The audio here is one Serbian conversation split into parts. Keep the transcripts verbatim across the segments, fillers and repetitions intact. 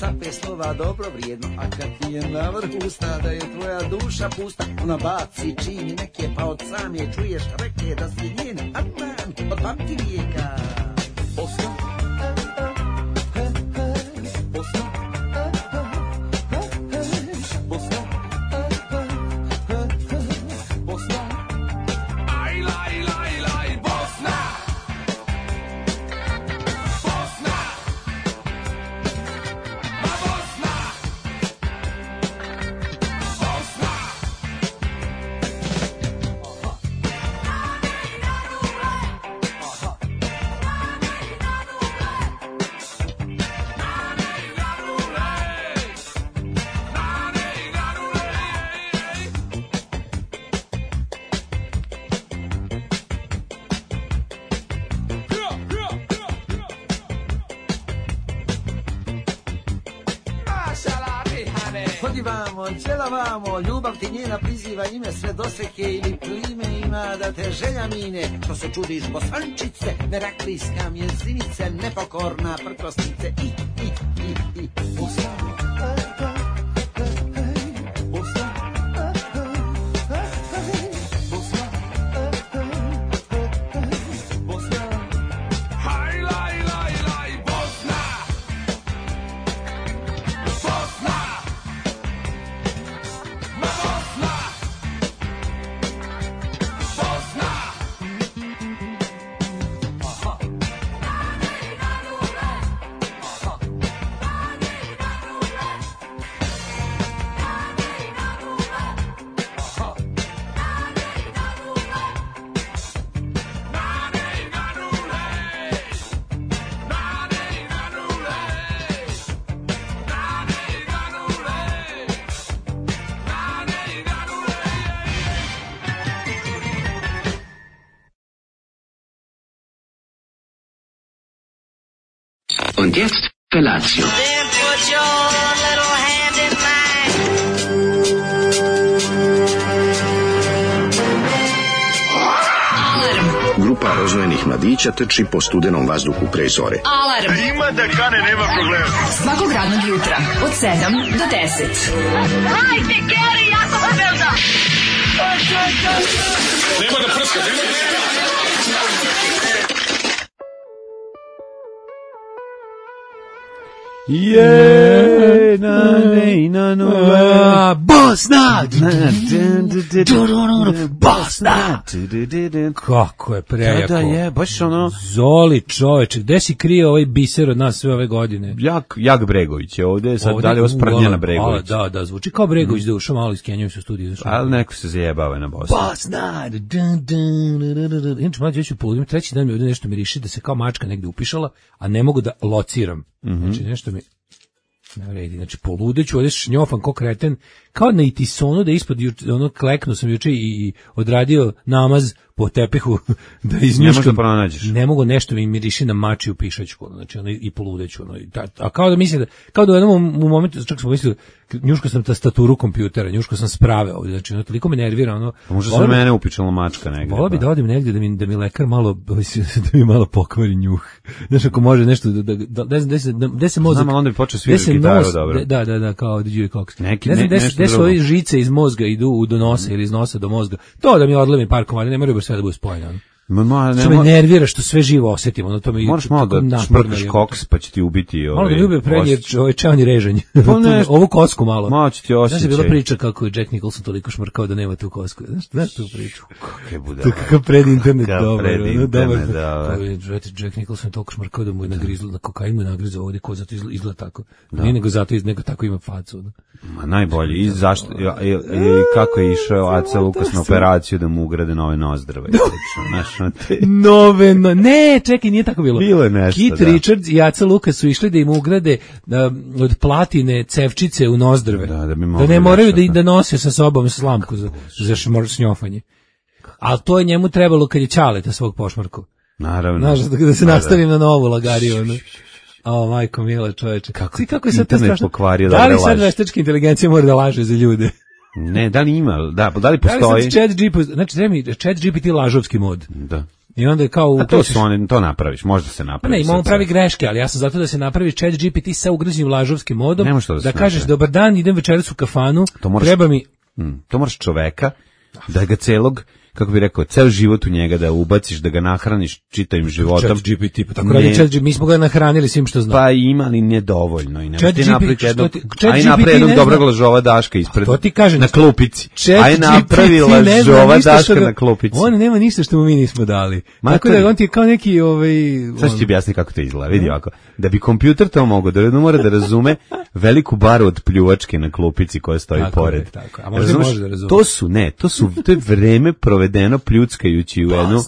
sape slova dobro vrijedno, a kad ti je na vrhu usta da je tvoja duša pusta, ona baci čini neke pa od same čuješ reke da si njen Adnan od pamti vijeka. Bosna, Bosna, Bosna, Bosna, aj laj laj laj Bosna, Bosna, ma Bosna, Bosna. Hodivamo, djelavamo, ljubav ti njena priziva ime, sve doseke ili plime ima da te želja mine. Što se čudiš bosančice, meraklijska mjezinice, nepokorna prkosnice i, i, i, i, Bosna. Und jetzt Felatio. Then put your little hand in mine. Grupa rozvojenih mladića trči po studenom vazduhu pre zore. Alarm. Ima da kane, nema problema. Svakog radnog jutra od sedam do deset. Hajde, Geri, jako se velda. Nema da prska, nema da prska. Je na ne na no Bosna Bosna kako je prejako. Da, je, baš ono Zoli čoveče, gde si krio ovaj biser od nas sve ove godine? Jak, Jak Bregović je ovde, sad dalje osprnjena Bregović. Da, da, zvuči kao Bregović da ušao malo iz Kenjaju su studiju. Ali neko se zajebava na Bosnu. Bosna! Inače, mlađe, ja ću poludim, treći dan mi ovdje nešto miriši da se kao mačka negde upišala, a ne mogu da lociram. Znači, nešto mi ne vredi. Znači, poludeću, ovdje šnjofan ko kreten, kao na itisonu da ispod, ono, kleknu sam juče i odradio namaz po tepihu da iznjuškam. Ne, ne mogu, nešto mi miriši na mačiju pišačku, znači ono, i poludeću. Ono, i ta, a kao da mislim da, kao da u jednom u momentu, čak smo mislili, njuško sam tastaturu kompjutera, njuško sam sprave ovdje, znači ono, toliko me nervira. Ono, pa možda se mene upičala mačka negdje. Volao bi da odim negdje da mi, da mi lekar malo, da mi malo pokvari njuh. Znaš, ako može nešto, da, da, da, da, da, se, da, da se mozak... Znam, onda bi počeo svirati gitaru, dobro. Da, da, da, kao da Dewey Cox. Neki, ne znam, ne, gde su ove žice iz mozga idu do nosa mm. ili iz nosa do mozga. To da mi odlemi par komada, ne moraju baš sve da bude spojeno. Ma, ma, što me nervira što sve živo osjetimo, no to me moraš malo da šmrkaš koks pa će ti ubiti ovaj. Malo da mi ubije prednje ovaj čeoni režanje. Ovu kosku malo. Malo će ti osjećaj. Znaš, je bila priča kako je Jack Nicholson toliko šmrkao da nema tu kosku. Znaš, znaš tu priču? Kakve bude. To kakav pred internet dobar. Pred internet, da. Jack Nicholson je toliko šmrkao da mu je nagrizlo, na kokain mu je nagrizao ovdje, ko zato izgleda tako. Nije nego zato, nego tako ima facu. Ma najbolje. I zašto, kako je išao Aca Lukas na operaciju da mu ugrade nove nozdrave. Znaš, Nove, no, ne, čekaj, nije tako bilo. Bilo je nešto, Kit da. Richards i Aca Lukas su išli da im ugrade da, od platine cevčice u nozdrve. Da, da, bi da ne moraju da, da nose sa sobom slamku za, za šnjofanje. Ali to je njemu trebalo kad je Ćaleta svog pošmarku. Naravno. Znaš, da, da se da, nastavim da. na novu lagariju. Ono. O, majko mila, čoveče. Kako, si, kako je sad to strašno? Pokvario, da li sad veštačka inteligencija mora da laže za ljude? Ne, da li ima, da, da li postoji? Da li sad chat G P T, znači treba mi chat G P T lažovski mod. Da. I onda je kao... A to su oni, to napraviš, možda se napravi. Ne, imamo pravi greške, ali ja sam zato da se napravi chat G P T sa ugrađenim lažovskim modom, da, da kažeš, dobar dan, idem večeras u kafanu, moraš, treba mi... Mm, to moraš čoveka, da ga celog, kako bi rekao, ceo život u njega da ubaciš, da ga nahraniš čitavim životom. Chat G P T, pa tako radi chat G P T, mi smo ga nahranili svim što znamo. Pa ima, ali nije dovoljno. I chat ti G P T, jednog, chat aj G P T napravi jednog ne dobrog zna, lažova Daška ispred, to ti kažem, na klupici. Aj napravi lažova Daška na klupici. On nema ništa što mu mi nismo dali. Mater, tako da on ti je kao neki... Ovaj, sad ću ti objasniti kako to izgleda. Vidi ovako. Da bi kompjuter to mogao, da jedno mora da razume veliku baru od pljuvačke na klupici koja stoji tako pored. Je, tako. A možda može da razume. To su, ne, to su, to je vreme provedeno pljuckajući u jednu,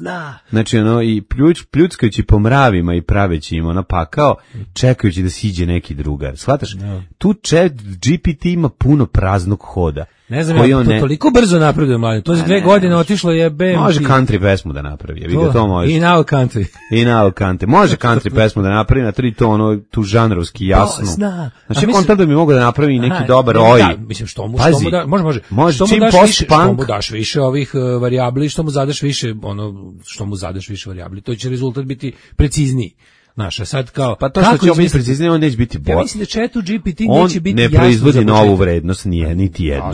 znači ono, i pljuč, pljuckajući po mravima i praveći im ona pakao, čekajući da siđe neki drugar. Shvataš? No. Tu chat G P T ima puno praznog hoda. Ne znam, ja, to ne... toliko brzo napreduje, mladen. To za dve ne, godine otišlo je B M T. Može country pesmu da napravi, vidi to, to može. I now country. I now country. Može country pesmu da napravi, na tri to ono, tu žanrovski jasno. Zna. Znači, kontra da bi mogao da napravi neki aha, dobar ne, oj. Da, mislim, što mu, što mu da, može, može. Može, što čim mu daš više, post-punk. Što mu daš više ovih uh, varijabli, što mu zadaš više, ono, što mu zadaš više varijabli, to će rezultat biti precizniji. Naša sad kao pa to što će biti preciznije, on neće biti bolje. Ja mislim da chatu G P T neće biti jasno. On ne proizvodi novu vrednost, nije niti jednu.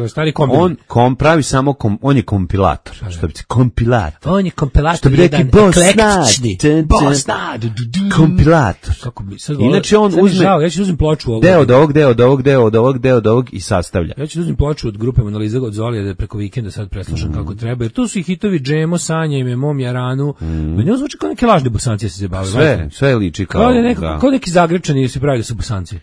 A, stari on kom pravi samo kom, on je kompilator, a, što bi se kompilator. On je kompilator, što bi rekli eklektični. Bosnad. Kompilator. Kako bi sad inače on uzme žao, ja ću uzmem ploču ovog. Deo od ovog, deo od ovog, deo od ovog, deo od ovog i sastavlja. Ja ću uzmem ploču od grupe Analiza od Zolija da preko vikenda sad preslušam mm. kako treba. Jer tu su i hitovi Džemo, Sanja i Mom Jaranu. Mm. Meni zvuči kao neke lažne Bosanci se zabavaju. Sve, sve liči kao Kao, neko, da. Kao neki Zagrepčani se pravi da su Bosanci.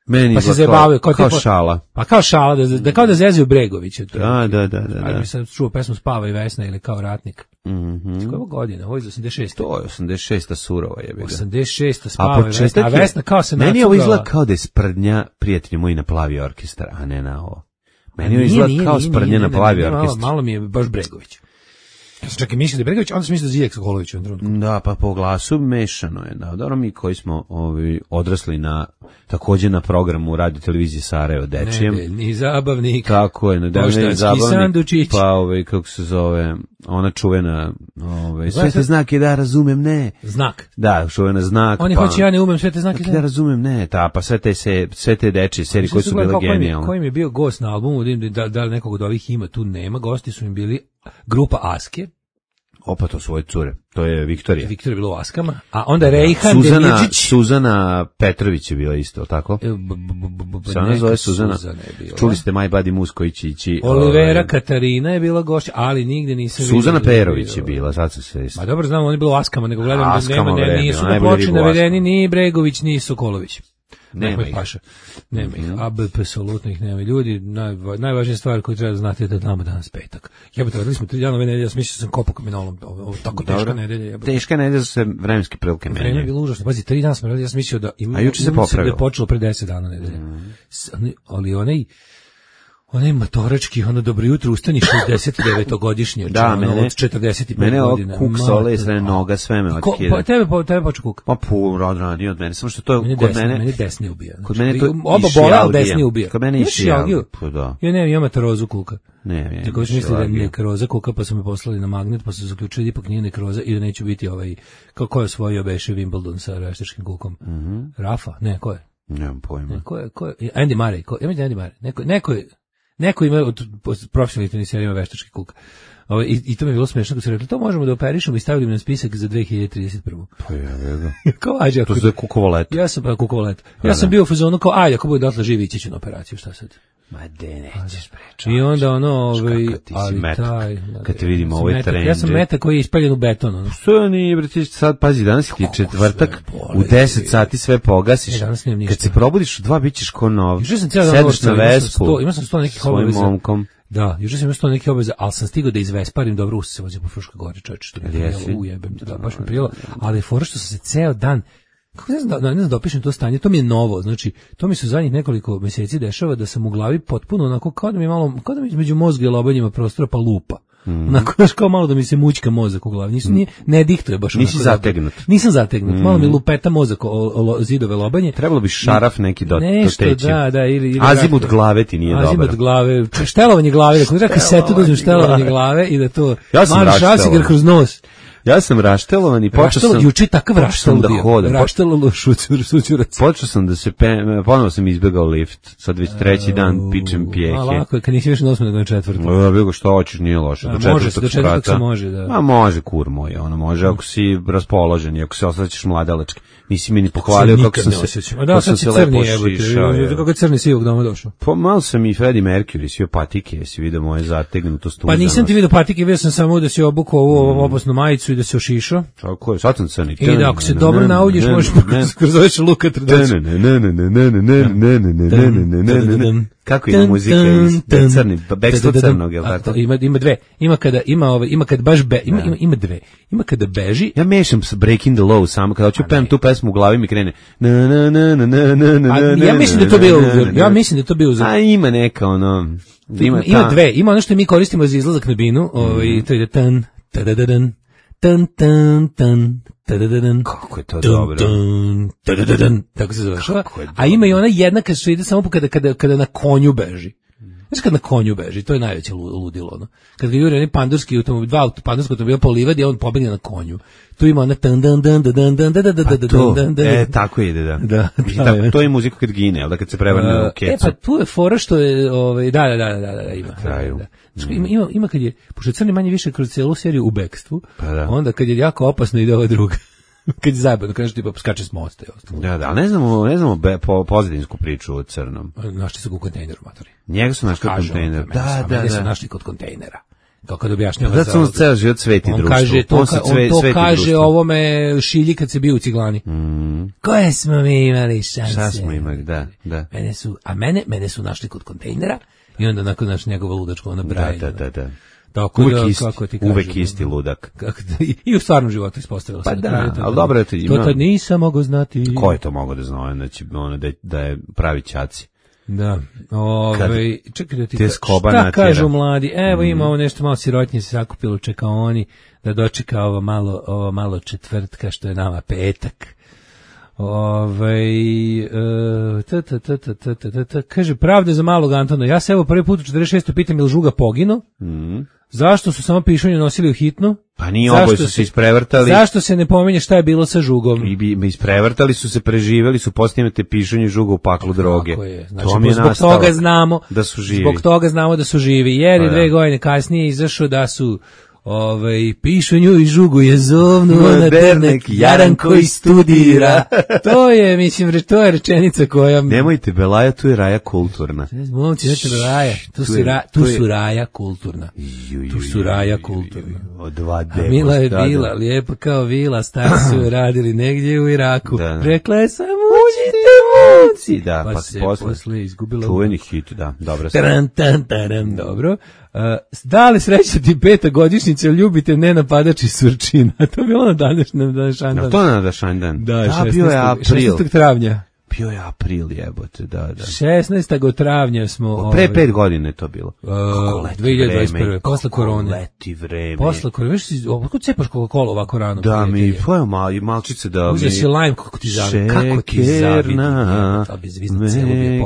Meni pa se zabavaju kao, kao tipo, šala. Pa kao šala, da, da kao da zezaju Bregovića. Da, da, da. da, da. Mi sam čuo pesmu Spava i Vesna ili Kao ratnik. Mhm. S koje godine? Ovo je iz osamdeset šeste. To je osamdeset šesta surova je bila. osamdeset šesta Spava i Vesna. A Vesna kao se meni ovo izgleda kao da je sprdnja prijatelji moji na Plavi orkestar, a ne na ovo. Meni ovo izgleda kao sprdnja na Plavi orkestar. Malo, malo mi je baš Bregović. Ja sam čak i mislio da je Bregović, onda sam mislio da Zijek Sokolović u jednom trenutku. Da, pa po glasu mešano je. Da, dobro, mi koji smo ovi, odrasli na, također na programu radio televizije Sarajevo Dečijem. Nedeljni zabavnik. Kako je, nedeljni zabavnik. Sandučić. Pa ovaj, kako se zove, ona čuvena, ovaj, sve te znake da razumem, ne. Znak. Da, čuvena znak. Oni pa, hoće ja ne umem sve te znake. Da razumem, ne, ta, pa sve te, se, sve te dečije serije koje su bile genijalne. Koji mi je bio gost na albumu, da, da li nekog od ovih ima, tu nema, gosti su im bili grupa Aske. Opa, to svoje cure. To je Viktorija. Viktorija je bila u Askama. A onda Rejhan Suzana, Demidžić. Suzana Petrović je bila isto, tako? Sada zove Suzana. Čuli ste My Buddy Moose koji će ići. Olivera ovaj, Katarina je bila gošća, ali nigde nisam vidio. Suzana Perović je bila, sad se sve. Ma dobro, znam, on je bilo u Askama, nego gledam da nema, ne, nisu na ploči navedeni ni Bregović, ni Sokolović. Nema ih. Paša. Nema ih. A B P apsolutno ih nema. Ljudi, naj, najvažnija stvar koju treba da znate je da damo danas petak. Jebote, radili smo tri dana ove nedelje, ja sam mislio sam kopao kamenolom. Ovo, ovo tako teška Dobro. nedelja. Jebote. Teška nedelja su se vremenske prilike menjaju. Vreme je bilo užasno. Pazi, tri dana smo radili, ja sam mislio da ima, a juče se popravilo. Da je počelo pre deset dana nedelje. Mm. Ali onaj onaj matorački, ono dobro jutro, ustani šezdeset devetogodišnji, da, ono, mene, od četrdeset pet mene godina. Mene kuk sole, sve noga, sve me otkida. Pa tebe, pa, tebe poču kuk. Pa pu, rad radi od mene, samo što to mene kod desni, mene... Mene desni ubija. Kod mene to oba bola, ali desni ubija. Kod mene iši algiju. Pa da. Ja nemam, imam nekrozu kuka. Ne, ne. Tako što misli da je nekroza kuka, pa su me poslali na magnet, pa su zaključili ipak nije nekroza i da neću biti ovaj, kako je osvojio beše Wimbledon sa veštačkim kukom. Rafa? Ne, ko je? Nemam pojma. Ko je, ko je? Andy Murray, ko? Ja mislim Andy Murray. Neko, neko je Neko ima od profesionalnih tenisera ima veštački kuk. Ovo, i, I to mi je bilo smiješno kad su rekli, to možemo da operišemo i stavili na spisak za dve hiljade trideset prve. Pa ja, ja. Kao, ajde, to je kukovolet. Ja sam, pa, kukovolet. Ja pa, sam bio u fazonu kao, ajde, ako bude dotle živi, ići ću na operaciju, šta sad? Ma de, nećeš prečati. I onda ono, ovaj, ali metak, taj... Kad te vidimo ovaj trend. Ja sam metak koji je ispaljen u beton. Ono. Što nije, bre, ti sad, pazi, danas ti je četvrtak, u deset sati sve pogasiš. E, kad se probudiš u dva, bit ćeš ko nov. Sedeš na Vespu, imao sam sto nekih obaveza. Svojim momkom. Da, juče sam imao sto nekih obaveza, ali sam stigao da izvesparim, dobro, usta se vozio po Fruškoj gori, čovječe, što mi je prijelo, ujebem te, da, baš mi je prijelo, ali je fora što sam se ceo dan, kako ne znam da, ne znam da opišem to stanje, to mi je novo, znači, to mi se zadnjih nekoliko mjeseci dešava da sam u glavi potpuno onako, kao da mi malo, kao da mi između mozga i lobanjima prostora pa lupa. Mm. Onako, znaš, kao malo da mi se mućka mozak u glavi. Nisu, nije, ne dihtuje baš onako. Nisi zategnut. Nisam zategnut. Mm. Malo mi lupeta mozak o, o, o zidove lobanje. Trebalo bi šaraf neki do, nešto, do teći. Da, da, ili, ili azimut glave ti nije dobro. Azimut glave, štelovanje glave, da kada treba kasetu dozim štelovanje glave i da to ja sam mali šrafsiger kroz nos. Ja sam raštelovan i počeo sam... Juče takav raštel da bio. hodam. Raštelalo šućur, šućurac. Počeo sam da se... Pe, ponovo sam izbegao lift. Sad već treći dan pičem pijehe. A lako je, kad nisi više na osmom nego na četvrtom. Ja bih što hoćeš, nije loše. Do može se, do četvrtog sprata. se može, da. Ma može, kur moj, ono može, ako si raspoložen i ako se osjećaš mladalački. Nisi mi ni pohvalio kako sam se... A da, sad si crni jebote, kako je crni sivog doma došao. Pa malo sam i Freddie Mercury, svi patike, jesi vidio moje zategnuto stuzano. Pa nisam ti vidio patike, vidio sam samo da si obukao ovu opasnu majicu i da se ošišao. Tako je, sad sam crni. I da ako se dobro nauljiš, možeš kroz ovaj šaluka trdaći. Kako ima muzika iz crni, bekstvo crnog, je li tako? Ima, ima dve, ima kada, ima ove, ima kad baš be, ima, ima, ima dve, ima kada beži. Ja mešam s Breaking the Law samo, kada hoću pevam tu pesmu u glavi mi krene na na na na na na na. Ja mislim da to bio uzor, ja mislim da to bio uzor. A ima neka ono, ima ima dve, ima ono što mi koristimo za izlazak na binu, ovaj, to je tan, tadadadan, tan tan tan. Kako je to dobro. Tako se zove. A ima i ona jedna kad se ide samo kada, kada, kada na konju beži. Znaš kad na konju beži, to je najveće ludilo. Ono. Kad ga juri onaj pandurski automobil, dva pandurski automobila po livadi, a on pobegne na konju. Tu ima ona tan dan dan dan dan dan dan dan dan dan. E, tako ide, da. Da, da to je muzika kad gine, da kad se prevrne u kecu. E, pa tu je fora što je, ovaj, da, da, da, da, da, ima. Kraju. Ima, ima, ima kad je, pošto je crni manje više kroz celu seriju u bekstvu, pa da. Onda kad je jako opasno ide ova druga. Kad je zajebano, kad nešto tipa skače s mosta. Da, da, ne znamo, ne znamo be, po, pozadinsku priču o crnom. Našli su ga u kontejneru, matori. Njega su našli u kontejneru. Da, da, da. su našli kod kontejnera. Kao kad objašnjava. Da, on ceo život sveti društvo. On kaže, to, on ka, sve, on to kaže društvo. ovome Šilji kad se bio u Ciglani. Mm. Koje smo mi imali šanse? Šta smo imali, da, da. Mene su, a mene, mene su našli kod kontejnera i onda nakon naš njegova ludačka ona braja. Da, da, da. Tako uvek da, isti, kako ti kažem, uvek isti ludak. Kako da, i u stvarnom životu ispostavilo se. Pa da, da ali dobro je to ima. To tad nisam mogao znati. Ko je to mogao da zna, znači, ono, da, da je pravi ćaci. Da, ovaj, čekaj da ti te skoba šta natjera. Kažu mladi, evo ima ovo nešto malo sirotnje se sakupilo, čeka oni da dočeka ovo malo, ovo malo četvrtka što je nama petak. Ovaj uh, ta, ta, ta, ta, ta, ta, ta, kaže pravda za malog Antona. Ja se evo prvi put u četrdeset šestom pitam je li Žuga pogino? Mm. Zašto su samo pišunje nosili u hitnu? Pa nije, oboje su se isprevrtali. Zašto se ne pominje šta je bilo sa Žugom? I bi isprevrtali su se, preživeli su, postimate pišunje Žuga u paklu droge. Tako je. Znači, to mi je zbog toga znamo da su živi. Zbog toga znamo da su živi. Jer je dve godine kasnije izašao da su Ovaj pišunju i Žugu je zovnuo na dernek jaran koji studira. To je, mislim, to je rečenica koja... Nemojte, Belaja, tu je raja kulturna. Momci, znači Belaja, tu, tu, ra, tu su raja kulturna. Tu su raja kulturna. Od dva deva. Mila je bila, lijepa kao vila, stari su radili negdje u Iraku. Da, da. Rekla je sam, uđite momci. Da, pa, pa se posle, posle izgubila. Čuveni hit, da, dobro. Taran, tan, taran, dobro. Uh, da li sreća ti peta godišnjica, ljubite ne napadači Surčina? To je bilo na današnjem današnjem dan. No, to na današnjem dan? Da, da bio je april. šesnaestog travnja. Bio je april, jebote, da, da. šesnaestog travnja smo... O, pre ovaj, pet godine je to bilo. Uh, dve hiljade dvadeset prve. Posle korone. Leti vreme. Posle korone. Viš si, kako cepaš Coca-Cola ovako rano? Da, mi, pojel mal, malčice da mi... Uzeo si lime, kako ti zavidi. Kako ti zavidi.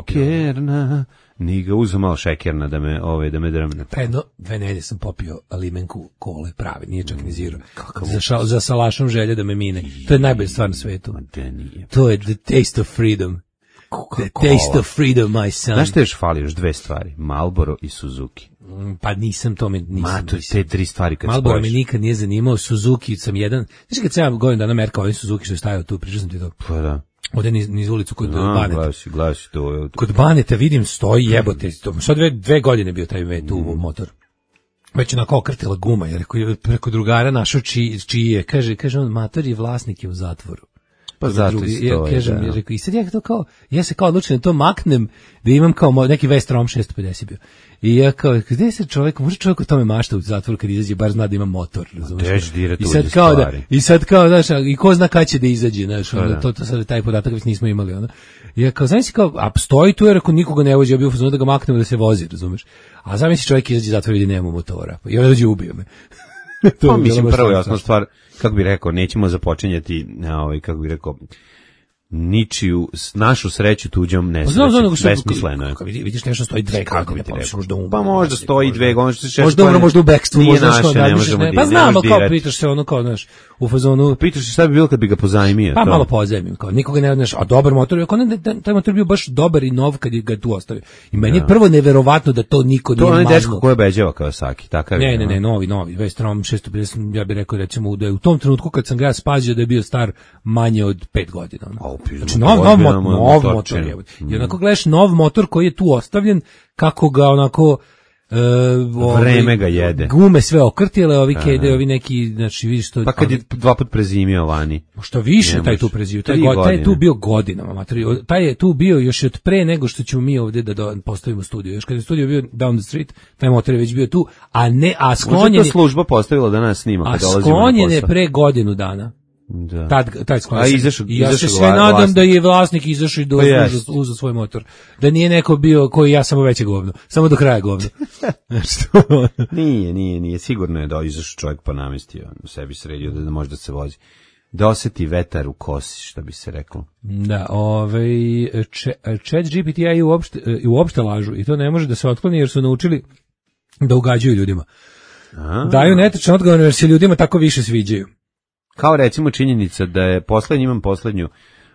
Šekerna, ni ga uzeo malo šekerna da me, ove, da me drmne. Pa jedno, dve nedelje sam popio limenku kole, pravi, nije čak ni zero. Za, ša, za salašom želje da me mine. To je najbolja stvar na svetu. To je the taste of freedom. The taste of freedom, my son. Znaš te još fali još dve stvari? Marlboro i Suzuki. Pa nisam to mi nisam. Ma, to te tri stvari kad Marlboro spojiš. me nikad nije zanimao, Suzuki sam jedan. Znaš kad sam ja godinu dana merkao ovaj Suzuki što je stajao tu, pričao sam ti to. Pa da. Ovdje niz, niz ulicu kod no, Baneta. Glasi, glasi to. Kod Baneta vidim stoji jebote. Sad dve, dve godine bio taj mm. tu motor. Već onako okrtila guma, jer preko drugara našao čiji, čiji je. Kaže, kaže on, mator je vlasnik je u zatvoru. Pa zato i stoji, ja, kažem, da. Ja, rekao, i sad ja to kao, ja se kao odlučim da to maknem, da imam kao neki Vestrom šesto pedeset bio. I ja kao, gde se čovjek, može čovjek o tome mašta u zatvoru kad izađe, bar zna da ima motor, razumiješ? I sad kao da, i sad kao, znaš, i ko zna kada će da izađe, znaš, ono, to, to sad taj podatak već nismo imali, ono. I ja kao, znaš si kao, a stoji tu jer ako nikoga ne vozi, ja bio fazon da ga maknemo da se vozi, razumiješ? A zamisli čovjek izađe iz zatvora i vidi nema motora, i on dođe ubio me. Pa mislim, prvo jasna stvar, kako bi rekao, nećemo započinjati, ovaj, kako bi rekao, ničiju, s- našu sreću tuđom Pa znam, znam, nego nesreću. što- Besmisleno je. kako vidi- vidiš nešto stoji dve Kako godine, bi ti pa rekao? možda u- Pa možda stoji dve godine, što se Možda ono, možda u bekstvu, nije možda što naše, ne razmišljaš, možemo ne, di- pa ne znam, možeš kao dirati. pitaš se ono kao, znaš, u fazonu, Pitaš se šta bi bilo kad bi ga pozajmio. pa to? malo pozajmim, kao nikoga ne odneš, a dobar motor, ako ne, da- taj motor bio baš dobar i nov kad je ga tu ostavio. I meni je prvo neverovatno da to niko To je nije onaj dečko maznuo. koji obeđava Kawasaki, takav je. Ne, ne, ne, ono. novi, novi, Vestrom šesto pedeset, ja bih rekao recimo da je u tom trenutku kad sam ga ja spazio da je bio star manje od pet godina. ono. Au, pizdu, Znači nov, nov, ozbiljno mo- mu je nov motorčina. motor je. I onako gledaš nov motor koji je tu ostavljen, kako ga onako e, ovaj, Vreme ga jede. Gume sve okrtile, ovi kede, ovi neki, znači vidiš to. Pa kad je dva put prezimio vani. Što više Ne taj može. tu prezivio, taj, Tri go- taj je tu godine. bio godinama, materi. Taj je tu bio još od pre nego što ćemo mi ovde da do, postavimo studio. Još kad je studio bio down the street, taj motor je već bio tu, a ne, a Možda sklonjen to je, služba postavila da nas snima a kad dolazimo na sklonjen je posao. pre godinu dana. Da. Tad, tad sklonjen. A izašao- I ja se izašao sve vla- nadam vlasnik. da je vlasnik izašao i da Pa jest. uzeo, uzeo svoj motor. Da nije neko bio koji ja samo veće govno. Samo do kraja govno. Što? Nije, nije, nije. Sigurno je da izašao čovjek pa namestio, sebi sredio da, da može da se vozi. Da oseti vetar u kosi, što bi se reklo. Da, ovaj če- Chat G P T i uopšte, i uopšte lažu i to ne može da se otkloni jer su naučili da ugađaju ljudima. A, Daju netačan odgovor jer se ljudima tako više sviđaju. kao recimo činjenica da je poslednji, imam poslednju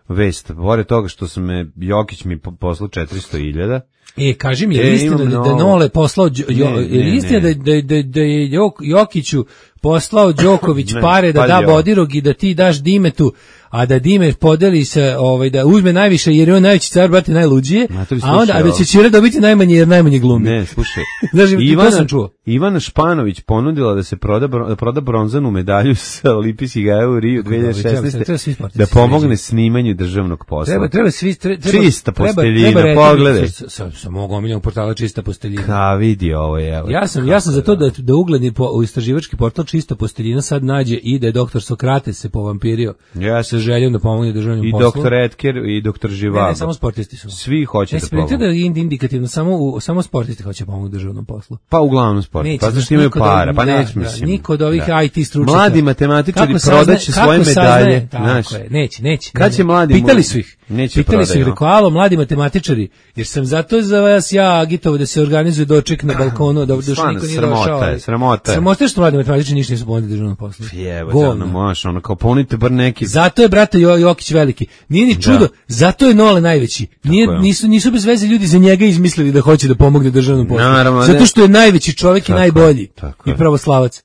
vest, pored toga što sam me, Jokić mi po- poslao četiristo hiljada. E, kaži mi, je E, li istina imam da, da novo. Nole poslao, Đo- Ne, jo, ne, je li istina ne. da, da, da, da je Jok- Jokiću poslao Đoković Ne, pare da pazi da ovo. Bodirog i da ti daš Dimetu, a da Dime podeli se, ovaj, da uzme najviše jer je on najveći car, brate, najluđije, Matori, a onda, slušaj a da ovo. će Ćira dobiti najmanje jer najmanje glumi. Ne, slušaj. Znaš, i to sam čuo. Ivana Španović ponudila da se proda, bro- da proda bronzanu medalju sa Olimpijskih igara u Riju Treba- treba dvehiljade svi sportisti da se pomogne sređuju. snimanju državnog posla. Treba, treba svi tre- treba, Čista treba- posteljina, treba reći- pogledaj. Sa, sa, sa mog omiljenog portala Čista posteljina. Ka vidi ovo je. Evo, Ja sam, ja sam za to da, da ugledni po, u istraživački portal Čista posteljina sad nađe i da je doktor Sokrates se povampirio Ja sa željom da pomogne državnom I poslu. doktor Etker i doktor Ne, Živaba. ne, samo sportisti su. Svi hoće Ne, da spremite pomogu. da je indikativno, samo, u, samo sportisti hoće pomoći državnom poslu. Pa uglavnom sport. Neće, Pa znaš, zašto imaju niko da- para? Pa da, neće, da, mislim. niko od ovih Da. I T stručnjaka. Mladi matematičari Kako saznaje- prodaće kako svoje saznaje- medalje. Tako Znaš, je, neće, neće. Kad ne, će ne. mladi Pitali mu- su ih. neće Pitali su ih, prodaju. rekao, alo, mladi matematičari, jer sam zato za vas ja agitovao da se organizuje doček na balkonu, da još Stvarno, niko nije sramota došao. je, ali- sramota je. Sramota je što mladi matematičari ništa nisu pomogli državnom poslu. Jevo, Govno. ono, možeš, ono, kao ponudite bar neki... Zato je brate Jo- Jokić veliki. Nije ni čudo, zato je Nole najveći. Nije, je. nisu, nisu bez veze ljudi za njega izmislili da hoće da pomogne državnom poslu. Naravno, Zato ne. što je najveći čovjek i Tako je, najbolji. tako I je. pravoslavac.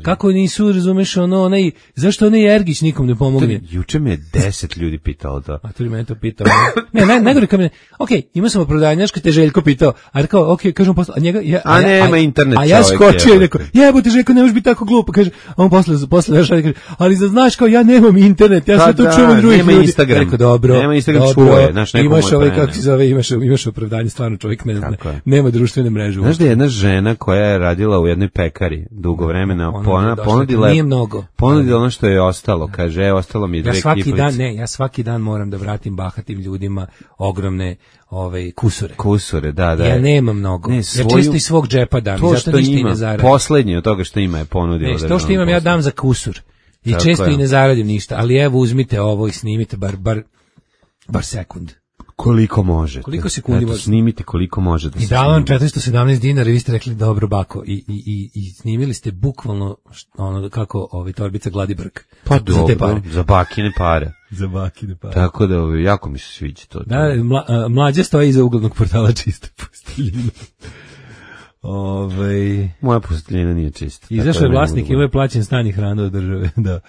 Kako nisu, razumeš, ono, onaj, zašto onaj Ergić nikom ne pomogne? Juče me je deset ljudi pitalo to. A to li mene to pitao? Ne, ne, najgore kad me, ok, imao sam opravdanjaška, te Željko pitao, a rekao, ok, kažem posle, a njega, ja, A ja- nema internet a ja čovjek, skočio i jebote. rekao, jebote Željko, ne možeš biti tako glupo, kaže, a on posle, posle naša kaže, ali da znaš kao, ja nemam internet, ja Pa sve to da, čuvam od drugih nema ljudi. Instagram. Rekao, dobro, Nema Instagram, dobro, čuje, znaš, neko imaš mu ovaj, prene. kako se zove, imaš, imaš opravdanje, stvarno čovjek ne zna, Tako je. nema društvene mreže. Znaš da je jedna žena koja je radila u jednoj pekari dugo vremena, Ona je pona, došla, ponudila nije je, mnogo. ponudila ono što je ostalo, kaže, e, ostalo mi je Ja dve svaki kiflice. dan, ne, ja svaki dan moram da vratim bahatim ljudima ogromne ovaj kusure. Kusure, da, da. Ja nemam mnogo. Ne, Ja svoju- čisto iz svog džepa dam, To zato što ništa i ima, ne zaradim. poslednje od toga što ima je ponudila. Ne, to što državnom imam ja poslu. dam za kusur. I Tako često je. i ne zaradim ništa, ali evo uzmite ovo i snimite bar, bar, bar sekund. Koliko možete. Koliko sekundi Eto, možete? snimite koliko možete. I dao vam četiristo sedamnaest dinara i vi ste rekli dobro bako i, i, i, i snimili ste bukvalno št- ono kako ovaj torbica gladi brk. Pa za te dobro, pare. za bakine pare. Za bakine pare. Tako da, ovaj, jako mi se sviđa to. Da, mla, a, mlađa stoji iza uglednog portala Čista posteljina. Ovaj Moja posteljina nije čista. Izašao tako je da ne vlasnik mogu i ovo je plaćen stan i hrana od države, da.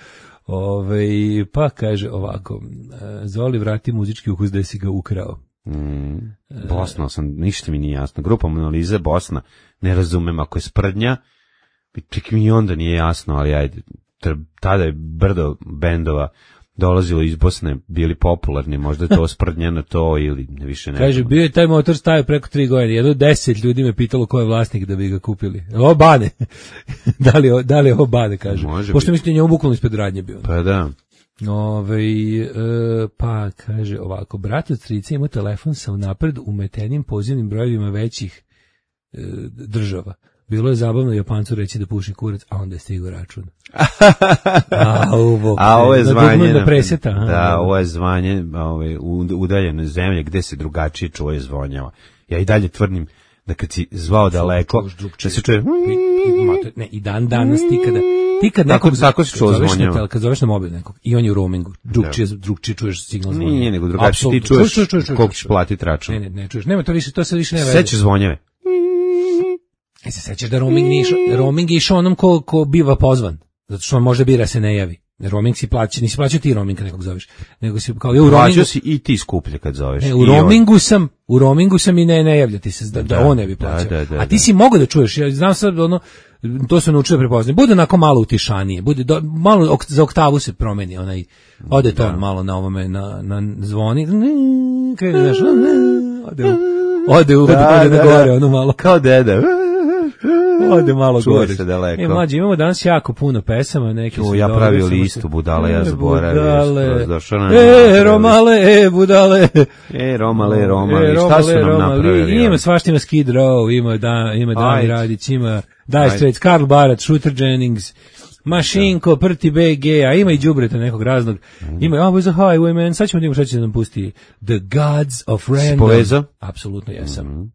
Ove, pa kaže ovako, e, Zoli vrati muzički ukus da si ga ukrao. Mm, Bosna sam, ništa mi nije jasno. Grupa Monalize Bosna, ne razumem ako je sprdnja, čak mi i onda nije jasno, ali ajde, tr- tada je brdo bendova dolazilo iz Bosne, bili popularni, možda je to sprdnja na to ili ne više ne. Kaže, znam. bio je taj motor stavio preko tri godine, jedno deset ljudi me pitalo ko je vlasnik da bi ga kupili. Ovo Bane. da, li, je- da li je ovo Bane, kaže. Može Pošto biti. mislim da je njemu bukvalno ispred radnje bio. Pa da. Ove, e, pa kaže ovako, brat od strica ima telefon sa unapred umetenim pozivnim brojevima većih e, država. Bilo je zabavno Japancu reći da puši kurac, a onda je stigao račun. A, ovo, a ovo je zvanje na preseta. Aha, da, ovo je zvanje ovaj, u udaljene zemlje gde se drugačije čuje zvonjava. Ja i dalje tvrdim da kad si zvao daleko, da se čuje... Ne, i dan danas ti kada... Ti kad nekog tako se čuo zvonjava. Kad zoveš na mobil nekog i on je u roamingu, drugčije, drugčije čuješ signal zvonjava. Nije, nego drugačije ti čuješ koliko ćeš platiti račun. Ne, ne, ne čuješ. Nema to više, to se više ne veze. Sećaš zvonjave. E se sećaš da roaming nije išao, roaming je išao onom ko, ko biva pozvan, zato što on može bira se ne javi. Roaming si plaća, nisi plaćao ti roaming kad nekog zoveš, nego si kao ja u roamingu. Plaćao si i ti skuplje kad zoveš. Ne, u roamingu sam, u roamingu sam i ne ne javlja ti se da, da, da on ne bi plaćao. Da, da, da, a ti si mogao da čuješ, ja znam sad ono, to se naučio prepoznati. Bude onako malo utišanije, bude do, malo ok, za oktavu se promeni onaj, ode ton da. Malo na ovome na na zvoni, krene znaš, ode ode ode da, da, gore da. Ono malo kao deda. Ode malo čuje gore. Se daleko. E, mlađi, imamo danas jako puno pesama, neki su. Ja pravio listu budala, ja zaboravio. Došao na. E, Romale, e, budale. E, Romale, Romale, šta su nam napravili? Ima svašta, ima Skid Row, ima da, ima Dani Radić, ima Dire Straits, Karl Barat, Shooter Jennings, Mašinko, Prti B G, a ima i đubreta nekog raznog. Ima i Always a Highwayman, sad ćemo da imamo šta će da nam pusti. The Gods of Random. Si povezao? Apsolutno jesam. Mm-hmm.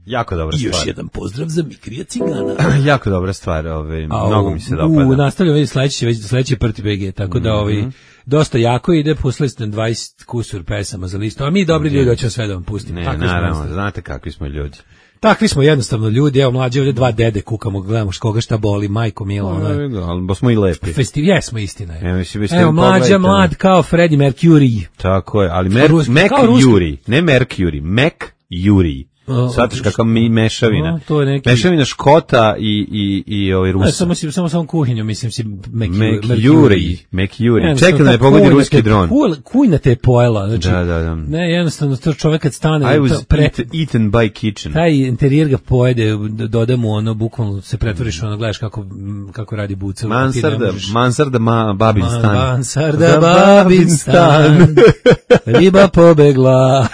Jako dobra stvar. I još jedan pozdrav za Mikrija Cigana. Jako dobra stvar, ovaj, mnogo mi se dopada. U, nastavljamo sledeći, već sledeći Prti B G, tako da ovaj, mm-hmm. dosta jako ide, pustili ste dvadeset kusur pesama za listu, a mi dobri ljudi hoćemo sve da vam pustimo. Ne, naravno, znate kakvi smo ljudi. Takvi smo jednostavno ljudi, evo mlađe ovdje dva dede kukamo, gledamo koga šta boli, majko mila. Ona, ali bo smo i lepi. Festival, jesmo istina. Evo, mislim, evo mlađa, mlad kao Freddie Mercury. Tako je, ali Mer, Mercury, ne Mercury, Mercury. Svatiš kakva mi mešavina. No, to je neki... Mešavina Škota i, i, i ovaj Rusa. Ne, samo, si, samo, samo kuhinju, mislim si Mercury. Mercury. Čekam da ne pogodi ruski dron. Kujna te je pojela. Znači, da, da, da. Ne, jednostavno, to čovjek kad stane... I was pre, eat, eaten by kitchen. Taj interijer ga pojede, doda mu ono, bukvalno se pretvoriš, ono, gledaš kako, kako radi buca. Mansarda, mansarda ma, babin stan. Mansarda babin stan. Riba pobegla.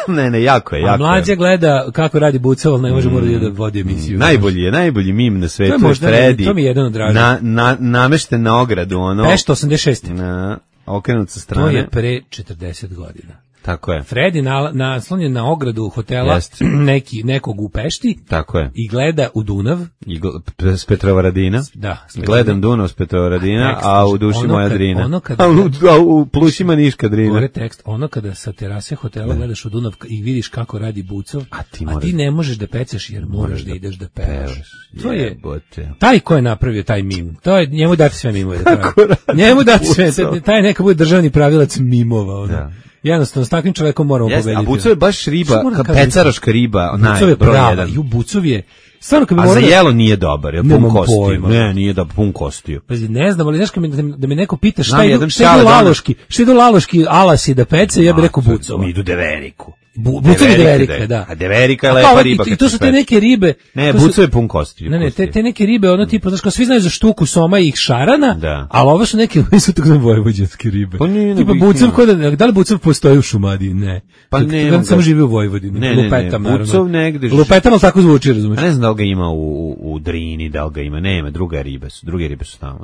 Ne, ne, jako je, jako. A mlađa gleda kako radi buca, ali ne može morati da vodi emisiju. Mm, najbolji je, najbolji mim na svetu je Freddy. To mi je jedan od dražih. Na, na, namešten na ogradu, ono. Pešta osamdeset šest. Na, okrenut sa strane. To je pre četrdeset godina. Tako je. Freddy na, naslonjen na ogradu hotela Jest. neki, nekog u Pešti. Tako je. I gleda u Dunav. I gl- s Petrovaradina. Da. Gledam Dunav s Petrovaradina, a, a u duši moja kad, Drina. Ono kada, a, u, a u plušima Niška Drina. Gore tekst, ono kada sa terase hotela ne. Gledaš u Dunav i vidiš kako radi bucov, a ti, a ti ne možeš da pecaš jer moraš da ideš da pevaš. To je, jebote. Taj ko je napravio taj mim, to je, njemu dati sve mimove da pravi. Njemu dati sve, taj neka bude državni pravilac mimova. Ono. Da. Jednostavno, s takvim čovekom moramo yes, pobediti. A Bucov je baš riba, ka pecaroška riba, Bucov je prava, i u Bucov je... Stvarno, kad bi a morali... za jelo nije dobar, je pun kostiju. Ne, nije da pun kostiju. Pa ne znam, ali znaš kad mi, da me neko pita šta idu, šta idu laloški, šta idu laloški alasi da pece, ja bih rekao Bucova. Mi idu deveriku. Bu, Bucov je deverika, da. A deverika je lepa riba. I to su te neke ribe... Ne, Bucov je pun kostiju. Ne, ne, te, te neke ribe, ono tipa, znaš, kao svi znaju za štuku, soma i šarana, da. Ali ovo su neke, oni su tako znam vojvođanske ribe. Pa nije, tipa Bucov, kod, da li Bucov postoji u Šumadiji? Ne. Pa ne. On samo živi u Vojvodini. Ne, Lupetam, ne, ne. Bucov negde... Lupetam, ali tako zvuči, razumiješ? Ne znam da li ga ima u, u Drini, da li ga ima, nema, druga ribe su, druge ribe su tamo,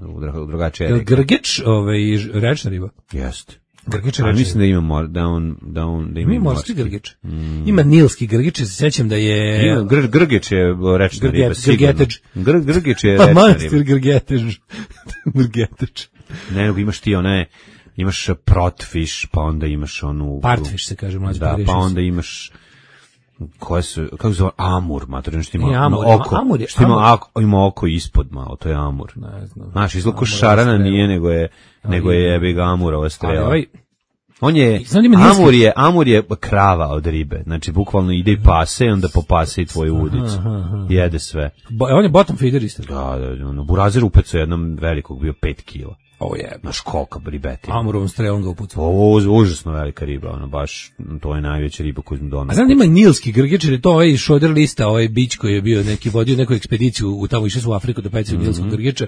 drugačije reke. Grgić, ovaj, rečna riba? Jeste. Grgić je mislim da ima mor, da on da on da ima, ima morski grgić. Mm. Ima nilski grgić, se sećam da je ima, gr, grgić je rečna riba, sigurno. Gr, grgić je pa rečna riba. Grgetež. Grgetež. Ne, nego imaš ti one, imaš protfiš, pa onda imaš onu partfiš se kaže mlađi. Da, pa onda imaš koje su, kako zove, amur, mater, što ima, e, amur, oko, amur je, što ima, oko, ima oko ispod malo, to je amur. Ne znam. Znaš, izlako šarana nije, nego je, nego je jebi ga amurova strela. Ovaj, on je, amur je, amur je krava od ribe, znači bukvalno ide i pase i onda popase i tvoju udicu, aha, aha. Jede sve. Bo, on je bottom feeder isto. Da, da, ono, Burazer upecao jednom velikog, bio pet kila. Ovo je, naš kolika ribeti. Amurovom strelom ga upucao. Ovo je užasno velika riba, ono baš, to je najveća riba koju smo donali. A znam da ima nilski grgić, jer je to ovaj šoder lista, ovaj bić koji je bio neki, vodio neku ekspediciju u tamo išli su u Afriku da pecaju mm-hmm. nilskog grgića.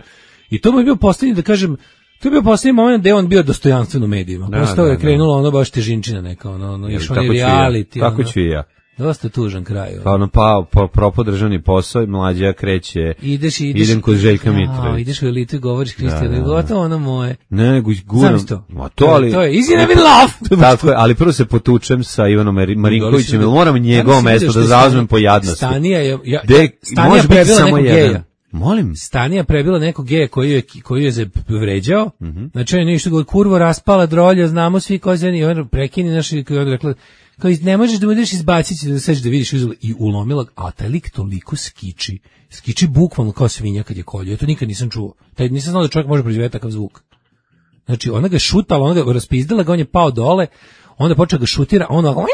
I to mu je bio posljednji, da kažem, to je bio posljednji moment gde je on bio dostojanstven u medijima. Da, posle toga je krenulo ono baš težinčina neka, ono, ono, još on je reality. Kako ću i ja? Dosta tužan kraj. Pa ono pa, pa propao državni posao i mlađa kreće. Ideš, ideš. Idem kod Željka Mitrovića. Ja, ideš u elitu i govoriš Kristijanu, da, da, gotovo ono moje. Ne, guram. To. Ma to, ali... To je easy never love. Tako je, ali prvo se potučem sa Ivanom Marinkovićem, jer moram njegovo mesto da zauzmem po jadnosti. Stanija je... Ja, De, Stanija prebila nekog jedan. geja. Molim? Stanija prebila nekog geja koji je, koji je se vređao, Mm-hmm. znači on je ništa govori, kurvo raspala drolja, znamo svi ko je i on prekini naš i on rekla, kao ne možeš da budeš izbaciti da seđeš da vidiš uzela i ulomila, a taj lik toliko skiči, skiči bukvalno kao svinja kad je kolio, ja to nikad nisam čuo, taj, nisam znao da čovjek može proizvesti takav zvuk. Znači ona ga šutala, ona ga raspizdala, ga on je pao dole, onda počeo ga šutira, a ono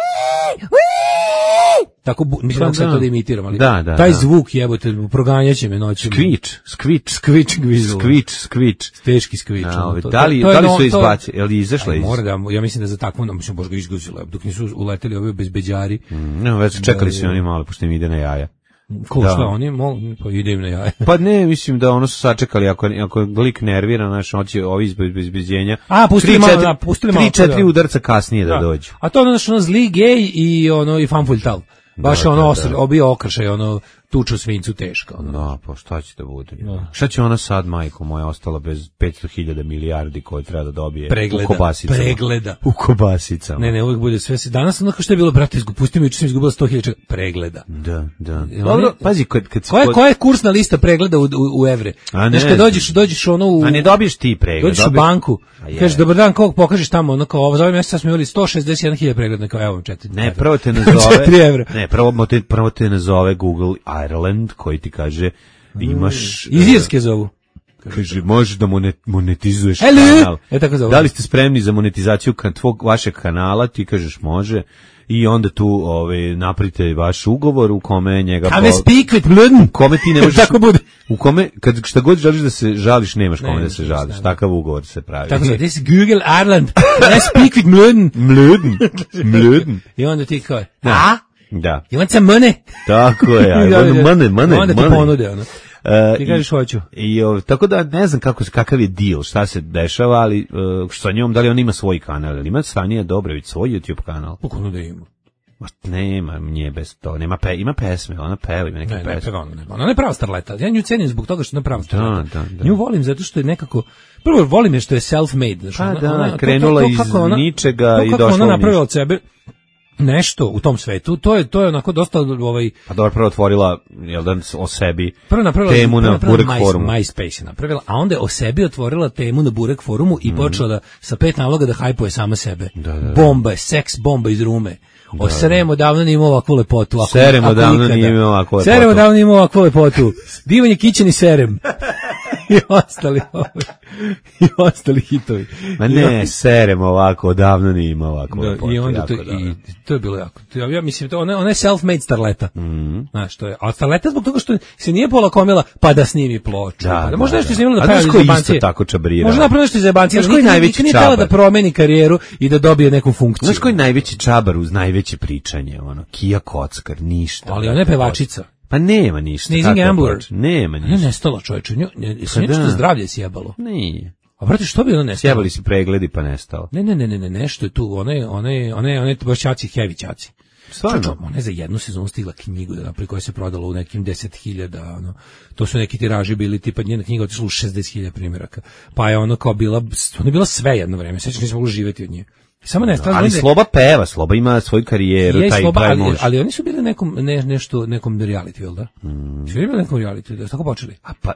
tako, mislim da se to da imitiram, ali da, da, taj da. zvuk jebote, proganjaće me noćima. Skvič, skvič, skvič, gvizlo. Skvič, skvič. Teški skvič. No, to, da li, to, to da li no, su izbacili, je li izašla iz? Mora da, ja mislim da za takvom, da mislim, bož ga izguzila, dok nisu uleteli ovi bezbeđari. Mm, ne, već čekali su oni malo, pošto im ide na jaja. Ko da. Šta, oni mogu, pa ide im na jaja. Pa ne, mislim da ono su sačekali, ako, ako je lik nerviran, znaš, on će ovi izbezbeđenja. A, pustili malo, da, pustili malo. Tri, četiri udarca kasnije da, da dođu. A to ono, ono zli gej i ono, i fanfuljtal. Baš da, ono da, osr, da. obio okršaj, ono tuču svincu teško. Ono. Da, pa šta će da bude? Da. Šta će ona sad, majko moja, ostala bez petsto hiljada milijardi koje treba da dobije pregleda, u kobasicama? Pregleda. U kobasicama. Ne, ne, uvijek bude sve. Danas ono što je bilo, brate, pusti mi, juče sam izgubila sto hiljada pregleda. Da, da. Dobro, pazi, kad, kad koja, kod... koja je kursna lista pregleda u, u, u evre? Znaš, kad dođeš, dođeš ono u... A ne dobiješ ti pregled. Dođeš dobiješ... u banku, kažeš, dobar dan, kog pokažeš tamo, ono kao, ovo za ovaj mjesec smo imali sto šezdeset jedan hiljada pregleda, kao, evo vam četiri. Ne, prvo te nazove... četiri evra. Ne, prvo te, prvo te nazove Google Ireland, koji ti kaže, imaš... Iz Irske zovu. Kaže, možeš da monetizuješ Hello. kanal. E, tako zove. Da li ste spremni za monetizaciju tvog vašeg kanala? Ti kažeš može. I onda tu ovaj, napravite vaš ugovor u kome njega... Have po... speak with Bluden. U kome ti ne možeš... tako bude. U kome, kad šta god želiš da se žališ, nemaš kome ne, da se žališ. Takav ugovor se pravi. Tako zove, this is Google Ireland. I speak with Bluden. Bluden. Bluden. I onda ti kao, da. a? Da. You want some money? Tako je, I want money, money, onda ti ponude, ono. Uh, ti kažeš hoću. I, i, tako da ne znam kako, kakav je deal, šta se dešava, ali uh, sa njom, da li on ima svoj kanal, ili ima Stanija Dobrović svoj YouTube kanal? Pokono da ima. Nema, nije bez to, nema pe, ima pesme, ona peva, ima neke ne, pesme. Ne, peva, ona, ona je prava starleta. Ja nju cenim zbog toga što je prava starleta. Da, da, da. Nju volim zato što je nekako, prvo volim je što je self-made. Znači, pa ona, da, ona, krenula to, to, to, iz ona, ničega to, i došla u ona napravila ništa. od sebe nešto u tom svetu, to je to je onako dosta ovaj pa dobro prvo otvorila jel da o sebi prvo napravila temu na Burek My, forumu. MySpace je napravila, a onda je o sebi otvorila temu na Burek forumu i mm. počela da sa pet naloga da hajpuje sama sebe. Da, da, da. Bomba je, seks bomba iz Rume. O Seremo davno nije imao ovakvu lepotu. Ako, Seremo ako davno nikada. nije imao ovakvu lepotu. Seremo davno nije imao ovakvu lepotu. Divan je Kićen i Serem. I ostali i ostali hitovi. Ma ne, Serem ovako, odavno nije imao ovako da, lepotu. I onda to, i, to je bilo jako. Ja, ja mislim, to, ona, ona je self-made starleta. Mm. Znaš, to je. A starleta zbog toga što se nije polakomila pa da snimi ploču. Da, pa, da, možda da, nešto da. snimila da peva iz jebancije. Isto tako čabrira. Možda napravila nešto iz jebancije. Znaš koji najveći nije čabar? htjela da promeni karijeru i da dobije neku funkciju. Znaš koji najveći čabar uz najveće pričanje? Ono, Kija Kockar, ništa. Ali ona je pevačica. Pa nema ništa. Sneezing Ambler. Nema ništa. Ne nestala čovječe. Nju, ne, pa nešto da. Zdravlje sjebalo. Nije. A brate, što bi ona nestala? Sjebali si pregledi pa nestalo. Ne, ne, ne, ne, ne, nešto je tu. Ona je, ona je, ona je, ona je baš čaci, heavy čaci. Stvarno? Ona je za jednu sezonu stigla knjigu da napravi koja se prodala u nekim deset hiljada, ono. To su neki tiraži bili, tipa njena knjiga otišla u šezdeset hiljada primjeraka. Pa je ono kao bila, ona je bila sve jedno vreme, sećaš nisam mogla živjeti od nje. Samo ne, ali onda, Sloba peva, Sloba ima svoju karijeru, je, taj Sloba, taj ali, može. ali oni su bili nekom, ne, nešto, nekom reality, jel da? Mm. Su bili nekom reality, da su tako počeli? A pa,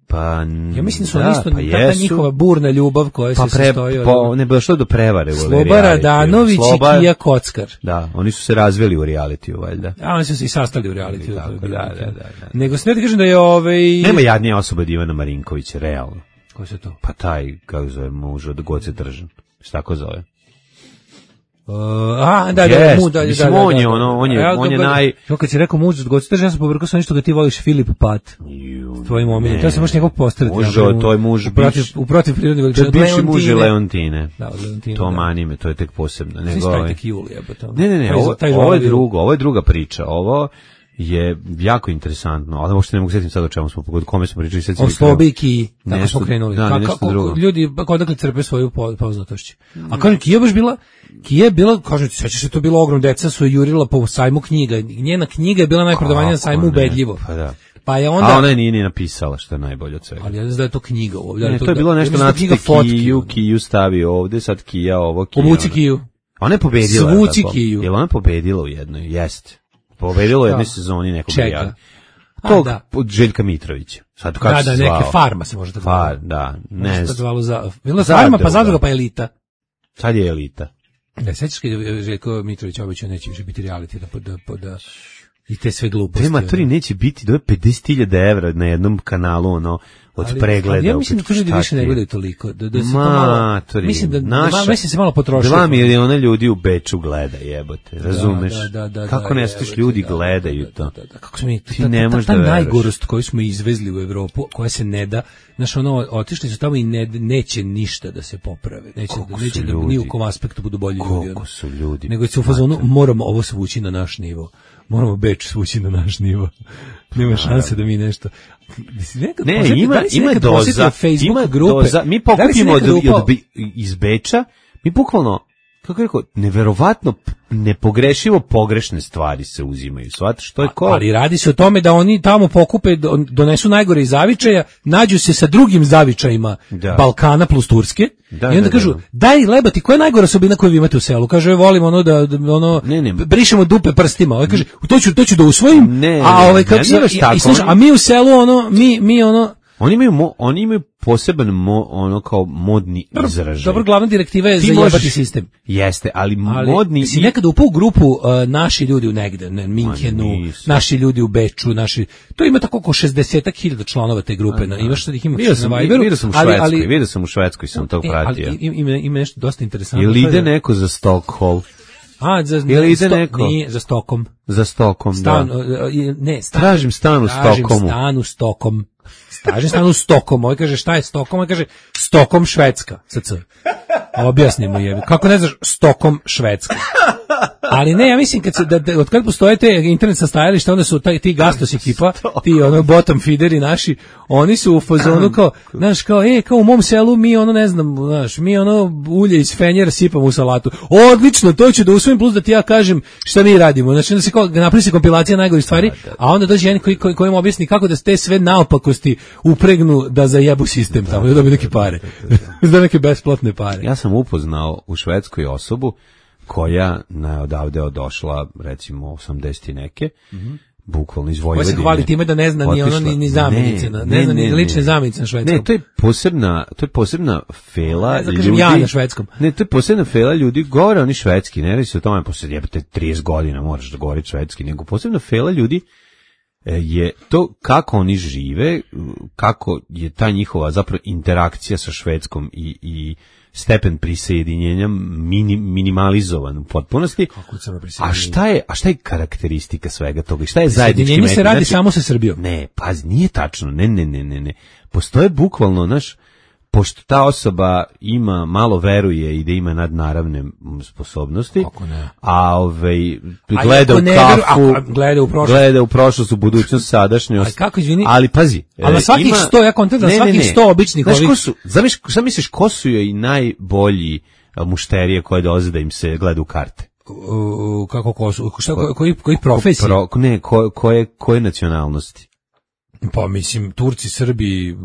pa, ja mislim da su da, isto, pa ta njihova burna ljubav koja pa se pre, sastoji od... Pa ne bilo što do prevare u Sloba Radanović i Kija Kockar. Da, oni su se razveli u realitiju, valjda. A oni su se i sastali u realitiju. Tako, da, da, da, da. Nego se ne da kažem da je ovaj... Nema jadnije osobe od Ivana Marinkovića, realno. Ko se to? Pa taj, kako zove, muž od Goce Držan. Šta tako zove? Uh, a, da, yes, da, mu, da, mislim, da, da, on je, da, ono, on je, ja, on je dobro, naj... Jo, kad si rekao muž od Goce Držan, ja sam povrkao sa nešto ga ti voliš Filip Pat. S tvojim omiljem. To se možeš njegov postaviti. Muž, to je muž... Uprotiv, uprotiv prirodne veličine. To je bivši muž Leontine. Da, od Leontine. To mani me, to je tek posebno. Svi spajtek Juli, jebo to. Ne, ne, ne, ovo, ovo je drugo, ovo je druga priča. Ovo je jako interesantno, ali uopšte ne mogu sjetiti sad o čemu smo pogodili, kome smo pričali. O slobi i Kiji, tako smo krenuli. Da, Ka, kako, ljudi odakle crpe svoju poznatošću. A kažem, Kija baš bila, Kija je bila, kažem ti, sveća se to bilo ogrom, deca su jurila po sajmu knjiga, njena knjiga je bila najprodavanija na sajmu ubedljivo. Pa da. Pa je onda, a ona je nije ni napisala, što je najbolje od svega. Ali ja ne znam da je to knjiga ovdje. Ne, to, to je bilo nešto ja nacrte Kiju, Kiju stavi ovdje, sad Kija ovo, Kija. Obuci Kiju. Ona je pobedila. Svuci Kiju. Jel ona pobedila u jednoj? Jeste. Pobedila u jednoj sezoni nekog Čeka. Tog od Željka Mitrovića. Sad kako da, se da, zvao? neke Farma se može tako zvao. Far, da, ne znam. Za, bila Farma, pa Zadruga, pa Elita. Sad je Elita. Da, sećaš kad je Željko Mitrović obećao neće više biti reality, da, da, da, da i te sve gluposti. Te maturi neće biti do pedeset hiljada evra na jednom kanalu, ono, od ali, pregleda. Ali ja mislim da to ljudi više ne gledaju toliko. Da, da se Ma, to malo, mislim da, naša, da mislim se malo potrošilo. Dva miliona ljudi u Beču gleda, jebote, razumeš? Da, da, da, kako da, ne stiš ljudi da, gledaju da, to? Da, da, da. Kako smo mi, ti ta, ne možeš ta, da ta veruješ. najgorost koju smo izvezli u Evropu, koja se ne da, znaš, ono, otišli su tamo i ne, neće ništa da se poprave. Neće, da, neće da ni u kom aspektu budu bolji ljudi. Koliko su ljudi. Nego se u fazonu, moramo ovo svući na naš nivo. Moramo Beč svući na naš nivo. Nema šanse da mi nešto... Ne, posjeti, ima, da ima doza, ima grupe, doza, mi pokupimo od, od, iz Beča, mi bukvalno, kako rekao, neverovatno, nepogrešivo pogrešne stvari se uzimaju, shvataš, što je ko... Ali radi se o tome da oni tamo pokupe, donesu najgore iz zavičaja, nađu se sa drugim zavičajima da. Balkana plus Turske, da, i onda da, kažu, da, da. daj lebati, koja je najgora osobina koju vi imate u selu? Kaže, volim ono da, da ono, ne, ne. brišemo dupe prstima, ovaj kaže, to ću, to ću da usvojim, ne, a ovaj kako ne, se, i, tako, i, sluša, a mi u selu ono, mi, mi ono, Oni imaju, mo, oni imaju poseban mo, ono kao modni izražaj. Dobro, glavna direktiva je zajebati sistem. Jeste, ali, ali modni... Si nekada upao u grupu uh, naši ljudi u negde, ne, Minhenu, naši ljudi u Beču, naši... To ima tako oko šezdeset hiljada članova te grupe. Na, imaš sad ih ima vidio sam, na Viberu. Vidio sam u Švedskoj, ali, vidio sam u Švedskoj, sam to pratio. E, ali ima, ima nešto dosta interesantno. Ili ide neko za Stockholm? A, za, Ili ide sto, neko? Nije, za Stokom. Za Stokom, stan, da. Ne, stan, tražim stan u tražim Stokomu. Stan u Stokom. Tražim stan u Stokom. Ovaj kaže, šta je Stokom? Ovaj kaže, Stokom Švedska. Sa C. Objasni mu je. Kako ne znaš Stokom Švedska? Ali ne, ja mislim kad se da, da od kad postoje te internet sastajališta, onda su taj ti Gastos ekipa, ti ono bottom feederi naši, oni su u fazonu kao, znaš, kao e, kao u mom selu mi ono ne znam, znaš, mi ono ulje iz fenjera sipamo u salatu. Odlično, to ću da usvojim, plus da ti ja kažem šta mi radimo. Znači da se kao napravi se kompilacija najgorih stvari, a onda dođe jedan koji koji kojem objasni kako da te sve naopakosti upregnu da zajebu sistem tamo, da dobiju neke pare. Da neke besplatne pare. Ja sam upoznao u Švedskoj osobu koja na odavde odošla recimo osamdeset i neke, mm-hmm. bukvalno iz Vojvodine. Koja se hvali time da ne zna ni ono ni, ni zamjenice, ne, ne, ne zna ni ne, lične zamjenice na švedskom. Ne, to je posebna, to je posebna fela ne, ljudi. Ja na švedskom. Ne, to je posebna fela ljudi, govore oni švedski, ne radi se o tome posle jebote trideset godina moraš da govoriš švedski, nego posebna fela ljudi je to kako oni žive, kako je ta njihova zapravo interakcija sa Švedskom i i stepen prisjedinjenja minim, minimalizovan u potpunosti. A šta je, a šta je karakteristika svega toga? Šta je zajednički metak? Se radi znači, samo sa Srbijom. Ne, pa nije tačno. Ne, ne, ne, ne, ne. Postoje bukvalno, znaš, pošto ta osoba ima, malo veruje i da ima nadnaravne sposobnosti, a ovaj, gleda a u kafu, veru, a, gleda u prošlost, gleda u prošlost, u budućnost, sadašnjost, kako, izvini, ali pazi. Ali na svakih ima, sto, ja kontent, na svakih ne, ne. sto običnih znaš, ovih... Ko su, zamiš, šta misliš, ko su joj i najbolji mušterije koje dolaze da im se gleda u karte? U, kako ko su, šta, ko, koji, koji profesiji? Pro, ne, ko, koje, koje nacionalnosti? Pa mislim, Turci, Srbi...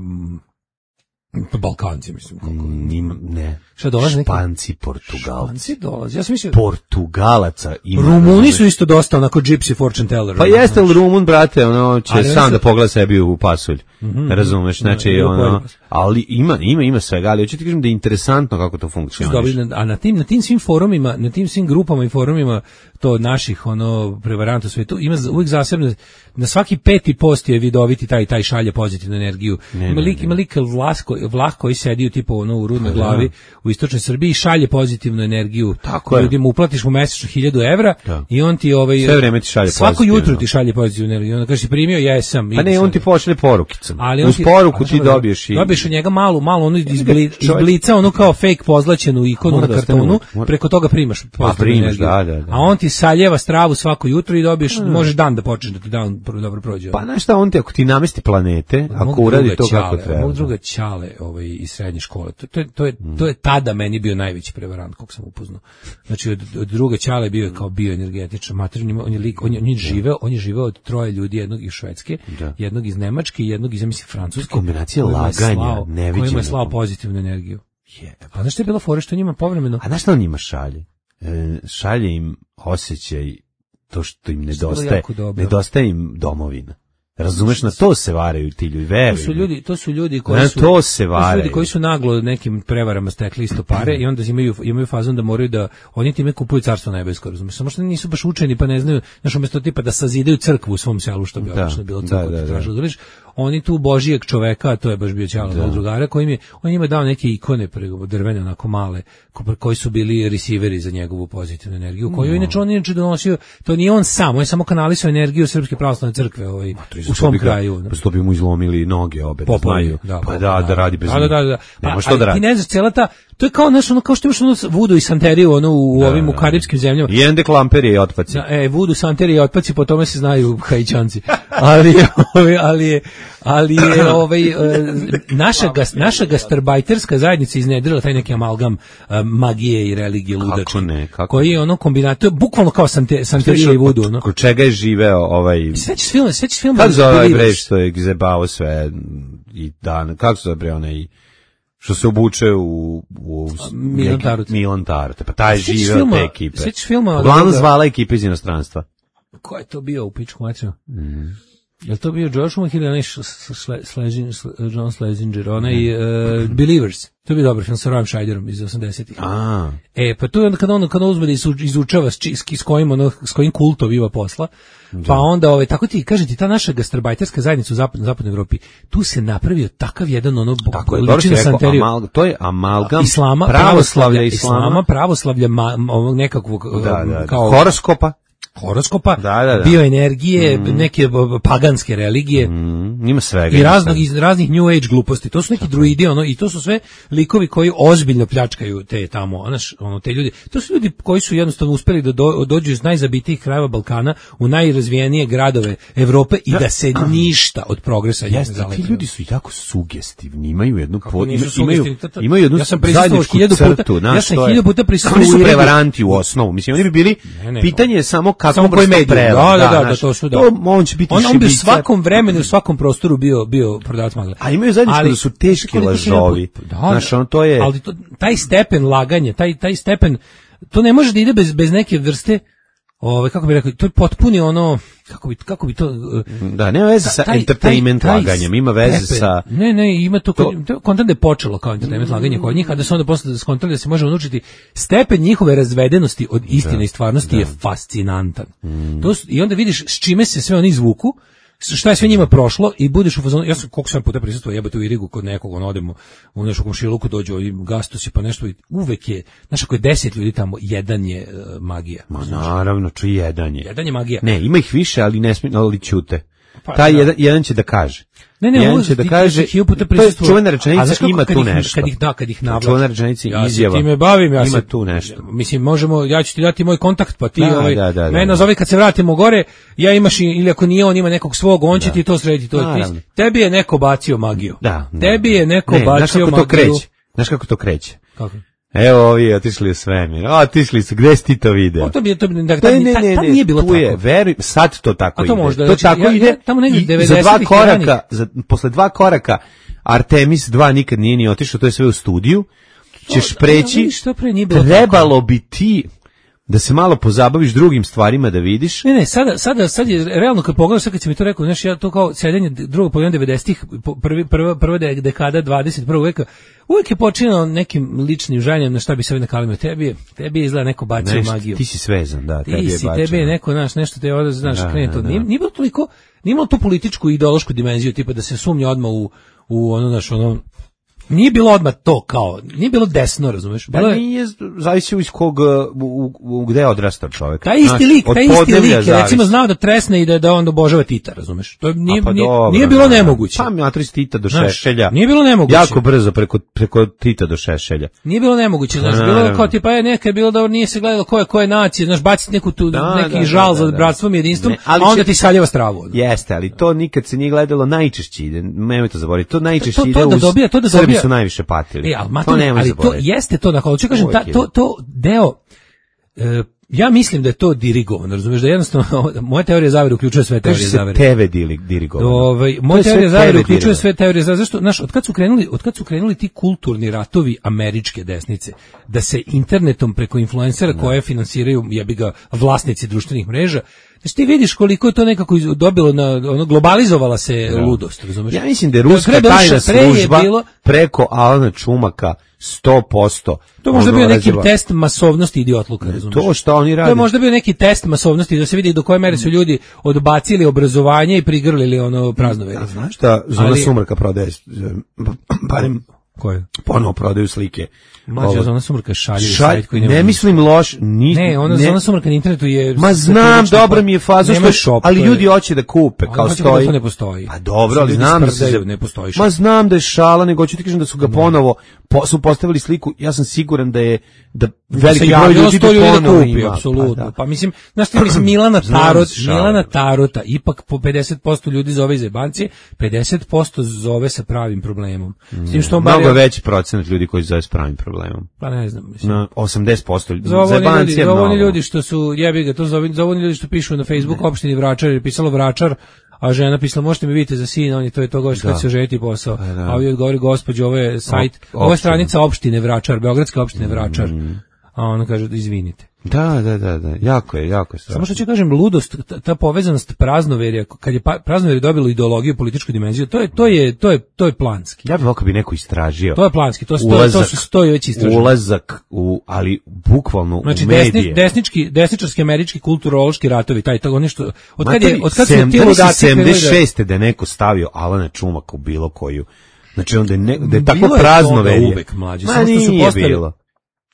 Balkanci, mislim. Kako... Nima, ne. Šta dolaze? Španci, Portugalci. Španci dolaze. Ja sam mislio... Portugalaca ima. Rumuni su isto dosta onako gypsy fortune teller. Pa jeste li Rumun, brate, ono će ali sam da pogleda sebi u pasulj. Mm-hmm. Razumeš, znači ne, ono, ali ima, ima, ima svega, ali hoću ti kažem da je interesantno kako to funkcioniše. A na tim, na tim svim forumima, na tim svim grupama i forumima to naših ono prevaranta svetu ima uvijek zasebno na svaki peti post je vidoviti taj taj šalje pozitivnu energiju. Ne, ima lik, ima lik Vlasko, Vlah koji sedi u tipu ono u rudnoj glavi u istočnoj Srbiji šalje pozitivnu energiju. Tako ljudima uplatiš mu mesečno hiljadu evra da. I on ti ovaj sve vreme ti šalje svako pozitivno. jutro ti šalje pozitivnu energiju. Onda kaže si primio, jesam. Pa ne, on ti pošalje porukicom. Ali uz ti, poruku ti dobiješ i dobiješ od njega malu, malu onu izblica, onu kao fake pozlaćenu ikonu na kartonu, preko toga primaš pozitivnu energiju. Da, da, da. A on ti saljeva stravu svako jutro i dobiješ, hmm. možeš dan da počneš da ti dan dobro prođe. Pa znaš šta, on ti ako ti namesti planete, ako uradi to čale, kako treba. Mog druga Ćale ovaj, iz srednje škole, to, to, to, je, to je tada meni bio najveći prevarant kog sam upoznao. Znači od, od druga Ćale bio je kao bioenergetičan materijan, on je lik, on je, on je živeo, on je živeo od troje ljudi, jednog iz Švedske, da. jednog iz Nemačke i jednog iz mislim Francuske. Kombinacija laganja, neviđena. Kojima je slao pozitivnu energiju. Je. A znaš što je bilo fora što njima povremeno? A znaš što on njima šalje? E, šalje im osjećaj to što im nedostaje, nedostaje im domovina. Razumeš, na to se varaju ti ljudi, veruju. To su ljudi, to su ljudi koji su, to se varaju. To su ljudi koji su naglo nekim prevarama stekli isto pare i onda imaju imaju fazon da moraju da oni time kupuju carstvo nebesko, razumeš? Samo što nisu baš učeni pa ne znaju, znaš, umjesto tipa da sazidaju crkvu u svom selu što bi da, obično bilo crkva, da, da, da. Da oni tu božijeg čoveka, to je baš bio Ćale mog drugara, koji mi on njima dao neke ikone drvene onako male, koji su bili receiveri za njegovu pozitivnu energiju, koju no. inače on inače donosio, to nije on sam, on je samo kanalisao energiju Srpske pravoslavne crkve ovaj, u svom kraju. Pa što bi mu izlomili noge obe, da znaju. Da, pa da, da radi bez da, da, da, da. Nema što da radi. Ti ne znaš, cijela ta, to je kao, znaš, ono, kao što imaš ono vudu i santeriju ono, u da, ovim u karibskim zemljama. I ende klamperije i otpaci. Da, e, vudu, santerije i otpaci, po tome se znaju Hajićanci. ali, ali, ali je, ali je ovaj, naša, gas, naša gastarbajterska zajednica iznedrila taj neki amalgam magije i religije ludačke. Kako ne, kako koji je ono kombinat, to je bukvalno kao sante, santerija i vudu. No? Kod čega je živeo ovaj... Sveći film, sveći film... Kako zove ovaj bre što je zebao sve i dan, kako se zove bre onaj... što se obuče u, u Milan Tarut. Milan Tarut. Pa taj živeo te ekipe. Sveći filma... Uglavnom zvala ekipe iz inostranstva. Ko je to bio u pičku mačinu? Mm. Je li to bio George Schumacher ili onaj John Schlesinger, onaj uh, Believers? To je bio dobar film sa Royem Scheiderom iz osamdesetih. A. E, pa tu je onda kad on, kad on uzme da izučava s, s, kojim, ono, s kojim kultom ima posla, da. Pa onda, ovaj, tako ti, kažem ti, ta naša gastarbajterska zajednica u zapadnoj, zapadnoj Evropi, tu se napravio takav jedan ono, liči na santeriju. Amal, to je amalgam islama, pravoslavlja islama, islama pravoslavlja ma, ovog nekakvog, da, da, kao... horoskopa. horoskopa, da, da, da. bioenergije, mm. neke paganske religije. Mm. Ima svega. I raznog, iz raznih new age gluposti. To su neki druidi, ono, i to su sve likovi koji ozbiljno pljačkaju te tamo, znaš, ono, te ljudi. To su ljudi koji su jednostavno uspeli da do, dođu iz najzabitijih krajeva Balkana u najrazvijenije gradove Evrope i da, da se ništa od progresa ne zalete. Ti ljudi su jako sugestivni, imaju jednu pod, imaju, imaju, imaju jednu ja sam zajedničku crtu. Ja sam hiljadu puta prisustvovao. Oni su prevaranti u osnovu. Mislim, oni bi bili, ne, ne, pitanje je samo kako koji medij. Da, da, da, da, to su da. To on će biti on, on bi u svakom vremenu, u svakom prostoru bio bio prodavac magle. A imaju zajedničko da su teški lažovi. Da, znaš, on to je. Ali to, taj stepen laganja, taj taj stepen, to ne može da ide bez bez neke vrste, ovaj kako bih rekao, to je potpuni ono, kako bi kako bi to da, nema veze sa taj, entertainment taj, taj laganjem, ima veze stepen. Sa ne, ne, ima to, to kontent je počelo kao entertainment laganje kod njih, a da se onda posle skontali da se može naučiti stepen njihove razvedenosti od istine da, i stvarnosti da. Je fascinantan. Mm. To su, i onda vidiš s čime se sve oni izvuku, šta je sve njima prošlo i budeš u fazonu, ja sam koliko sam puta prisustvovao jebote u Irigu kod nekog, on odemo u neku komšiluku, dođu i gastosi pa nešto i uvek je, znaš ako je deset ljudi tamo, jedan je uh, magija. Ma naravno, čuj jedan je. Jedan je magija. Ne, ima ih više, ali ne smije, ali ćute. Pa, taj da. jedan, jedan će da kaže. Ne, ne, jedan će da kaže, to je čuvena rečenica, ima tu nešto. Kad ih da, kad ih navlači. Čuvena rečenica ja izjava. Ja se time bavim, ja ima se, tu nešto. Mislim, možemo, ja ću ti dati moj kontakt, pa ti da, ovaj, da, da, da, mene nazovi kad se vratimo gore, ja imaš, ili ako nije on ima nekog svog, on će da. Ti to srediti. To ti, tebi je neko bacio magiju. Da, da, tebi je neko ne, bacio magiju. Kreće? Znaš kako to kreće? Kako? Evo ovi otišli u svemir. A otišli su, gde si ti to video? O, to bi to bi da ta, ne, ne, ne, ta, ta nije bilo tu je, tako. Veruj, sad to tako ide. To možda, to znači, tako ja, ide. Ja, tamo negdje devedesetih za dva koraka, za, posle dva koraka Artemis dva nikad nije ni otišao, to je sve u studiju. Ćeš preći. Što pre nije bilo trebalo tako. Bi ti da se malo pozabaviš drugim stvarima da vidiš. Ne, ne, sada, sada, sad je realno kad pogledaš, sad kad si mi to rekao, znaš, ja to kao sedenje drugog polovine devedesetih, prvi, prva, prva dekada dvadeset prvog veka, uvijek je počinao nekim ličnim željem na šta bi se ovdje nakalimo. Tebi je, tebi je izgleda neko bacio nešto, magiju. Ti si svezan, da, ti tebi si, je bacio. Tebi je neko, znaš, nešto te ovdje, znaš, da, krene to. da, nije, nije bilo toliko, nije bilo tu političku i ideološku dimenziju, tipa da se sumnja odmah u, u ono, znaš, ono, Nije bilo odmah to kao, nije bilo desno, razumeš? Bilo Pa je, nije, zavisi iz kog, u, u, gde je odrastao čovjek. taj isti Znaš, lik, od taj isti podneblja lik je zavisi. recimo znao da tresne i da, da on obožava Tita, razumeš? To nije, A pa nije, dobro, nije bilo da. nemoguće. Pa matris Tita do Znaš, Šešelja. nije bilo nemoguće. Jako brzo preko, preko Tita do Šešelja. Nije bilo nemoguće, znaš, Pa, bilo je naravno. kao tipa je neka je bilo da nije se gledalo ko je koje nacije, znaš, baciti neku tu Da, neki da, žal da, za da, da. bratstvom i jedinstvom, Ne, ali a onda će- ti saljeva stravu. ono. Jeste, ali to nikad se nije gledalo najčešće ide, nemoj to zaboraviti, to najčešće To- to ide da uz, dobija- to da Srbi dobija- su najviše patili. E, ali, to mater, nemoj ali to zaboraviti. jeste to, dakle, hoću kažem, ta, Uvijek to, ide. to deo, e, ja mislim da je to dirigovano, razumeš, da jednostavno, moja teorija zavere uključuje sve Kaže teorije se zavere. tebe dili, dirigovano. Ovaj, To moja je sve teorija zavere tebe uključuje dirigovano. sve teorije zavere. Zašto, znaš, od kad su krenuli, od kad su krenuli ti kulturni ratovi američke desnice, da se internetom preko influencera koje finansiraju, jebi ga, vlasnici društvenih mreža, znači ti vidiš koliko je to nekako iz- dobilo na, ono, globalizovala se ludost, razumeš? Ja mislim da je ruska Pre doduše, tajna pre je služba bilo- preko Alana Čumaka sto posto. To je možda ono bio neki razjeba- test masovnosti idiotluka, razumeš? To što oni To rade. je možda bio neki test masovnosti da se vidi do koje mere su ljudi odbacili obrazovanje i prigrlili ono praznoverje. A znaš šta Zona Ali- Sumraka prodaje, barem Koje? ponovo prodaju slike. Mlađa Ovo- Zona Sumraka šaljivi Šalj- sajt koji nema ne ništa. mislim loš, ni, Ne, ona Zona Sumraka na internetu je... Ma znam, dobro mi je faza, Nema što, shop, ali to je- ljudi hoće da kupe, Ali kao hoće da stoji. to ne postoji. Pa dobro, Svi ali ljudi znam da se... sprdaju, ne postoji shop. Ma znam da je šala, nego hoću ti kažem da su ga ponovo, po, su postavili sliku, ja sam siguran da je, da veliki se broj javilo ljudi sto to ljudi da ponovo kupi, ima. apsolutno. Pa, Pa, da. mislim, znaš ti, mislim, Milana Znam Tarot, se šalim. Milana Tarota, ipak po pedeset posto ljudi zove iz jebancije, pedeset posto zove sa pravim problemom. S tim što on bar Mnogo je- veći procenat ljudi koji zove s pravim problemom. Pa ne znam, mislim. Na osamdeset posto ljudi. Za ovo oni ljudi, Zajebancije za ovo oni mnogo. ljudi što su, jebi ga, to za ovi- za ovo oni ljudi što pišu na Facebook opštini Vračar, je pisalo Vračar, a žena pisala, možete mi vidite za sina, on je to je to goš kad se oženiti posao. da. A ovdje odgovori, gospođo, ovo je sajt, Op- ovo je opština. stranica opštine Vračar, Beogradske opštine Vračar. A ona kaže, izvinite. Da, da, da, da, jako je, jako je strašno. Samo što ću kažem, ludost, ta, ta povezanost praznoverja, kad je pa- praznoverje dobilo ideologiju, političku dimenziju, to je, to je, to je, to je planski. Ja bih volio kad bi neko istražio. To je planski, to, su- to, to su stoji već istraženo. Ulazak u, ali bukvalno Znači u desni, medije. desnički, desničarski američki kulturološki ratovi, taj to nešto. Od kad Materi, je od kad su sedam- ti da li si ludaci krenuli da- sedamdeset šeste da je neko stavio Alana Čumaka u bilo koju. Znači onda je, ne, da je tako Bilo je prazno toga verje. uvek, mlađe, Ma samo što su nije postali- bilo.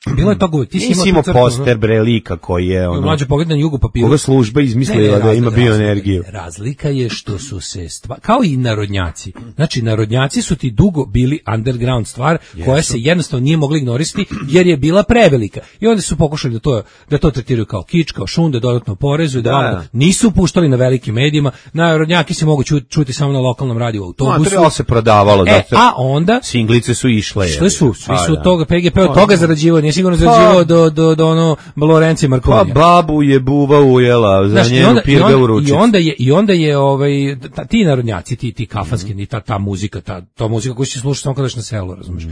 Bilo je toga, ti si Nisi imao imao tu crtu, ono- poster bre lika koji je ono, Mlađe pogled na jugu papiru. koga služba izmislila da ima bioenergiju. Razlika je što su se stva, kao i narodnjaci. Znači narodnjaci su ti dugo bili underground stvar koja se jednostavno nije mogla ignorisati jer je bila prevelika. I onda su pokušali da to da to tretiraju kao kič, kao šunde, dodatno porezu, da, Da, ono, da. nisu puštali na velikim medijima. Narodnjaki se mogu ču- čuti samo na lokalnom radiju No, autobusu. to je se prodavalo. E, zato- a onda Singlice su išle. Što su? Svi Pa, su da. toga P G P od Pa, toga da. zarađivao, nije sigurno zarađivao do do do ono Lorenci Pa Markovija. babu je buva ujela, za Znaš, i njenu onda, i, pirga u onda, ručicu. i onda je i onda je ovaj ta, ti narodnjaci, ti ti kafanski, ni ta ta muzika, ta ta muzika koju se sluša samo kad odeš na selo, razumeš.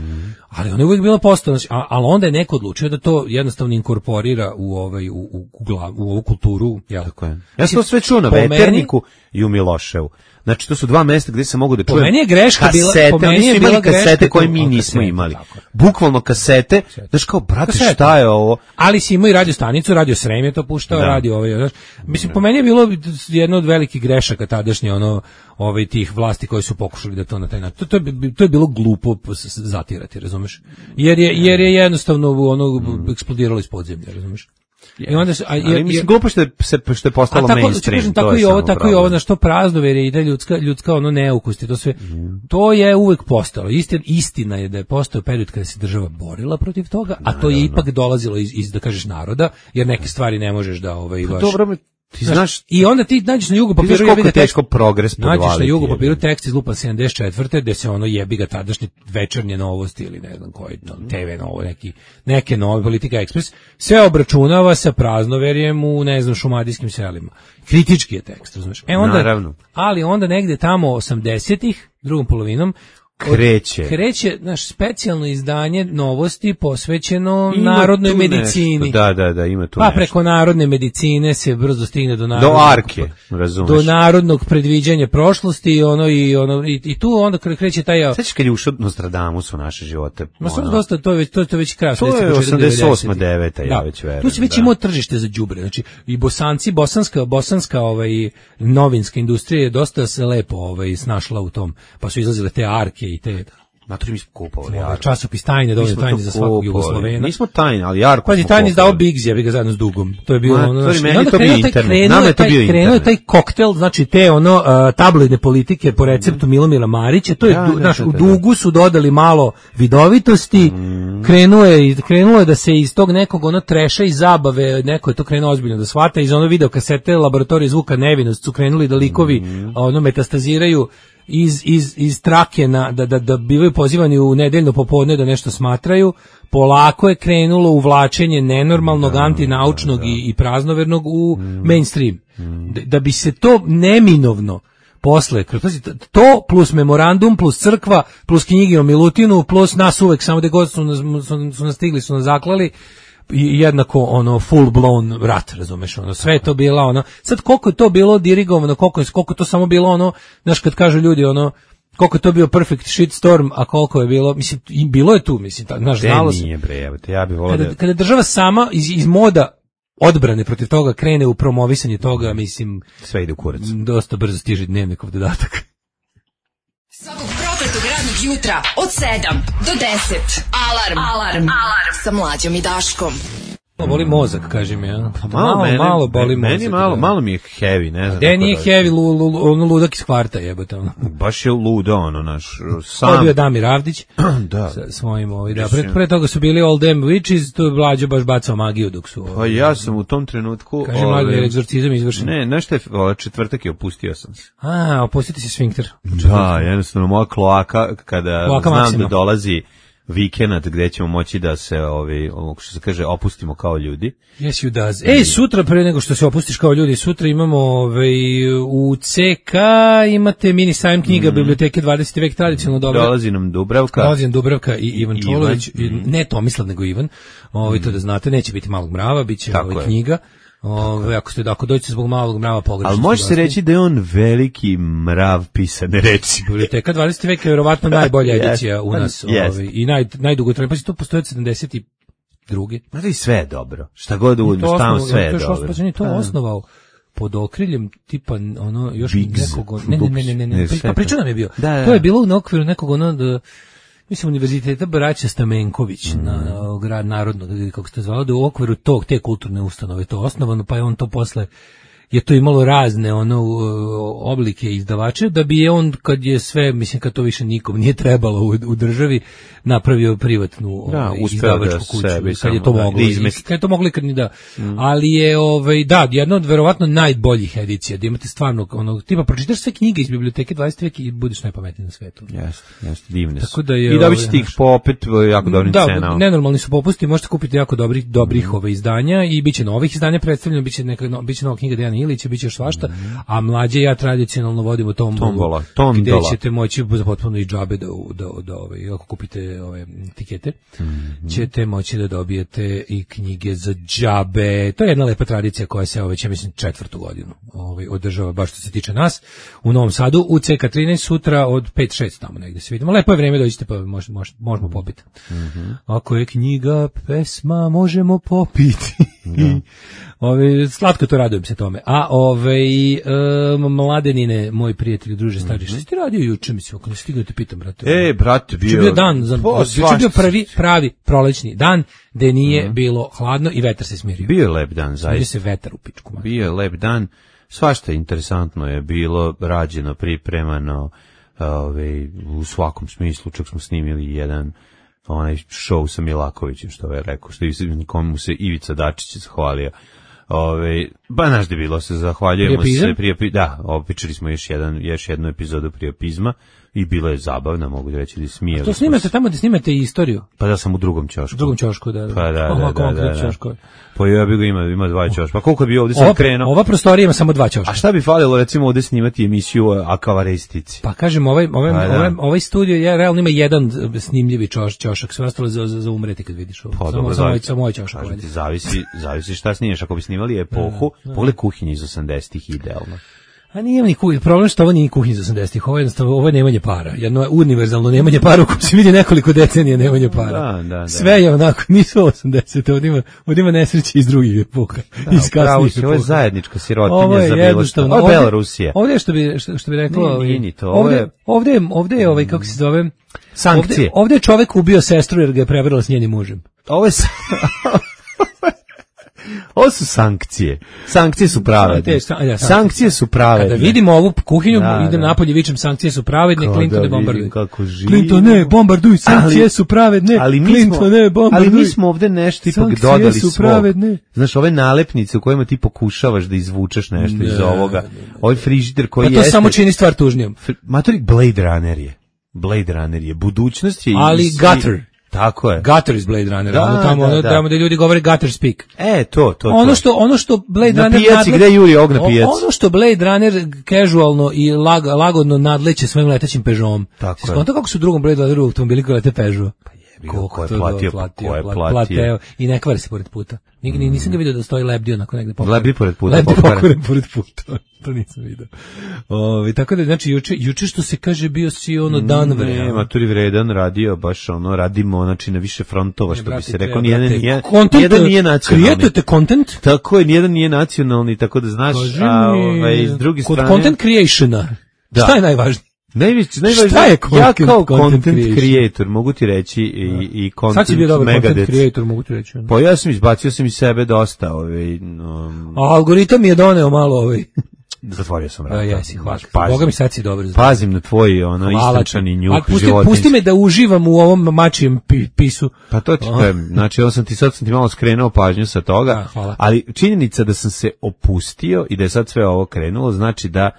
Ali ona je uvijek bila postana, a ali onda je neko odlučio da to jednostavno inkorporira u ovaj u u, u, glav, u ovu kulturu, jel? Tako je. Ja sam to sve čuo na Po meni- Veterniku i u Miloševu. Znači, to su dva mesta gdje se mogu da Po čujem. meni je greška bila- kasete, po meni oni su je imali bila greška kasete koje to- mi a, nismo kasete, imali. tako je. Bukvalno kasete. Znaš kao, brate, Kasete. šta je ovo? Ali si imao i radio stanicu, radio Srem je to puštao, Da. radio ovaj, znaš. Mislim, po meni je bilo jedno od velikih grešaka tadašnje, ono, ovaj, tih vlasti koji su pokušali da to na taj način. To, to, je, to je bilo glupo s- s- zatirati, razumeš? Jer je, jer je jednostavno ono, eksplodiralo iz podzemlja, razumeš? I onda se, a, Ali jer- mislim, jer- glupo što je, se, što je postalo a tako, mainstream. kažem, to tako je i ovo, samo tako i ovo, problem. na što praznoverje ide ljudska, ljudska ono neukosti, to sve, to je uvek postalo. Istina, istina je da je postao period kada se država borila protiv toga, a to je ipak dolazilo iz, iz da kažeš naroda, jer neke stvari ne možeš da ovaj baš. Dobro, ti znaš, I onda ti nađeš na jugu ti znaš papiru, koliko jebi ga je teško tekst- progres podvaliti. nađeš na jugu jebi. papiru tekst iz lupa sedamdeset četvrte gde se ono jebi ga tadašnje večernje novosti ili ne znam koji to, T V novo, neki, neke nove, Politika Ekspres, sve obračunava sa praznoverjem u, ne znam, šumadijskim selima. Kritički je tekst, razumeš? E onda, Naravno. ali onda negde tamo osamdesetih, drugom polovinom, od- Kreće. kreće naš specijalno izdanje novosti posvećeno Ima narodnoj tu medicini. nešto. Da, da, da, ima tu Pa nešto. preko narodne medicine se brzo stigne do Do narodnog, arke, razumeš. do narodnog predviđanja prošlosti i ono i ono i, i tu onda kre- kreće taj Sećaš kad je ušao Nostradamus u naše živote? Ma Ono, stvarno dosta to je već to, je- to je već kraj To je početak osamdeset osma, devedesetih. deveta, ja Da. već verujem, Tu se već da. imao tržište za đubre, znači i Bosanci, bosanska bosanska ovaj novinska industrija je dosta se lepo ovaj snašla u tom, pa su izlazile te arke i te Matori mi smo kupovali. Ovaj časopis Tajne, dovoljno tajne za svakog Jugoslovena. Nismo Tajne, ali Jarko. Pazi, Tajne izdao Biggs, ja bih ga zajedno s Dugom. To je bilo Ma, ono, to je znači, meni onda to bio krenuo taj- internet. krenuo Nama je je to taj- bio krenuo je internet. taj koktel, znači te ono uh, tabloidne politike po receptu Milomira Marića, to je, Da, du- da, znaš, da, u da. Dugu su dodali malo vidovitosti, krenuo je, i- krenulo je da se iz tog nekog ono treša i zabave, neko je to krenuo ozbiljno da shvata, iz ono video kasete laboratorije zvuka Nevinost su krenuli da likovi ono metastaziraju iz, iz, iz trake na, da, da, da bivaju pozivani u nedeljno popodne da nešto smatraju, polako je krenulo uvlačenje nenormalnog, antinaučnog i, i praznovernog u mainstream. Da, da bi se to neminovno posle, kroz- pazi, t- to plus memorandum, plus crkva, plus knjige o Milutinu, plus nas uvek, samo da god su nas, su, su nas stigli, su nas zaklali, i jednako ono full blown rat, razumeš, ono sve je to bilo ono. Sad koliko je to bilo dirigovano, koliko je koliko je to samo bilo ono, znaš kad kažu ljudi ono koliko je to bio perfect shitstorm, a koliko je bilo, mislim i bilo je tu, mislim, ta, znaš, Te znalo se. nije bre, evo te, ja bih volao Kada, da... kada država sama iz, iz moda odbrane protiv toga krene u promovisanje toga, mislim, Sve ide u kurac. dosta brzo stiže Dnevnikov dodatak. Svakog prokletog radnog jutra od sedam do deset. Alarm. Alarm. Alarm. Sa Mlađom i Daškom. Boli mozak, kaži mi, ja. Malo, mene, malo boli meni mozak. malo, da. malo mi je heavy, ne znam. De kako nije da- heavy, lu, lu, ono ludak iz kvarta jebote. Ono. Baš je ludo, ono, naš, To je sam... bio Damir Avdić Da. sa svojim ovaj, da, pre, pre toga su bili All Them Witches, tu je Mlađo baš bacao magiju dok su... Pa Ovaj, ja sam u tom trenutku... kaže ovaj, Mlađo, je egzorcizam izvršen. Ne, nešto je, ovaj, četvrtak je opustio sam se. A, opustiti se sfinkter. Da, jednostavno moja kloaka, kada Kloaka znam Maksima. da dolazi vikend gde ćemo moći da se, ovaj, ovo što se kaže, opustimo kao ljudi. Yes, you does. Ej, sutra, pre nego što se opustiš kao ljudi, sutra imamo ovaj, u C K, imate mini sajam knjiga Mm. Biblioteke dvadeseti vek, tradicionalno dobra. Dolazi nam Dubravka. Dolazi nam Dubravka i Ivan Ivan. Čolović, i ne Tomislav, nego Ivan. Ovaj, to da znate, neće biti Malog mrava, bit će Tako ovaj, je. knjiga. Ove, ako ste ako dođete zbog Malog mrava pogrešno. Ali ste može se došli. reći da je on veliki mrav pisane reči. Biblioteka dvadeseti vek je verovatno najbolja Jest. edicija u nas, Jest. ovaj, i naj najdugotrajnija. Pa to postoji od sedamdeset druge. Ma da i sve je dobro. Šta god da To uzmeš, tamo osnovao- sve je to još dobro. osnovao- pa nije to Da. osnovao pod okriljem tipa ono još Biggs. nekog ne ne ne ne ne, ne, Ne, pri- sve pa priča nam je bio. Da, da, To je da. bilo u okviru nekog ono da mislim univerziteta Braća Stamenković Mm. na, na grad narodnog ili kako se to zvalo, da u okviru tog te kulturne ustanove to osnovano, pa je on to posle je to imalo razne ono u- oblike izdavače, da bi je on kad je sve, mislim kad to više nikom nije trebalo u, u državi, napravio privatnu Da, ovaj, uspeo izdavačku da kuću, sebi kad samo, je to da, moglo, da i- izmesti. kad je to moglo i kad ni da. Ali je ovaj da, jedna od verovatno najboljih edicija, da imate stvarno ono tipa pročitaš sve knjige iz biblioteke dvadeseti vek i budeš najpametniji na svetu. Jeste, jeste, divne su. Tako da je, I dobit ćete ovaj, ih po opet ovaj, jako dobrim Da, cenama. nenormalni su popusti, možete kupiti jako dobrih dobrih ove izdanja i biće novih izdanja predstavljeno, biće neka no, biće nova knjiga Dejana Ilića, biće još svašta, a mlađe ja tradicionalno vodimo tombolu, Tombola, tom gde dola. ćete moći za potpuno i džabe da da da ove ako kupite ove tikete, ćete moći da dobijete i knjige za džabe. To je jedna lepa tradicija koja se ove, ja mislim četvrtu godinu ovaj održava baš što se tiče nas u Novom Sadu u C K trinaest sutra od pet šest tamo negde se vidimo. Lepo je vreme, dođite pa možemo možemo popiti. Ako je knjiga pesma možemo popiti. Ove, slatko to, radujem se tome. A ove, um, Mladenine, moj prijatelj, druže stari, šta si ti radio juče, mislim, ako ne stigao da te pitam, brate. E, brate, bio... Juče je bio dan, za, Po, juče je bio svašta prvi, pravi prolećni dan, gde nije bilo hladno i vetar se smirio. Bio je lep dan, Smirio zaista. se vetar u pičku. man. Bio je lep dan. Svašta interesantno je bilo rađeno, pripremano, ovaj, u svakom smislu. Čak smo snimili jedan onaj show sa Milakovićem, što je rekao, što je komu se Ivica Dačić zahvalio. Ove, ba znaš da je bilo, se zahvaljujemo Priopizam? se prije, da, opičili smo još jedan još jednu epizodu Priopizma i bilo je zabavno, mogu da reći da smijeli. To smo snimate se. tamo da snimate istoriju. Pa da sam u drugom ćošku. U drugom ćošku, da. da. Pa da, Aha, da, da, konkretno da, da. ćoškove. Pa ja bih ga ima, ima dva ćoška. Pa koliko bi ovdje sam Ova, krenuo? ova prostorija ima samo dva ćoška. A šta bi falilo recimo ovdje snimati emisiju o akavaristici? Pa kažem, ovaj, ovaj, Pa da. ovaj, ovaj studio je realno ima jedan snimljivi čoš, ćošak, sve ostalo za, za, za umreti kad vidiš ovo. Pa, samo, dobro, samo, zavisi. samo ovaj ćošak. Kažem ovaj. ti, zavisi, zavisi šta sniješ. Ako bi snimali epohu, pogledaj kuhinje iz osamdesetih idealno. A nije ni kuhinja, problem što ovo nije kuhinja iz osamdesetih, ovo je jednostavno, ovo je nemanje para, jedno univerzalno nemanje para u kojem se vidi nekoliko decenija nemanje para. Da, da, da. Sve je onako, nisu osamdesete, ovdje ima, ovdje ima nesreće iz drugih epoka, Da, iz kasnijih ovo je epoka. zajednička sirotinja Ovo je za bilo što. jednostavno, Ovo je ovdje- Belorusija. Ovdje je što bi, što, što bi reklo, Nije, ovaj, nije ni to, ovo ovdje, je- ovdje, je- ovdje je ovaj, kako se zove, Sankcije. Ovdje, ovdje je čovek ubio sestru jer ga je prevarila s njenim mužem. Ovo je... sa- Ovo su sankcije. Sankcije su pravedne. Te sa- ja, sankcije. Sankcije su pravedne. Kada vidimo ovu kuhinju, Da, idem da. napolje, vičem sankcije su pravedne, Kada Clinton ne vidim bombarduj. kako živimo. Clinton ne bombarduj, sankcije Ali- su pravedne, Ali mi, Clinton smo, ne bombarduj. ali mi smo ovde nešto ipak Sankcije dodali su svog. pravedne. Znaš, ove nalepnice u kojima ti pokušavaš da izvučeš nešto iz Ne, ovoga. ne, ne. Ovaj frižider koji Pa to jeste... samo čini stvar tužnijom. Fr- Matori, Blade Runner je. Blade Runner je. Budućnost je... Ali i svi- gutter. Tako je. Gutter iz Blade Runnera, Da, ono tamo, da, ono da. tamo da ljudi govore gutter speak. E, to, to, Ono to. što ono što Blade Na Runner pijaci, nadle- gde juri og na O- pijaci? Ono što Blade Runner casualno i lag, lagodno nadleće svojim letećim Peugeotom. Tako je. Skonto kako su u drugom Blade Runneru automobili koji lete Peugeot. ga, Koliko ko je to platio, do- ko je pla- platio. I ne kvari se pored puta. Nig, ni- nisam ga vidio da stoji lebdio onako negde pokvaren. Lebdi pored puta, Lebdi pokvaren. pokvaren pored puta. To nisam vidio. Ovi, tako da, znači, juče, juče što se kaže bio si ono dan Ne, vremena. Maturi vredan radio, baš ono, radimo, znači na više frontova, što bi Brate, se treba, rekao, nijedan brate, nije, content, nijedan nije nacionalni. Creatujete content? Tako je, nijedan nije nacionalni, tako da znaš, Kaži a mi, ovaj, s druge kod strane... content creationa, Da. šta je najvažnije? Najveć, najvažnije, Šta je ja content- kao content content, creation? creator, mogu ti reći i, i content Sad si bio dobar content Megadeth. creator, mogu ti reći. ono. Pa ja sam izbacio sam iz sebe dosta, ovaj, um, A algoritam mi je doneo malo ovaj. zatvorio sam A, vrata. jesi, hvala. Znaš, pazim, Boga mi sad si dobro. pazim na tvoj, ono, Hvala ti. istančani njuh Ali pusti, životinjski. pusti me da uživam u ovom mačijem pi, pisu. Pa to ti kažem, znači on sam ti sad sam ti malo skrenuo pažnju sa toga, Da, hvala. ali činjenica da sam se opustio i da je sad sve ovo krenulo, znači da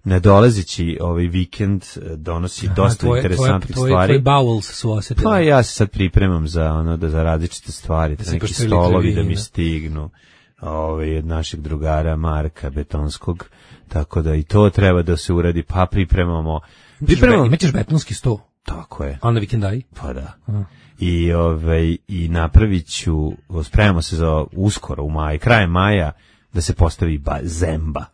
nadolazeći ovaj vikend eh, donosi dosta Tvoje- interesantnih tvoje- stvari. Tvoji bowels su osetili. Pa ja se sad pripremam za ono da za različite stvari, da si neki pošteli stolovi da krivina. mi stignu. Ovaj od našeg drugara Marka Betonskog, tako da i to treba da se uradi, pa pripremamo. Pripremamo. Imaćeš betonski sto, Tako je. a na vikendaj? Pa da. I ovaj i napraviću, spremamo se za uskoro u maju, krajem maja da se postavi ba, zemba.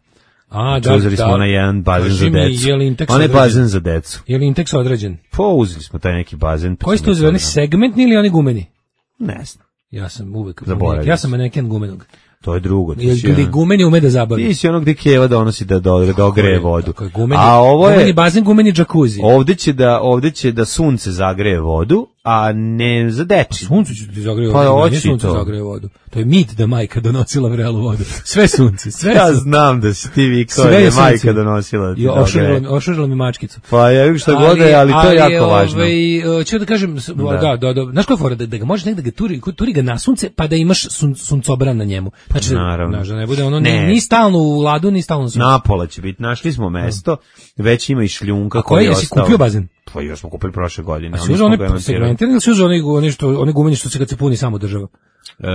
A, Znači, uzeli smo onaj jedan bazen Kaži za mi, decu. je li Intex Onaj određen? bazen za decu. Je li Intex određen? Pa uzeli smo taj neki bazen. pa Koji smo ste uzeli, oni sad- segmentni ili oni gumeni? Ne znam. Ja sam uvek, Zaboravio ja sam sam. maneken gumenog. To je drugo. Ti Ili si, ili ono- gumeni ume da zabavi. ti si ono gde Keva donosi da do, da ogreje vodu. Tako je, gumeni, A ovo je... gumeni bazen, gumeni džakuzi. Ovde će da ovde će da sunce zagreje vodu, a ne za deči. Sunce će ti zagreje Pa vodu, hoće nije sunce to. zagreje vodu. To je mit da majka donosila vrelu vodu. Sve sunce, sve Ja sunce. znam da si ti vikao Sve da je je majka sunce. donosila. da ti I da ošurila ogreje. mi, ošurila mi mačkicu. Pa ja vidim šta god je, ali to je jako ovaj, važno. Ću da kažem, s- da, da, da, znaš koja je fora, da, da ga možeš negde ga turi, turi ga na sunce, pa da imaš sun, suncobran na njemu. Znači, da- Naravno. znaš, da ne bude ono, Ne. ni, ni stalno u ladu, ni stalno u suncu. Napola će biti. Našli smo mesto, već ima i šljunka A koji koji, je jesi ostao. kupio bazen? Pa još smo kupili prošle godine. A si ali uzeo nismo ga one emancirali. segmentirani ili si uzeo one, one, što, one gumeni što se kad se puni samo država? E,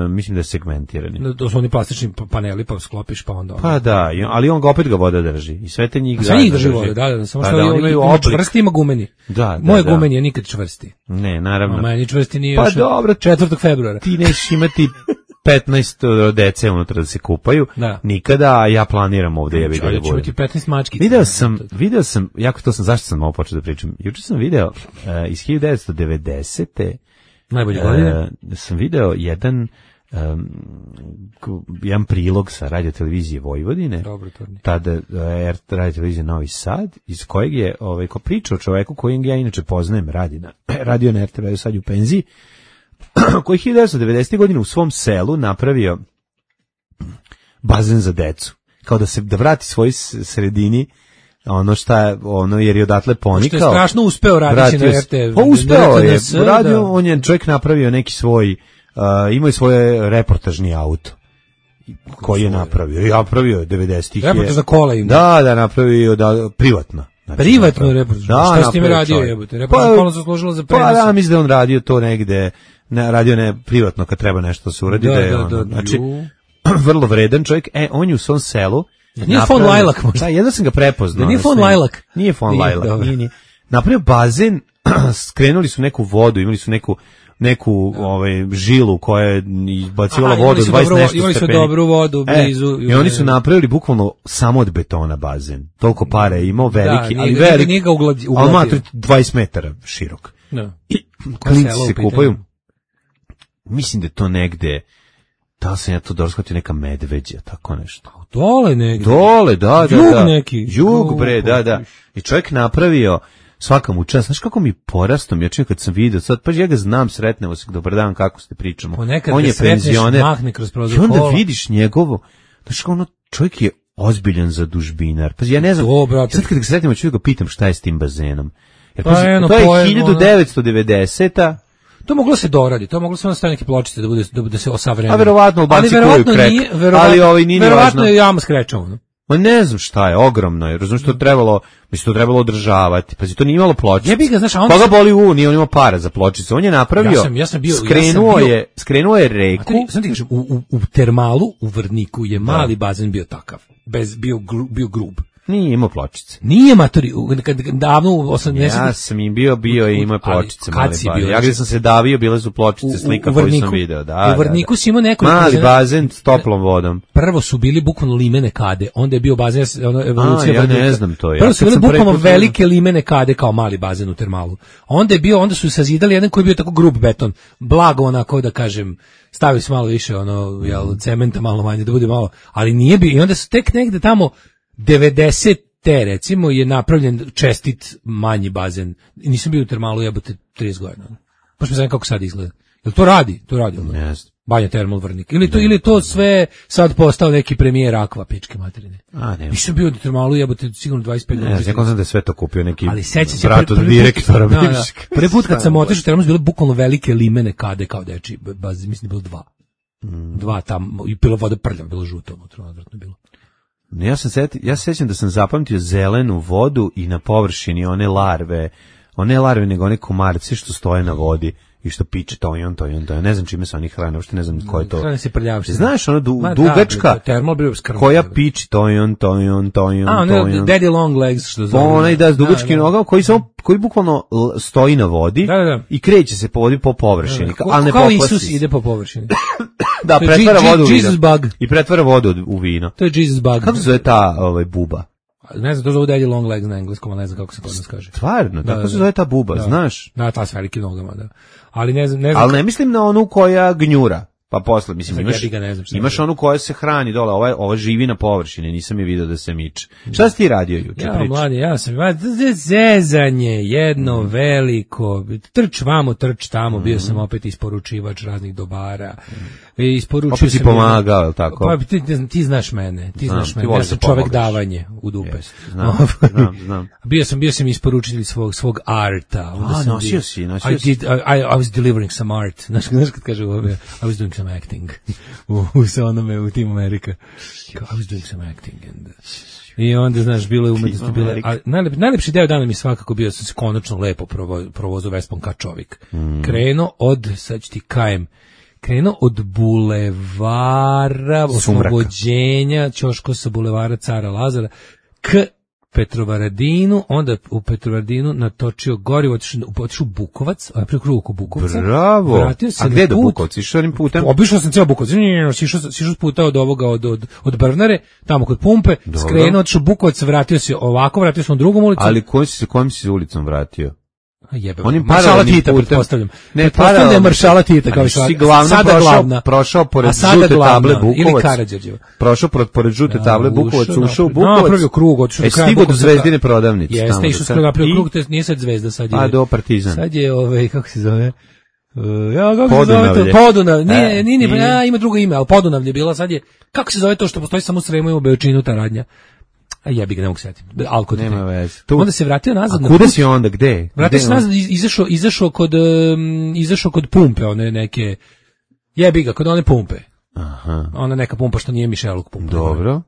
mislim da je segmentirani. To su oni plastični pa- paneli, pa sklopiš, pa onda... Pa da, i- ali on ga opet ga voda drži. I sve te njih Sve zajedno njih drži vode, da, da, samo Pa što da, da, oni imaju ima oblik. čvrsti, ima gumeni. Da, da, Moje da. gumeni je nikad čvrsti. Ne, naravno. A meni čvrsti nije Pa još dobro. četvrtog februara. Ti neš imati petnaest dece unutra da se kupaju. Da. Nikada, a ja planiram ovde jebi ga da Ja ću budem. imati petnaest mačkica. Video sam, video sam, jako to sam, zašto sam ovo počeo da pričam? Juče sam video uh, iz hiljadu devetsto devedesete. Najbolje godine. Uh, sam video jedan um, ku- jedan prilog sa radio televizije Vojvodine. Dobro, to mi. Tada uh, radio televizije Novi Sad, iz kojeg je ovaj, ko priča o čoveku kojeg ja inače poznajem, radi na, radio na er te ve, sad je u penziji, koji hiljadu devetsto devedesete. godine u svom selu napravio bazen za decu. Kao da se da vrati svoj s- sredini ono šta ono jer je odatle ponikao. Što je strašno uspeo raditi na Vratio er se- te ve. Pa uspeo je. R T N S, Radio, da. on je čovjek napravio neki svoj, uh, imao je svoje reportažni auto koji je napravio. I napravio je devedesetih. je- Reportažna kola ima. Da, da, napravio da, privatno. Znači, Privatno napravio. reportaž. Da, Šta si time napravio radio, čovjek. jebote? Reportažna kola se služila za Pa prenos. da, mislim da je on radio to negde, ne, radio ne privatno kad treba nešto da se uradi. Da, Da, je da, ono, da, znači, ju. vrlo vredan čovjek. E, on je u svom selu. Nije fon napravio- Lajlak možda? Da, jedno sam ga prepoznao. Da nije na fon snimku. Lajlak? Nije fon Nije, Lajlak, dobro. nije, nije. Napravio bazen skrenuli su neku vodu, imali su neku neku ovaj žilu koja je izbacivala Aha, vodu dvadeset nešto imali su stepeni. dobru vodu blizu. E, I oni su napravili bukvalno samo od betona bazen. Toliko para je imao, veliki, da, ali nije, veliki. Nije ga ugladio. Ali matri dvadeset metara širok. Da. I klinci se kupaju. Mislim da je to negde, da sam ja to dobro shvatio, neka Medveđa, tako nešto. Dole negde. Dole, da, da, Jug da. neki. Jug, bre, da, da. I čovjek napravio, svaka mu čast, znaš kako mi porastom, ja čim kad sam vidio, sad, pa ja ga znam, sretnemo se, dobar dan, kako ste pričamo. Ponekad on je penzioner. Mahne kroz prozor I onda kola. vidiš njegovo, znaš kako ono, čovjek je ozbiljan zadužbinar. Pa ja ne znam, To, brate. sad kad ga sretnemo, ću ga pitam šta je s tim bazenom. Jer, Pa pazi, eno, to je pojem, hiljadu devetsto devedeseta. To moglo se doradi, to moglo se onda staviti neke pločice da bude da, da se osavremeni. A verovatno Albanci kuju krek, ali ovaj nije verovatno važno. je jama skrečovano. Ma ne znam šta je, ogromno je, razumiješ, to trebalo, mislim, to trebalo održavati, pazi, to nije imalo pločice. Jebi ga, znaš, a on Koga se- boli u, nije on imao para za pločice, on je napravio, Ja sam- ja sam bio- ja sam skrenuo bio- je, skrenuo je A reku, ti, sam ti kažem, u, u, u termalu, u Vrniku je mali bazen bio takav, bez, bio, gru, bio grub. nije imao pločice. Nije matori, u- kad, kad, davno u osamdesetim Ja sam im bio, bio i imao Ali pločice, kad mali si bazen. bio, Ja gdje sam se davio, bile su pločice, slika koju sam video, da, u Vrniku da, si imao da. nekoliko Mali bazena. bazen s toplom vodom. Prvo su bili bukvalno limene kade, onda je bio bazen, ono, evolucija. A, ja ne Vrnika. znam to, ja Prvo kad su bili sam prvi bukvalno put velike limene kade kao mali bazen u termalu. Onda je bio, onda su sazidali jedan koji je bio tako grub beton, blago onako da kažem, stavili su malo više ono, jel, cementa malo manje, da bude malo, ali nije bio, i onda su tek negde tamo devedeset te recimo je napravljen čestit manji bazen. I nisam bio u termalu jebote trideset godina. Baš me znam kako sad izgleda. Jel to radi? To radi ono. Ne znam. Banja Termal Vrnik. Ili to, ili to sve sad postao neki premijer Aqua, pičke materine. A, ne. Nisam bio u termalu jebote sigurno dvadeset pet Ne, godina. znam, znam da je sve to kupio neki Ali seća se brat od prvi put- direktora. da, da. bivšeg. Prvi put kad sam otišao u termal su bile bukvalno velike limene kade kao deči, baz, mislim da je bilo dva. Dva tamo, i bilo voda prljava, bilo žuto, unutra, odvratno je bilo. Ja sam seti, ja se sećam da sam zapamtio zelenu vodu i na površini one larve, one larve nego one komarci što stoje na vodi i što piče to i on to i on to. Ja ne znam čime se oni hrane, uopšte ne znam ko je to. Hrane se prljavši. Znaš, ono du, Ma da, dugačka bre, termal bio skromno. koja piči to i on to i on to i on A, to i ono, on. daddy long legs, što zove. Onaj da s dugačkim nogama koji samo koji bukvalno l- stoji na vodi Da, da, da. i kreće se po vodi po površini, Ko- ali ne kao poplasi Isus se. ide po površini. Da, To je pretvara Je- vodu u Jesus vino. bug. I pretvara vodu u vino. To je Jesus bug. Kako se zove ta ovaj buba? Ne znam, to zove daddy long legs na engleskom, ali ne znam kako se kod nas kaže. Stvarno, Da, tako da, se da. zove ta buba, Da. znaš? Da, ta s velikim nogama, da. Ali ne znam, ne znam. Ali ne mislim na onu koja gnjura. Pa posle, mislim, Sad imaš, jebi ga, ne znam šta imaš je. onu koja se hrani dole, ova, ova živi na površini, nisam je vidio da se miče. Šta si ti radio juče? Ja, Priči. mladi, ja sam, ma, z- zezanje, jedno veliko, trč vamo, trč tamo, bio sam opet isporučivač raznih dobara. I isporučio Opet si sam pomagao, jel tako? Pa ti, ti, ti znaš mene, ti Znam, znaš ti mene, ja voliš sam da čovek pomogaš. davanje u dupe. Jeste, znam, znam, znam. Bio sam, bio sam isporučitelj svog, svog arta. Onda A, sam nosio bio- si, nosio I si. did, I, I, I was delivering some art. Znaš, znaš kad kaže u ove, I was doing some acting. u, u sa onome, u Team America. Kao, I was doing some acting. And, uh, I onda, znaš, bilo je umetnosti, bilo je, a najlep, najlepši deo dana mi svakako bio, sam se konačno lepo provo, provozao Vespom ka čovjek. Mm. Krenuo od, sad ću ti kajem, krenuo od bulevara, oslobođenja, ćoško sa bulevara Cara Lazara, k Petrovaradinu, onda u Petrovaradinu natočio gorivo, otišao otišao u Bukovac, a preko krugu oko Bukovca. Bravo. Vratio se A na gde do put. Bukovca? Išao onim putem? Obišao sam ceo Bukovac. Ne, ne, ne, sišao sam- sišao s puta od ovoga, od, od, od Brvnare, tamo kod pumpe, Dobro. skrenuo, otišao u Bukovac, vratio se ovako, vratio sam u drugom ulicom. Ali kojim si se, kojim si se ulicom vratio? A jebe, Onim Maršala paralelnim Tita, putem. pretpostavljam. Ne, Pretpostavljam da je paralelno. Maršala Tita, kao Ali i svaka. si glavno Sada prošao- glavna. prošao pored A sada žute glavna, table Ili Bukovac. Karađorđeva. Prošao pored, pored žute table Bukovac, ušao, ušao u napravio- Bukovac. napravio krug, otišao do E, kraja stigo do Bukovca. Zvezdine prodavnice. tamo Jeste, do išao sad. skoro napravio I- krug, to je- nije sad Zvezda, sad je... A, do Partizan. Sad je, ovaj, kako se zove? Uh, ja, kako se Podunavlje. zove to? Podunav, nije, E, nije, nije, nije. ja, ima drugo ime, ali Podunavlje je bila, sad je, kako se zove to što postoji samo u Sremu i u Beočinu, ta radnja? A jebi ga, ne mogu setiti. Alko ti Nema te. veze. Tu- Onda se vratio nazad. A na kuda put. si onda, gde? Vratio Gde se nazad, iz- izašao, izašao kod, um, izašao kod pumpe, one neke, jebi ga, kod one pumpe. Aha. Ona neka pumpa što nije Mišeluk pumpa. Dobro.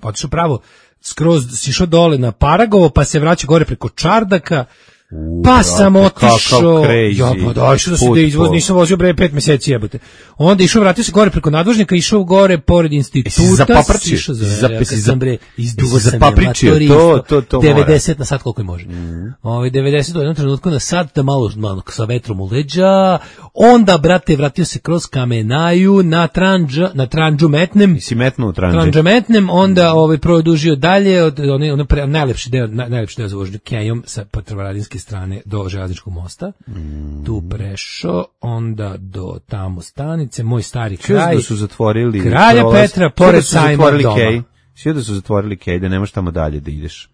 Pa otišao pravo, skroz si išao dole na Paragovo, pa se vraća gore preko Čardaka, U, Pa brate, sam otišao, kakav crazy ja pa da, išao da se put da izvoz, po- nisam vozio bre pet meseci jebote. Onda išao, vratio se gore preko nadvožnjaka, išao gore pored instituta. Jesi zapaprčio? Išao za, Jesi zap- ja, jesi kad zap- sam bre, izduvo jesi sam je, zapapričio, matori, to- isto, to- to mora. devedeset na sat koliko je može. Mm. Ovaj devedeset u jednom trenutku na sat, da malo, malo sa vetrom u leđa, onda, brate, vratio se kroz Kamenaju na Tranđa, na Tranđu metnem. Si metnuo u tranđe. Tranđa metnem, onda ovaj produžio dalje od one one pre, najlepši deo naj, najlepši deo za vožnju kejom sa Petrovaradinske strane do železničkog mosta. Mm. Tu prešao, onda do tamo stanice, moj stari Čuo kraj. da su zatvorili Kralja prolaz. Petra, Čuo pored da su sajma zatvorili doma. kej. Čuo da su zatvorili kej, da nemaš tamo dalje da ideš.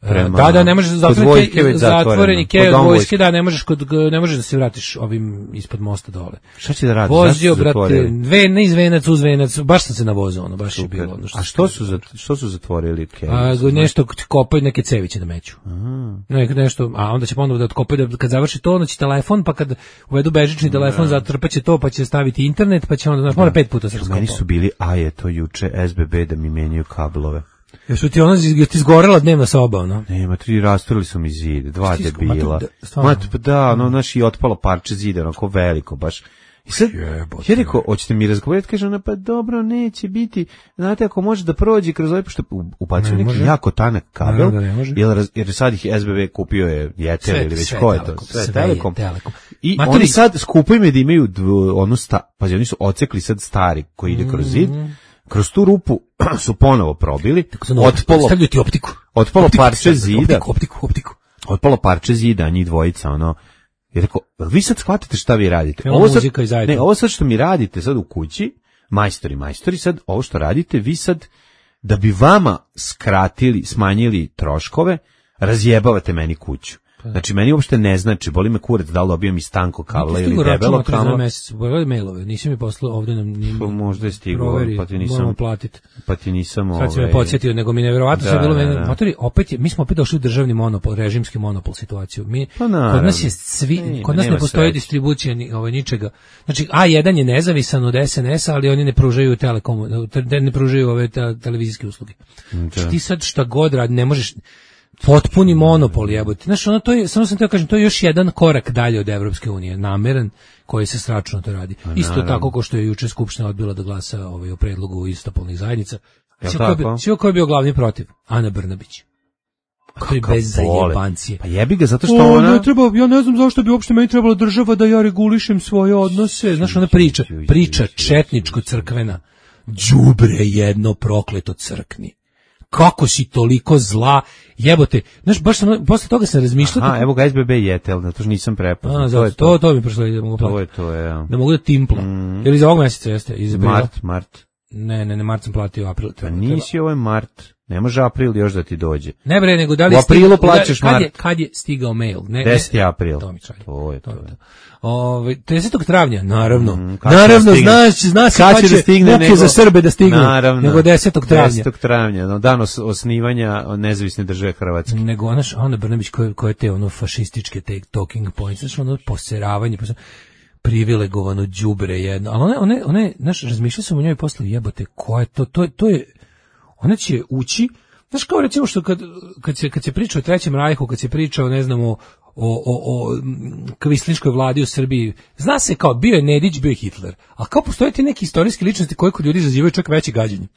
Prema- Da, da, ne možeš kod zatvoriti vojske već zatvoreni zatvoreno. kej Kod od dom vojske, da, ne možeš kod ne možeš da se vratiš ovim ispod mosta dole. Šta će da radiš? Vozio, Zašto su brate, zatvorili? ve, ne iz venac uz venac, baš sam se navozao, ono, baš je Super. bilo. Ono A što su, zat- što su zatvorili kej? A, nešto kopaju neke ceviće da meću. Ne, nešto, a onda će ponovo da otkopaju, da kad završi to, onda će telefon, pa kad uvedu bežični telefon, zatrpaće to, pa će staviti internet, pa će onda, znaš, mora pet puta se Meni raskopao. su bili, a je to juče S B B da mi menjaju kablove. Jesu ti ono, je ti izgorela dnevna soba, ono? Nema, tri rasturili su mi zid, dva Ti isku- debila. ma to da- stvarno? Ma, pa da, ono, naš i otpalo parče zida, onako veliko, baš. I sad, Jebote. ja rekao, hoćete mi razgovarati, kaže ona, pa dobro, neće biti, znate, ako može da prođe kroz ovaj, pošto u- ubacio Ne neki može. jako tanak kabel, Naravno da ne može. jer, raz- jer sad ih S B B kupio je Jetel ili već sve ko je to, Telekom, sve, sve Telekom. je Telekom. I Matori- oni sad skupaju me da imaju dv- onu sta, pazi, oni su ocekli sad stari koji ide kroz zid, kroz tu rupu su ponovo probili, otpalo, Stavljaju ti optiku. otpalo Optiku parče stavljaju, zida, Optiku, optiku, optiku. otpalo parče zida, njih dvojica, ono, i rekao, vi sad shvatate šta vi radite? Evo Ovo sad, muzika i zajedno. ne, ovo sad što mi radite sad u kući, majstori, majstori, sad ovo što radite, vi sad, da bi vama skratili, smanjili troškove, razjebavate meni kuću. Znači, meni uopšte ne znači, boli me kurac da li dobijem iz tanko kabla ili debelo kabla. Pogledaj mailove, nisi mi poslao ovde nam ni Pa možda je stiglo, proveri, pa ti nisam- moramo platiti. Pa ti nisam Sad si me ovaj, podsjetio, nego mi nevjerovatno Da, sve bilo da, meni. da. Matori, opet je, mi smo opet došli u državni monopol, režimski monopol situaciju. Mi Pa naravno. kod nas je svi, Nema, kod nas ne nema postoji sreće. distribucija ni ovaj ničega. Znači A jedan je nezavisan od S N S-a, ali oni ne pružaju telekom, te- ne pružaju ove te- televizijske usluge. Znači ti sad šta god radi, ne možeš potpuni monopol jebote. Znaš, ono to je, samo sam teo kažem, to je još jedan korak dalje od Evropske unije, nameran koji se stračno to radi. Isto naravno. tako kao što je juče skupština odbila da glasa ovaj o predlogu istopolnih zajednica. Jel Svi ko je bio- tako? svi ko je bio glavni protiv? Ana Brnabić. To je Kakav bez bole. zajebancije. Pa jebi ga, zato što O, ona... ne treba, ja ne znam zašto bi uopšte meni trebala država da ja regulišem svoje odnose. Znaš, ona priča, priča četničko-crkvena. Đubre jedno prokleto crkni. Kako si toliko zla, jebote. Znaš, baš sam, posle toga sam razmišljao. Aha, evo ga S B B Jetel, zato što nisam prepoznao. A, To zato, je to, to mi prošlo da mogu To platiti. je to, je, ja. Da mogu da timpla. Mm. Ili za ovog mjeseca jeste? Iz aprila? Mart, Mart. Ne, ne, ne, mart sam platio, april. Pa Treba, nisi, ovo je Mart. Ne može april još da ti dođe. Ne bre, nego da li U aprilu stigao- plaćaš kad je, mart. kad je stigao mail? Ne, deseti ne, april. To mi šalje. To je to. To je to. Ove, tridesetog travnja, naravno. Mm, kad će naravno, da stigne? znaš, zna se Kad kad će da stigne muke nego- za Srbe da stignu, Naravno. nego desetog travnja. desetog travnja, no, dan os- osnivanja nezavisne države Hrvatske. Nego, znaš, Ana Brnabić koje, koje te ono fašističke te talking points, znaš, ono poseravanje, posle- privilegovano đubre jedno, ali one, one, one, znaš, razmišljao sam o njoj posle, jebote, ko je to, to, je- to je, ona će ući, znaš, kao recimo što kad, kad, se, kad se priča o Trećem rajhu, kad se priča o, ne znam, o, o, o, o mm, kvislinškoj vladi u Srbiji, zna se kao, bio je Nedić, bio je Hitler, a kao postoje ti neki istorijski ličnosti koji kod ljudi izazivaju čak veće gađenje.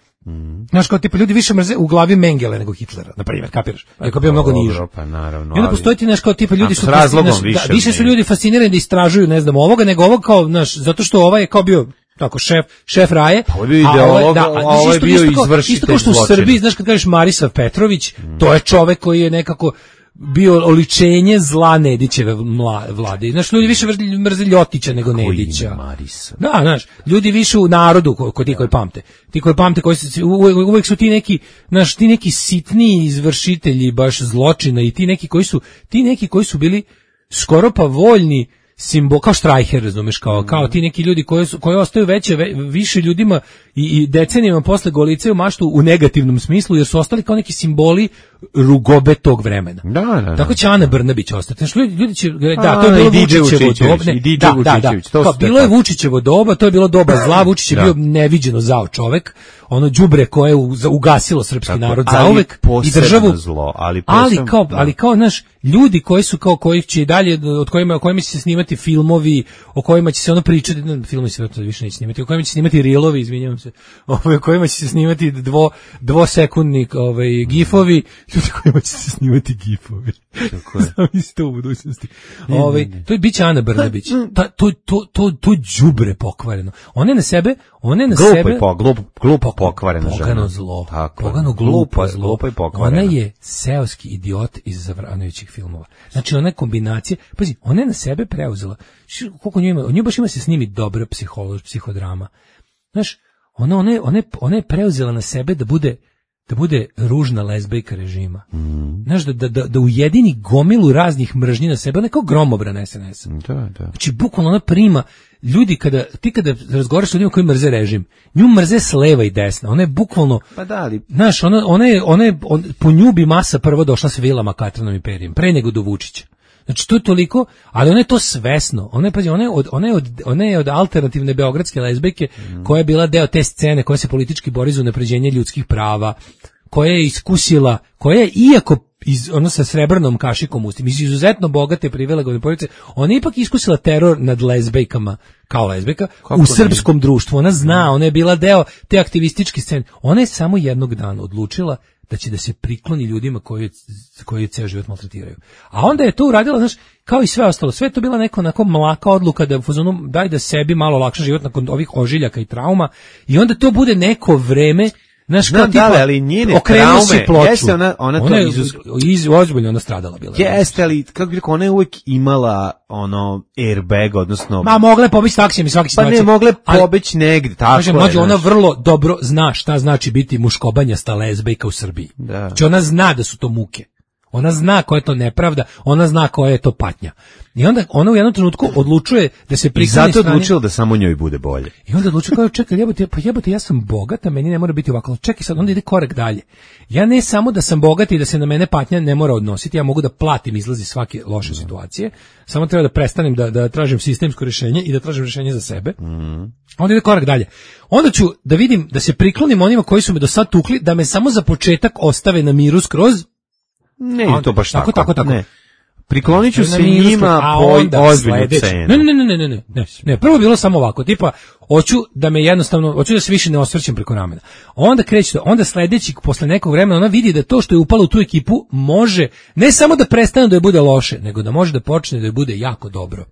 Znaš, kao tipa ljudi više mrze u glavi Mengele nego Hitlera, na primjer, kapiraš? Ako bio mnogo niže. Dobro, pa naravno. I onda ali- postoji ti nešto kao tipa ljudi A, su s razlogom znaš, više da, više su ne. ljudi fascinirani da istražuju, ne znam, ovoga nego ovog kao, znaš, zato što ovaj je kao bio tako šef šef raje, Pa ovo je bio a ideolog, ovaj- da, a znaš, ovo je isto- bio isto kao- izvršitelj isto kao što u zločina. Srbiji, znaš, kad kažeš Marisav Petrović, to je čovek koji je nekako bio oličenje zla Nedićeve mla, vlade. Znaš, ljudi više mrze- mrze Ljotića nego Koji Nedića. ime Marisa? Da, znaš, ljudi više u narodu, ko, ko ti koji pamte. Ti koji pamte, koji su, uvek, uvek su ti neki, znaš, ti neki sitniji izvršitelji baš zločina i ti neki koji su, ti neki koji su bili skoro pa voljni simbol, kao Štrajher, razumeš, kao, kao ti neki ljudi koji, su, koji ostaju veće, ve, više ljudima i, i decenijama posle golicaju maštu u negativnom smislu, jer su ostali kao neki simboli rugobe tog vremena. Da, da, da. Tako će Ana Brnabić ostati. Znači, ljudi, ljudi će, da, A, to je bilo i Didže Vučićevo Vučićević, doba. i Didže Da, da, da. Vučićević, to Kao, su te bilo je tako. Vučićevo doba, to je bilo doba zla, Vučić je Da. bio neviđeno zao čovek. ono đubre koje je ugasilo srpski tako, narod zauvek i državu zlo, ali ali kao da. ali kao naš ljudi koji su kao kojih će dalje od kojima o kojima će se snimati filmovi, o kojima će se ono pričati, filmovi se više neće snimati, o kojima će se snimati reelovi, izvinjavam se, o kojima će se snimati dvo dvosekundni ovaj gifovi, ljudi kojima će se snimati gifovi. Tako je. Zamislite u budućnosti. Ovaj to je biće Ana Brnabić. Ta, to to to to đubre pokvareno. One na sebe, one na glupo sebe je po, glupo, glupo pokvareno žena. Pogano zlo. Tako, pogano glupo zlo. Glupo i pokvareno. Ona je seoski idiot iz Zavranovićih filmova. Znači ona kombinacija, pazi, ona je na sebe preuzela. Koliko nju ima, nju baš ima se snimi dobra psihološka psihodrama. Znaš, ona ona ona ona je preuzela na sebe da bude da bude ružna lezbejka režima. Mm. Znaš, da, da, da ujedini gomilu raznih mržnji na sebe, ona je kao gromobran es en es. Da, da. Znači, bukvalno ona prima, ljudi kada, ti kada razgovaraš s ljudima koji mrze režim, nju mrze s leva i desna, ona je bukvalno, pa da, ali... znaš, ona, ona je, ona je on, po nju bi masa prvo došla s vilama Katranom i Perijem, pre nego do Vučića. Znači to je toliko, ali ona je to svesno. Ona je pazi, ona je od ona je od ona je od alternativne beogradske lezbejke mm. koja je bila deo te scene koja se politički bori za unapređenje ljudskih prava, koja je iskusila, koja je iako iz ono sa srebrnom kašikom u ustima, iz izuzetno bogate privilegovane porodice, ona je ipak iskusila teror nad lezbejkama kao lezbejka kako u srpskom nije? Društvu. Ona zna, ona je bila deo te aktivističke scene. Ona je samo jednog dana odlučila da će da se prikloni ljudima koji koji ceo život maltretiraju. A onda je to uradila, znaš, kao i sve ostalo. Sve je to bila neka onako mlaka odluka da u fazonu daj da sebi malo lakše život nakon ovih ožiljaka i trauma i onda to bude neko vreme. Znaš, kao tipa, da, ali njene traume, jeste ona, ona, ona to je iz, iz, ozbiljno ona stradala bila. Jeste, ali, kako bi rekao, ona je uvijek imala, ono, airbag, odnosno... Ma, mogle pobeći taksijem i svaki situacije. Pa ne, mogle pobeći negdje, tako kažem, je. Mađu, ona vrlo dobro zna šta znači biti muškobanjasta lezbejka u Srbiji. Da. Znači, ona zna da su to muke. Ona zna koja je to nepravda, ona zna koja je to patnja. I onda ona u jednom trenutku odlučuje da se prikloni strani. I zato odlučila da samo njoj bude bolje. I onda odlučuje kao, čekaj, jebote, pa jebote, ja sam bogata, meni ne mora biti ovako. Čekaj sad, onda ide korak dalje. Ja ne samo da sam bogata i da se na mene patnja ne mora odnositi, ja mogu da platim izlazi svake loše situacije, samo treba da prestanem da, da tražim sistemsko rješenje i da tražim rješenje za sebe. Mm. Onda ide korak dalje. Onda ću da vidim, da se priklonim onima koji su me do sad tukli, da me samo za početak ostave na miru skroz. Ne, onda, to baš tako. Tako, tako, tako. Ne. Priklonit ću se njima po ozbiljnu cenu. Ne, ne, ne, ne, ne, ne, ne. Prvo je bilo samo ovako, tipa, hoću da me jednostavno, hoću da se više ne osvrćem preko ramena. Onda kreće, onda sledeći, posle nekog vremena, ona vidi da to što je upalo u tu ekipu može, ne samo da prestane da je bude loše, nego da može da počne da je bude jako dobro.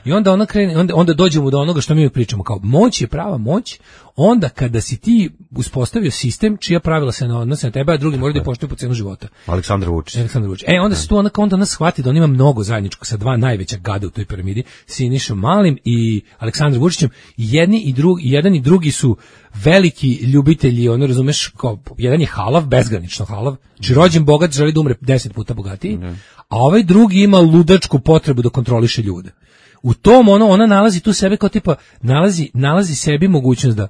I onda ona krene, onda, onda dođemo do onoga što mi pričamo, kao moć je prava moć, onda kada si ti uspostavio sistem čija pravila se ne odnose na tebe, a drugi moraju da poštuju po cenu života. Aleksandar Vučić. Aleksandar Vučić. E, onda se tu onda, onda nas shvati da on ima mnogo zajedničkog sa dva najveća gada u toj piramidi, Sinišom Malim i Aleksandrom Vučićem. Jedni i drugi, jedan i drugi su veliki ljubitelji, ono razumeš, kao jedan je halav, bezgranično halav, znači rođen bogat, želi da umre deset puta bogatiji, mm. a ovaj drugi ima ludačku potrebu da kontroliše ljude. U tom ono, ona nalazi tu sebe kao tipa, nalazi, nalazi sebi mogućnost da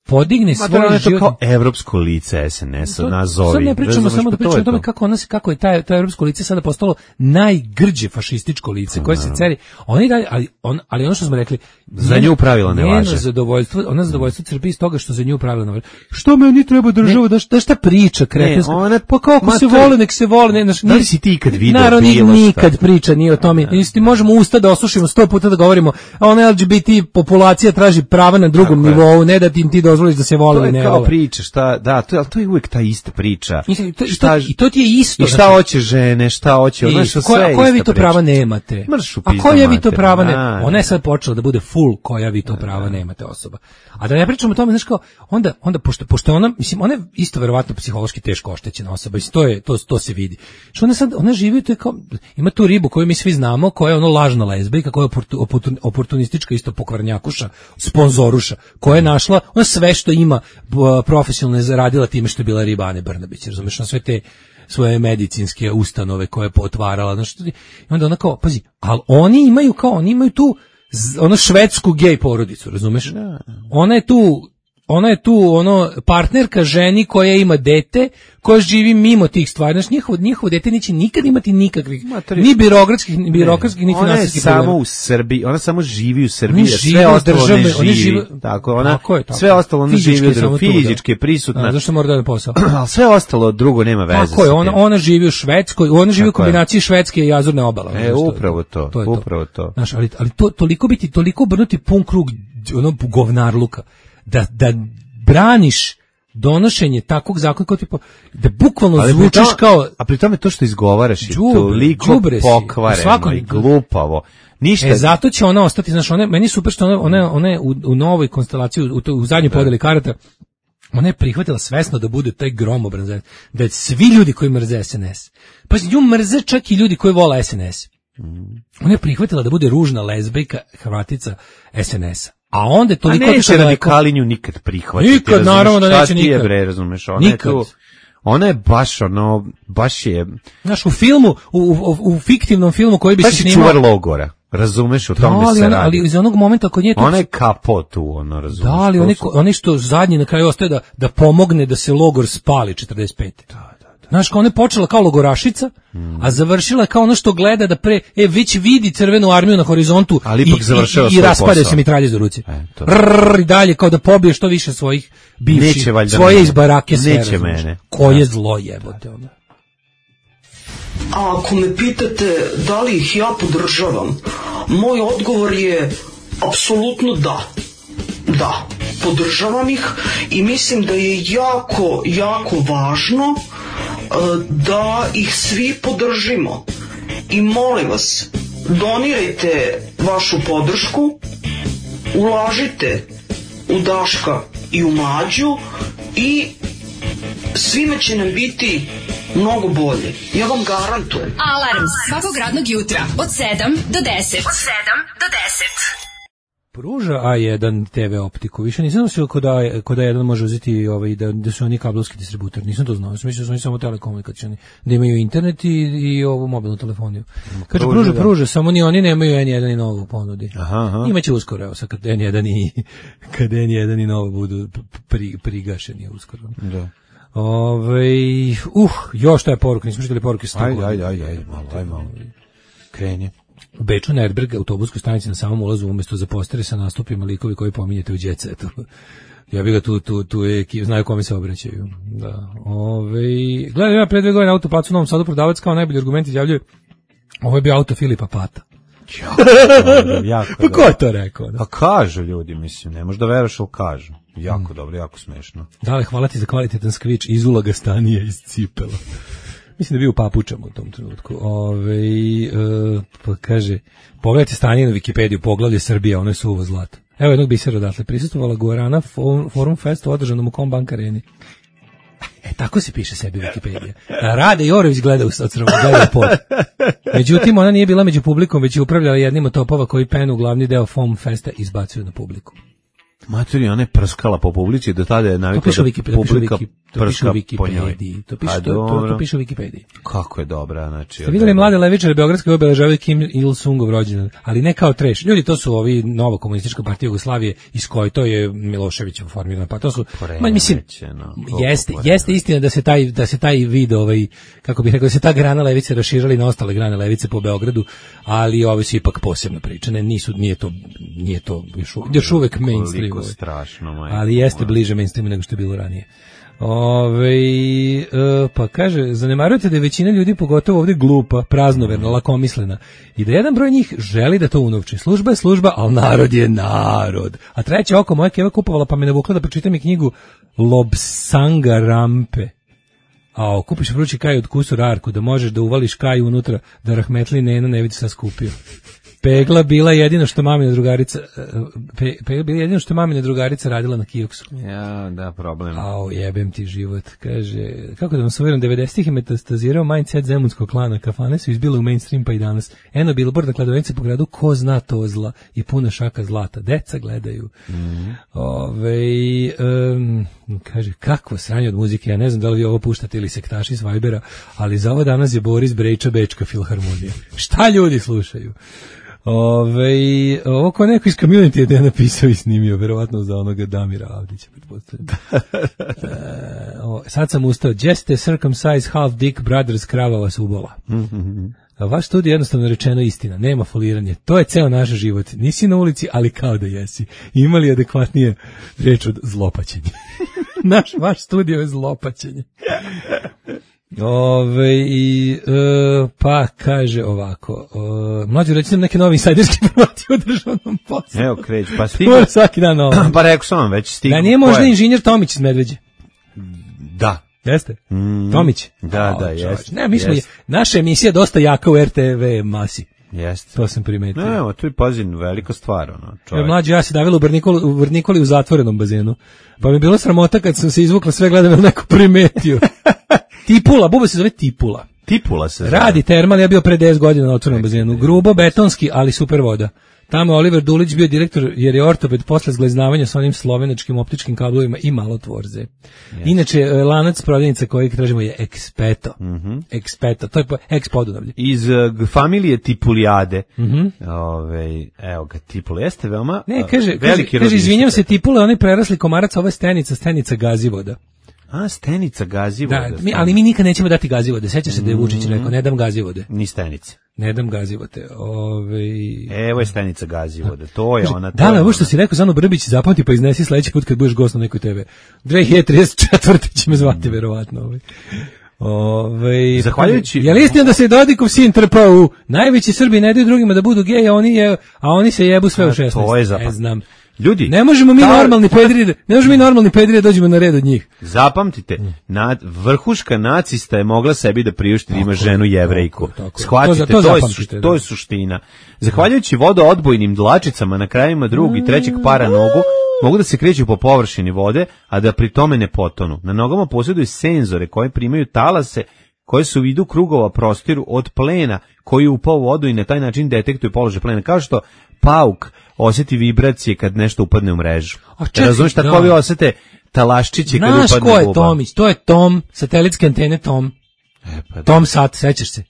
podigne svoj život. To je kao evropsko lice es en es-a, nazovi. Sad ne pričamo samo da pričamo o tome kako, ona, kako je taj, to evropsko lice sada postalo najgrđe fašističko lice koje se ceri. Oni dalje, ali, on, ali ono što smo rekli, za nju pravila ne važe. Zadovoljstvo, ona zadovoljstvo crpi iz toga što za nju pravila ne važe. Što me oni treba državu, da, da šta priča kretenska? Pa kako se vole, nek se vole. Ne, naš, da li si ti kad video naravno, bilo šta? Nikad priča nije o tome. Isti možemo usta da osušimo sto puta da govorimo, a ona el ge be te populacija traži prava na drugom nivou, ne da ti ti dozvoliš da se vole. Kao vole. Priča, šta, da, to, ali to je uvijek ta ista priča. I to, šta, i to ti je isto. I šta znači, hoće žene, šta hoće, ona što sve je koja vi to prava nemate? A koja vi to prava nemate? Ona je sad počela da bude full koja vi to prava nemate osoba. A da ne pričamo o tome, znaš kao, onda, onda pošto, pošto ona, mislim, ona je isto verovatno psihološki teško oštećena osoba, i to je, to, to se vidi. Što ona sad, ona živi, to je kao, ima tu ribu koju mi svi znamo, koja je ono lažna lezbijka, koja je oportun, oportunistička isto pokvarnjakuša, sponzoruša, koja je našla, ona sve što ima profesionalno je zaradila time što je bila riba Ane Brnabić, razumeš, na sve te svoje medicinske ustanove koje je potvarala, znači, i onda ona kao, pazi, ali oni imaju kao, oni imaju tu ono švedsku gej porodicu, razumeš? Ona je tu ona je tu ono partnerka ženi koja ima dete, koja živi mimo tih stvari. Znači, njihovo, njihovo dete neće nikad imati nikakvih, Matri... ni birokratskih, ni birokratskih, ni finansijskih problema. Ona je samo u Srbiji, ona samo živi u Srbiji, Oni sve ostalo države, ne živi. oni žive, tako, ona, tako je, tako. sve ostalo ona fizički živi, samo fizički je prisutna. A, zašto mora da je posao? Ali sve ostalo drugo nema veze. Tako je, ona, ona živi u Švedskoj, ona živi u kombinaciji Švedske i Azurne obale. E, upravo to, to, je upravo to. to. Znaš, ali, ali to, toliko biti, toliko brnuti pun krug ono govnarluka, da, da braniš donošenje takvog zakona kao tipa da bukvalno ali zvučiš pritom, kao a pri tome to što izgovaraš je džubre, toliko pokvareno i glupavo. Ništa. E, zato će ona ostati, znaš, ona, meni je super što ona, ona, ona je u, u novoj konstelaciji, u, u, u zadnjoj podeli karata, ona je prihvatila svesno da bude taj gromobran, da svi ljudi koji mrze es en es, pa nju mrze čak i ljudi koji vole es en es. Ona je prihvatila da bude ružna lezbejka, Hrvatica es en es-a. A onda je toliko... A neće radikalinju nikad prihvatiti. Nikad, razumeš, naravno da neće nikad. Je, bre, razumeš, ona nikad. Je tu, ona je baš, ono, baš je... Znaš, u filmu, u, u, u fiktivnom filmu koji bi se snimao... Baš je čuvar logora, razumeš, o tome da, se ona, radi. Ali iz onog momenta kod nje... Ona je kapo tu, ono, razumeš. Da, ali oni, oni što zadnji na kraju ostaje da, da pomogne da se logor spali četrdeset pete. Da. Znaš, kao ona je počela kao logorašica, mm. a završila kao ono što gleda da pre, e, već vidi crvenu armiju na horizontu ali ipak i, i, i raspadaju se mitralje za ruci. E, Rrrr, i dalje, kao da pobije što više svojih bivših, svoje mene. Iz barake sve. Neće mene. Koje je zlo jebote ono. A ako me pitate da li ih ja podržavam, moj odgovor je apsolutno da. Da, podržavam ih i mislim da je jako, jako važno da ih svi podržimo. I molim vas, donirajte vašu podršku, ulažite u Daška i u Mlađu i svima će nam biti mnogo bolje. Ja vam garantujem. Alarm svakog radnog jutra od sedam do deset. Od sedam do deset. Pruža A jedan te ve optiku. Više nisam mislio kod A, kod A jedan može uzeti ovaj, da, da su oni kablovski distributori. Nisam to znao. Sam mislio da su oni samo telekomunikacioni. Da imaju internet i, i ovu mobilnu telefoniju. Kaže, pruža, pruža, samo ni oni nemaju en jedan i novo u ponudi. Aha, aha. Imaće uskoro, evo sad kad en jedan i, kad en jedan i novo budu pri, prigašeni uskoro. Da. Ove, uh, još taj poruka, nismo čitali poruke s ajde, ajde, ajde, ajde, malo, ajde, malo. Krenje. U Beču na Erdberg autobuskoj stanici na samom ulazu umjesto za posteri sa nastupima likovi koji pominjete u Jet Setu. Ja bih ga tu, tu, tu je, znaju kome se obraćaju. Da. Ove, gledaj, ja pre dve godine na autoplacu u Novom Sadu prodavac kao najbolji argument izjavljuje, ovo je bio auto Filipa Pata. jako pa ko je to rekao? Da? Pa kažu ljudi, mislim, ne možda veruješ, ali kažu. Jako mm. dobro, jako smešno. Dale, hvala ti za kvalitetan skvič iz ulaga stanije iz cipela. Mislim da bi u papučama u tom trenutku. Ove, e, pa kaže, pogledajte stanje na Wikipediju, poglavlje Srbija, ono je suvo zlato. Evo jednog bisera odatle, prisustvovala Guarana Forum Festu održanom u Kombank areni. E, tako se piše sebi Wikipedija. Rade Jorović gleda od strana, gleda pod. Međutim, ona nije bila među publikom, već je upravljala jednim od topova koji penu glavni deo Forum Festa izbacuju na publiku. Maturi, ona je prskala po publici, do tada je navikla da Wiki, publika Wiki, prska po njoj. To piše, to, to, to piše u Wikipediji. Kako je dobra, znači... Ste vidjeli mlade levičare Beogradske obeležavaju Kim Il-sungov rođendan, ali ne kao treš. Ljudi, to su ovi nova komunistička partija Jugoslavije, iz koje to je Milošević formirana, pa to su... Ma, mislim, no, jeste, jeste istina da se taj, da se taj vid, ovaj, kako bih rekao, da se ta grana levice raširali na ostale grane levice po Beogradu, ali ovi su ipak posebno pričane, nisu, nije to, nije to još, još uvek mainstream. Strašno, majko, ali jeste bliže mainstreamu nego što je bilo ranije. Ove, e, pa kaže, zanemarujete da je većina ljudi, pogotovo ovdje glupa, praznoverna, lakomislena i da jedan broj njih želi da to unovči. Služba je služba, ali narod je narod. A treće oko moja keva kupovala, pa me navukla da pročitam i knjigu Lobsanga Rampe. A okupiš vrući kaj od kusu rarku, da možeš da uvališ kaj unutra, da rahmetli neno ne vidi šta skupio. Pegla bila jedino što mamina drugarica pe, Pegla bila jedino što mamina drugarica radila na kioksu. Ja, da, problem. Ao, jebem ti život. Kaže, kako da vam se uvjerim, devedesetih je metastazirao mindset zemunskog klana, kafane su izbile u mainstream pa i danas. Eno billboarda kladovnice po gradu, ko zna to zla i puna šaka zlata. Deca gledaju. Mm. Ove, um, kaže, kakvo sranje od muzike, ja ne znam da li vi ovo puštate ili sektaši s Vibera, ali za ovo danas je Boris Brejča Bečka filharmonija. Šta ljudi slušaju? Ove, ovo ko neko iz community je napisao i snimio, verovatno za onoga Damira Avdića. e, o, sad sam ustao. Just a circumcised half dick brothers, krava vas ubola. A vaš studij je jednostavno rečeno istina, nema foliranje. To je ceo naš život. Nisi na ulici, ali kao da jesi. Imali adekvatnije reč od zlopaćenje. Naš, vaš studio je zlopaćenje. Ove, i, e, pa kaže ovako, e, mlađe reći nam neke nove insajderske informacije o državnom poslu. Evo kreć, pa stigo. Svaki dan ovo. Pa rekao sam vam, već stigo. Da nije možda inženjer Tomić iz Medveđe? Da. Jeste? Mm. Tomić? Da, o, da, jeste. Ne, mi smo, jest. naša emisija je dosta jaka u R T V masi. Jeste. To sam primetio. Ne, evo, tu je pazin, velika stvar, ono, čovjek. Mlađe, ja se davila u Vrnikoli, u Vrnikoli u zatvorenom bazenu. Pa mi je bilo sramota kad sam se izvukla sve, gledam, ili neko primetio. Tipula, buba se zove Tipula. Tipula se zove. Radi termal, ja bio pre deset godina na otvorenom bazenu. Grubo, betonski, ali super voda. Tamo je Oliver Dulić bio direktor, jer je ortoped posle zgleznavanja sa onim slovenačkim optičkim kablovima i malo tvorze. Yes. Inače, lanac prodavnica koji tražimo je Expeto. Mm-hmm. Expeto, to je po, ex-Podunavlje. Iz uh, familije Tipulijade. Mm-hmm. Ove, evo ga, Tipule. Jeste veoma ne, kaže, veliki kaže, kaže izvinjam se, Tipule, oni prerasli komarac, ovo je stenica, stenica Gazivoda. A, stenica Gazivoda. Da, mi, ali mi nikad nećemo dati Gazivode. Seća se da je Vučić rekao, ne dam Gazivode. Ni stenice. Ne dam Gazivode. Ove... Evo je stenica Gazivode. To je ona. Da, ovo što si rekao, Zano Brbić, zapamti pa iznesi sledeći put kad budeš gost na nekoj te ve. dve hiljade trideset četvrte će me zvati, verovatno. Ove. Ove, Zahvaljujući... Je li istina da se Dodikov sin trpao u najveći Srbi ne daju drugima da budu geji, a oni, je, a oni se jebu sve u šesnaest? To je zapamti. Ne znam. Ljudi, ne možemo mi ta... normalni pedri, ne možemo mi normalni pedri da dođemo na red od njih. Zapamtite, na, vrhuška nacista je mogla sebi da priušti da ima ženu Jevrejku. Shvatite, to, to, to, je, suština, to je suština. Zahvaljujući vodoodbojnim dlačicama na krajima drugog i trećeg para nogu, mogu da se kreću po površini vode, a da pri tome ne potonu. Na nogama posjeduju senzore koji primaju talase, koje su u vidu krugova prostiru od plena koji upao u vodu i na taj način detektuju položaj plena. Kao što pauk osjeti vibracije kad nešto upadne u mrežu. Razumiješ, tako vi osjete talaščiće kad upadne u buba. Znaš ko je Tomić? To je Tom, satelitske antene Tom. E, pa Tom Sat, sećaš se?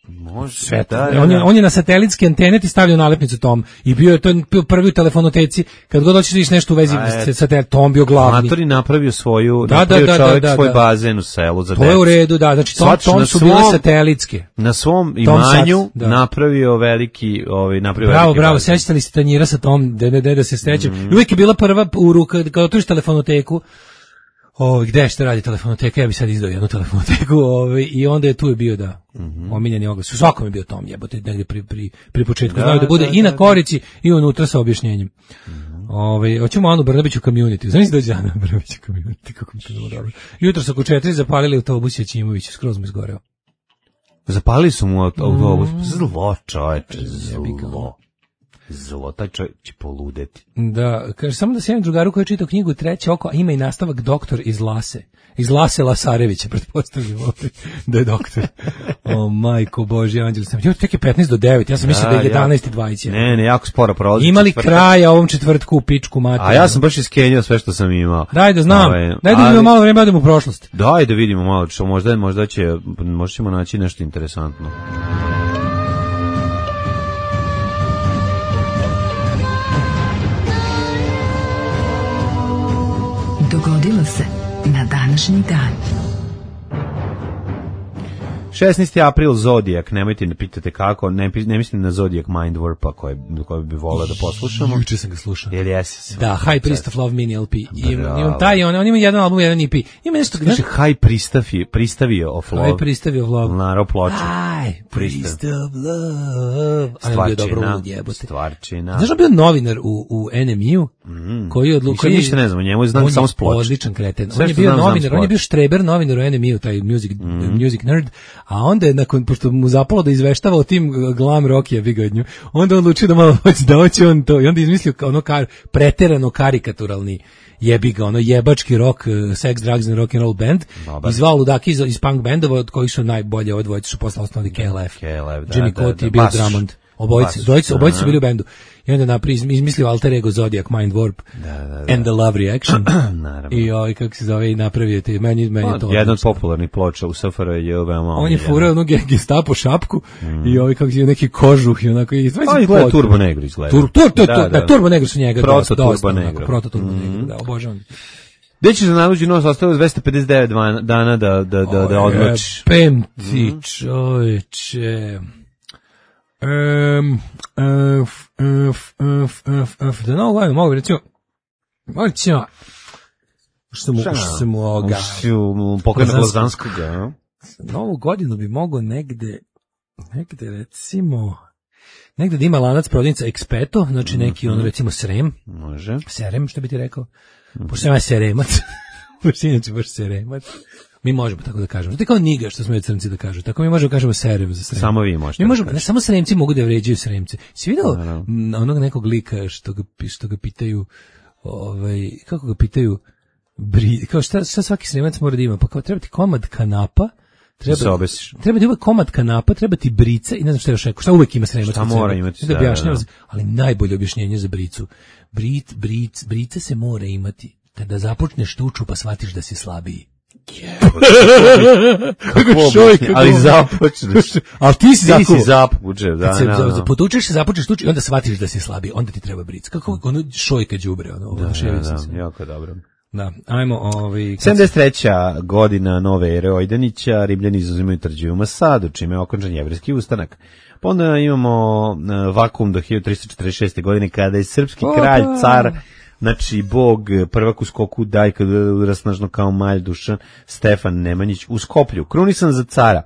Može, sve da, da, on, je, da. on je na satelitski antene ti stavljao nalepnicu Tom i bio je to bio prvi u telefonoteci kad god hoćeš da vidiš nešto u vezi sa satelit Tom bio glavni. Matori napravio svoju da, napravio da, da, čovjek da, da, svoj da. bazen u selu za to decu. Je u redu, da, znači Tom, Tom su bile satelitske. Na svom imanju da. napravio veliki, ovaj napravio bravo, veliki. Bravo, bravo, sećate li se tanjira sa Tom, de, de, de, da se sećam. Mm. Uvijek je bila prva u ruka kad otvoriš telefonoteku. O, gde što radi telefonoteka, ja bi sad izdao jednu telefonoteku, ovaj, i onda je tu je bio da mm-hmm. omiljeni oglas. U svakom je bio Tom, jebote, negdje pri, pri, pri početku. Da, znaju da bude da, i na korici i unutra sa objašnjenjem. Mm-hmm. Ovaj, hoćemo Anu Brnabić u community. Znaš dođe Ana Brnabić u community, kako mi to bilo dobro. Jutro su oko četiri zapalili autobus Jačimović, skroz mu izgoreo. Zapalili su mu autobus, mm. zlo čoveče, zlo. Zlo, taj čovjek će poludeti. Da, kaže, samo da se jedan drugaru koji je čitao knjigu Treće oko, a ima i nastavak Doktor iz Lase. Iz Lase Lasarevića, pretpostavljam ovdje, da je doktor. O, majko Božje, anđel sam. Jo, tek je petnaest do devet, ja sam mislio da je jedanaest i dvadeset. Ne, ne, jako sporo prolazi. Imali kraja ovom četvrtku u pičku materiju. A ja sam baš iskenjao sve što sam imao. Daj da znam, Ove, daj da vidimo malo vreme, odemo u prošlost. Daj da vidimo malo, što možda, možda, će, možda ćemo naći nešto interesantno. Dogodilo se na današnji dan. šesnaesti april Zodijak, nemojte ne pitate kako, ne, ne mislim na Zodijak Mind Warpa koje, koje bi volao da poslušamo. Juče sam ga slušao. Jel jesi? Da, High Priest of Love mini L P. Imam taj, on, on ima jedan album, jedan E P. Ima nešto... Kaže High Pristavio, Pristavio of Love. High Pristavio of Love. Naro ploče. High Priest of Love. Stvarčina. Stvarčina. Znaš da bio novinar u, u N M U? Mm. Koji je odlučio... Ništa ne znam, njemu znam samo s ploče. Odličan kreten. On je bio znam, novinar, znam on je bio štreber novinar u N M U, taj music, mm. music nerd, a onda je nakon, pošto mu zapalo da izveštava o tim glam rock je bigodnju, onda on odlučio da malo hoće da hoće on to, i onda je izmislio ono kar, preterano karikaturalni jebi ga, ono jebački rock, sex, drugs and rock and roll band, i zvao ludaki iz, iz punk bendova, od kojih su najbolje, od dvojice su posle osnovali K L F. K L F, da, Jimmy da, Cott da, i Bill baš, Drummond. Obojice, obojice, obojice su bili u bendu. I onda napri izmislio alter ego Zodiac Mind Warp da, da, da. and the Love Reaction. Naravno. I ovaj, kako se zove, i napravio te, meni, meni je to. Jedan od popularnih ploča u S F R J je veoma on je furao onu Gestapo šapku mm. i ovaj, kako se neki kožuh i onako. I on izgleda Turbo Negro izgleda. Tur, tur, tur, da, da, da, Turbo Negro su njega. Proto Turbo Negro. Proto Turbo Negro, da, obožavam. Gde ćeš da naluđi nos, ostalo dvesta pedeset devet dana da, da, da, da odmlači. Pem ti, čovječe. Um, uf, uf, uf, uf, uf, da novu godinu mogu recimo, mogu recimo, što mu, što mu ovoga, pokrena Blazanskog, ja. Novu godinu bi mogo negde, negde recimo, negde da ima lanac prodavnica Expeto, znači neki on recimo Srem, može, Serem, što bi ti rekao, pošto sam ja Seremac, pošto inače baš Seremac. Mi možemo tako da kažemo. To je kao niga što smo je crnci da kažu. Tako mi možemo kažemo serem za srem. Samo vi možete. Mi možemo, ne, samo sremci mogu da vređaju sremce. Si vidio no. onog nekog lika što ga, što ga pitaju, ovaj, kako ga pitaju, bri, kao šta, šta svaki sremac mora da ima? Pa kao treba ti komad kanapa, treba, se obesiš. Treba ti uvek komad kanapa, treba ti brica i ne znam šta još rekao. Šta uvek ima sremac? Šta mora imati? Da, da, da, da. Ali najbolje objašnjenje za bricu. Brit, bric, brica se mora imati kada započneš tuču pa shvatiš da si slabiji. Kako šoj, ali započneš. Ali ti si ti započeš, da, se, da, da. potučeš se, započeš tuči i onda shvatiš da si slabiji, onda ti treba bric. Kako ono šojka đubre, ono, da, da, da, jako dobro. Da, ajmo, ovaj sedamdeset treća godina nove ere Ojdanića, Rimljani izuzimaju tvrđavu Masadu, čime je okončan jevrejski ustanak. Pa onda imamo vakum do hiljadu tristo četrdeset šeste godine kada je srpski kralj, car, znači bog, prvak u skoku, dajka rasnažno kao malj Dušan, Stefan Nemanjić u Skoplju, krunisan za cara.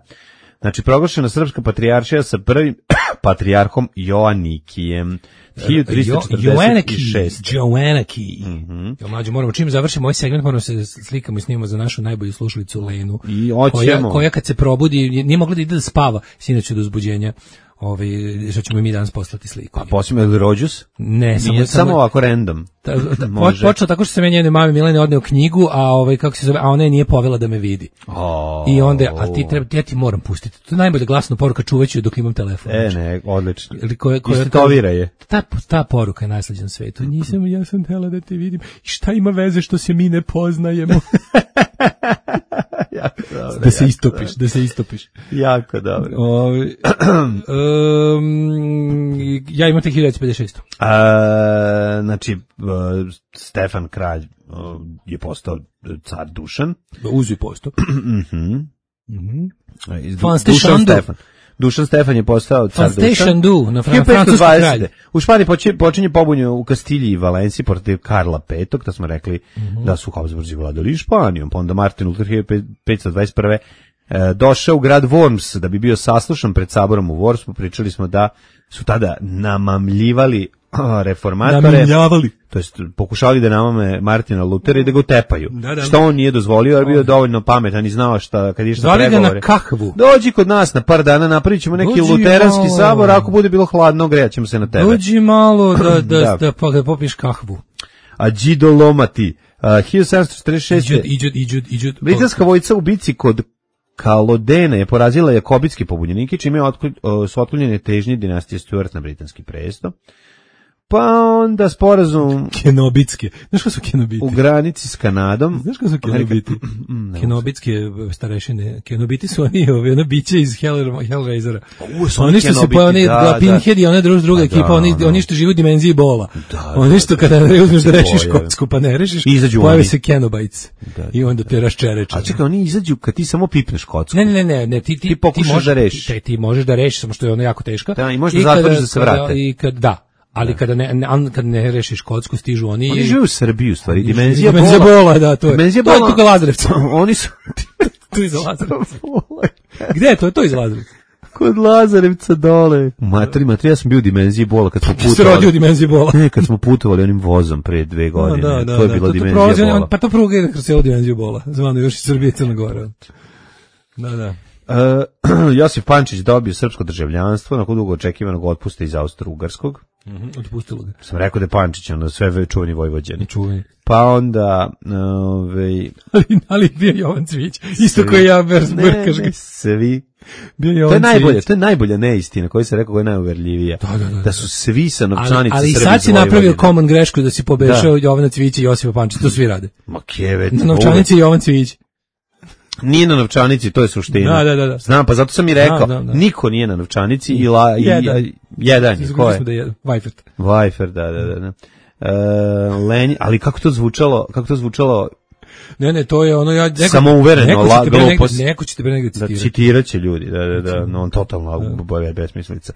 Znači proglašena srpska patrijaršija sa prvim patrijarhom Joanikijem. hiljadu tristo četrdeset šeste. Joanaki. Mm-hmm. Jo, mlađo, moramo, čim završimo ovaj segment, moramo se slikamo i snimamo za našu najbolju slušalicu Lenu. I koja, koja kad se probudi, nije mogla da ide da spava sinoć od uzbuđenja. Ovaj, što ćemo i mi danas poslati sliku. A poslimo je Rođus? Ne, samo, samo, samo ovako random. Ta, ta, počeo tako što se meni jedne mame Milene odneo knjigu, a ovaj kako se zove, a ona je nije povela da me vidi. Oh. I onda, a ti treba, ja ti moram pustiti. To je najbolja glasna poruka, čuvaću dok imam telefon. E, ne, odlično. Ili koja, koja, istetovira je. Ta, ta poruka je najslađa na svetu. Nisam, ja sam htjela da te vidim. I šta ima veze što se mi ne poznajemo? Jako dobro, da se istopiš, da se istopiš. Jako dobro. O, um, ja imam te hiljadu devetsto pedeset šeste. A, znači, Stefan Kralj je postao car Dušan. Uzi postao. Mhm. Mhm. Dušan Stefan. Dušan Stefan je postao car Dušan. Du, na francuskom kralju. U Španiji počinje pobunje u Kastilji i Valenciji protiv Karla petog, to smo rekli mm-hmm. da su Habsburzi vladali Španijom, pa onda Martin Luther hiljadu petsto dvadeset prve. E, došao u grad Worms da bi bio saslušan pred saborom u Wormsu. Pričali smo da su tada namamljivali reformatore, namamljavali, to jest pokušali da namame Martina Lutera i da ga tepaju. Da, da. Što on nije dozvolio, jer bio dovoljno pametan i znao šta kad išta pregovore. Zvali ga na kahvu. Dođi kod nas na par dana, napravit ćemo neki Dođi luteranski malo. Sabor, ako bude bilo hladno, grejat ćemo se na tebe. Dođi malo da, da, da. da, da popiješ kahvu. A Đido Lomati, uh, hiljadu sedamsto četrdeset šeste. Iđud, iđud, iđud, iđud. Britanska vojska u bici kod Kalodene je porazila jakobitski pobunjenike, čime je otklj, su otklonjene težnje dinastije Stuart na britanski presto. Pa onda sporazum Kenobitske. Znaš ko su Kenobiti? U granici s Kanadom. Znaš ko su Kenobiti? Kenobitske starešine. Kenobiti su oni, ovi, ona biće iz Hell, Hellraisera. Oni što se pa oni da, Pinhead i ona druga, druga ekipa, da, oni, da. oni što žive u dimenziji bola. Da, oni što kada ne uzmeš da rešiš kocku, pa ne rešiš, pojave se Kenobites. Da, da, i onda te raščereče. A čekaj, oni izađu kad ti samo pipneš kocku. Ne, ne, ne, ne, ti ti, ti pokušaš da rešiš. Ti, ti možeš da rešiš, samo što je ona jako teška. Da, i možeš da zatvoriš da se vrate. I kad da ali kada ne, ne kad ne rešiš kocku stižu oni. Oni žive u Srbiji u stvari. Dimenzija, dimenzija bola. bola, da, to je. Dimenzija to bola. je kod Lazarevca. Oni su tu iz Lazarevca. Gde je to? Je to iz Lazarevca. Kod Lazarevca dole. Matri, matri, ja sam bio u dimenziji bola kad smo putovali. Ste rodio u dimenziji bola. Ne, kad smo putovali onim vozom pre dve godine. Da, da, to je da, bila to, dimenzija to bola. Pa to pruga ide kroz celu dimenziju bola. Zvano još iz Srbije i Crne Gore. Da, da. Uh, Josif Pančić dobio srpsko državljanstvo nakon dugo očekivanog otpusta iz Austro-Ugarskog. Mm-hmm, otpustilo ga. Sam rekao da je Pančić onda sve čuveni Vojvođani. Čuveni. Pa onda ovaj ali, ali bio Jovan Cvić, isto koji ja Berz Brkaš ga. Svi Bio To je najbolje, to je najbolja neistina koju se rekao koja je najuverljivija. Da, da, da, da su svi sa novčanice ali, ali Srbi sad si iz napravio Vojvodine. common grešku da si pobešao Jovana Cvijića i Josipa Pančića, to svi rade. Ma kevet. Na novčanici Jovan Cvijić. Nije na novčanici, to je suština. Da, da, da, da. Znam, pa zato sam i rekao, Da, da, da. niko nije na novčanici i la, i, Jedan. i- jedan je, ko je? Da je Vajfert. Vajfer, da, da, da. da. E, Lenj, ali kako to zvučalo, kako to zvučalo, Ne, ne, to je ono ja neko, Samouvereno, neko la- će te pre negde, glupost. neko će te pre negde da citirati. citirat će ljudi, da, da, da, no, on totalno boje besmislica.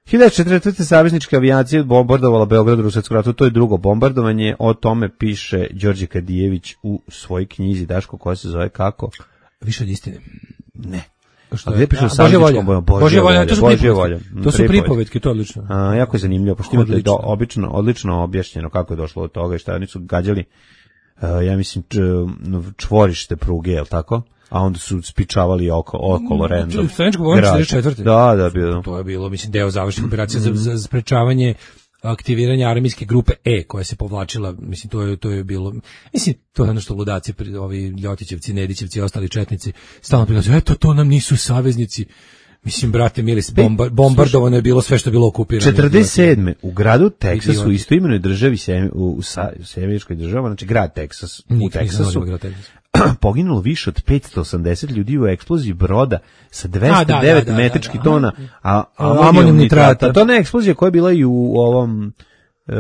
hiljadu četiristo saveznička avijacija bombardovala Beograd u Rusetskom ratu, to je drugo bombardovanje, o tome piše Đorđe Kadijević u svojoj knjizi, Daško, koja se zove kako? Više od istine. Ne. Što A gde piše A, u Božja volja. savezničkom boju? Božja volja, to su Božja pripovetke. volja. To su Pripovetke. pripovetke, to je odlično. A, jako je zanimljivo, pošto imate Odlično. do, obično, odlično objašnjeno kako je došlo od toga i šta oni su gađali, uh, ja mislim, č, čvorište pruge, je li tako? A onda su spičavali oko, okolo random. Straničko vojno grad. četrdeset četvrte. Da, da, bilo. To je bilo, mislim, deo završnih operacija za, za sprečavanje aktiviranja armijske grupe E, koja se povlačila, mislim, to je, to je bilo, mislim, to je ono što ludaci, pri- ovi Ljotićevci, Nedićevci i ostali četnici, stalno prilazu, eto, to nam nisu saveznici. Mislim, brate, mili, bomba, bombardovano je bilo sve što je bilo okupirano. četrdeset sedme u gradu Teksasu, Idioti. u istoimenoj državi, Sem- u, u, sa- u Severičkoj državi, znači grad Teksas, u Nikad nisam Teksasu, volio Teksas. poginulo više od petsto osamdeset ljudi u eksploziji broda sa dvesta A, da, devet da, da, metričkih da, da. tona, a A, amonijum amonijum nitrata. nitrata. To je ona eksplozija koja je bila i u ovom... e,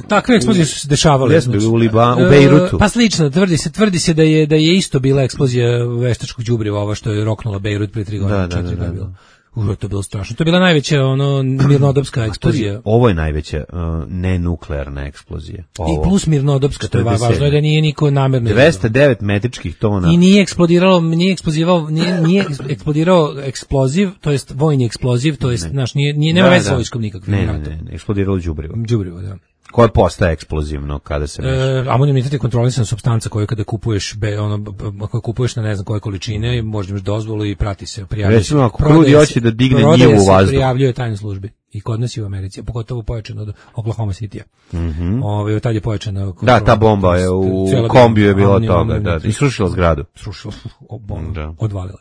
Takve eksplozije su se dešavale. Gde su bili? U Liba- u E, Bejrutu? Pa slično, tvrdi se, tvrdi se da je da je isto bila eksplozija veštačkog đubriva, ova što je roknula Bejrut pre tri godine. Da, da, četiri da, da, godine bilo. Uro, to je bilo strašno. To je bila najveća ono mirnodopska eksplozija. Ovo je najveća uh, nenuklearna eksplozija. Ovo. I plus mirnodopska, to je va- četrdeset sedme. važno je da nije niko namerno dvesta devet metričkih tona. i nije eksplodiralo, nije eksplozivao, nije, nije eksplodirao eksploziv, to jest vojni eksploziv, to jest, znaš, nije, nije, nema Da, veze da. s vojskom nikakvim Ne, ne, ratom. ne, ne, eksplodiralo đubrivo. Đubrivo, da. Koje postaje eksplozivno kada se meša. E, amonijum nitrat je kontrolisana supstanca koju kada kupuješ be, ono b- b- koju kupuješ na ne znam koje količine i možeš imaš dozvolu i prati se, prijavljuje. Recimo, se- ako prodaje krudi se- hoće da digne prodaje njivu u se, vazduh. Prijavljuje tajnoj službi. I kod nas i u Americi, a pogotovo pojačano od Oklahoma City-a. Mhm. Ovaj tad je pojačana Da, kontrola. ta bomba je u Cijela kombiju je bila bilo amonijum, toga, da, amonijum, i srušila zgradu. srušila, o, bom, Da. odvalila.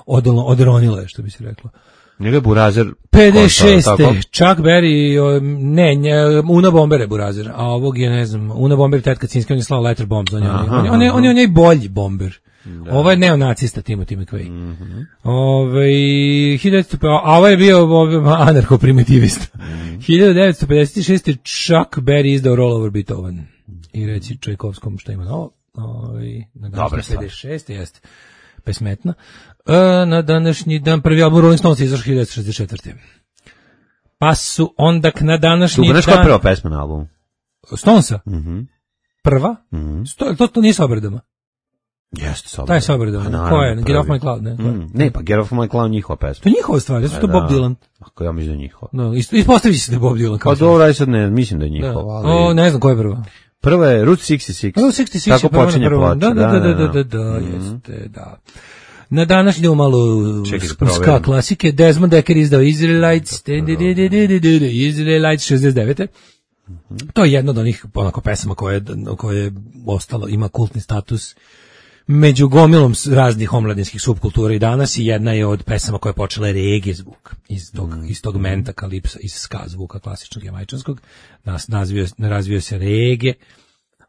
Odolno, odronila je, što bi se reklo. Njega je Burazer pedeset šeste. kontao, tako? Chuck Berry, o, ne, nje, Una Bomber je Burazer, a ovog je, ne znam, Una Bomber, tetka Cinski, on je slao letter bombs, on je, on je, on je, on je, on je, on je bolji bomber. Ovo je neonacista Timothy McVeigh. Mm -hmm. Ove, hiljadu devetsto a ovo je bio anarcho-primitivista. Mm. hiljadu devetsto pedeset šeste. Chuck Berry izdao Roll Over Beethoven. I reci Čajkovskom šta ima novo. Ove, na Dobra današnji stvar. pedeset šeste. Jeste pesmetna. E, na današnji dan prvi album Rolling Stones izašao hiljadu devetsto šezdeset četvrte. Pa su onda na današnji Tu, dan... znaš koja je prva pesma na albumu? Stonesa? Mhm. Prva? Mhm. Sto, to, to nije sa obradama. Jeste, sa Taj je sa obradama. Pa naravno, Ko je? Get prvi. Off My Cloud, ne? Mm, ne, pa Get Off My Cloud njihova pesma. To je njihova stvar, jesu to Da. Bob Dylan. Ako ja mislim da je njihova. No, ist- ispostavit će se da je Bob Dylan. kao Pa što- dobro, aj sad ne, mislim da je Da. njihova. O, Ali... ne znam ko je prva. Prva je Route šezdeset šest. Route šezdeset šest Tako je prva na počinje prvom. ploča. Da, da, da, da, da, da, Mhm. jeste, da. Na današnji idemo malo Čekaj da ska proverim. klasike. Desmond Dekker izdao Israelites, Israelites šezdeset devete. To je jedna od onih onako pesama koje, je- koje je ostalo, ima kultni status među gomilom s- raznih omladinskih subkultura i danas i jedna je od pesama koja je počela reggae zvuk iz tog, iz tog menta kalipsa, iz ska zvuka klasičnog jamajčanskog. Nas nazvio, razvio se reggae.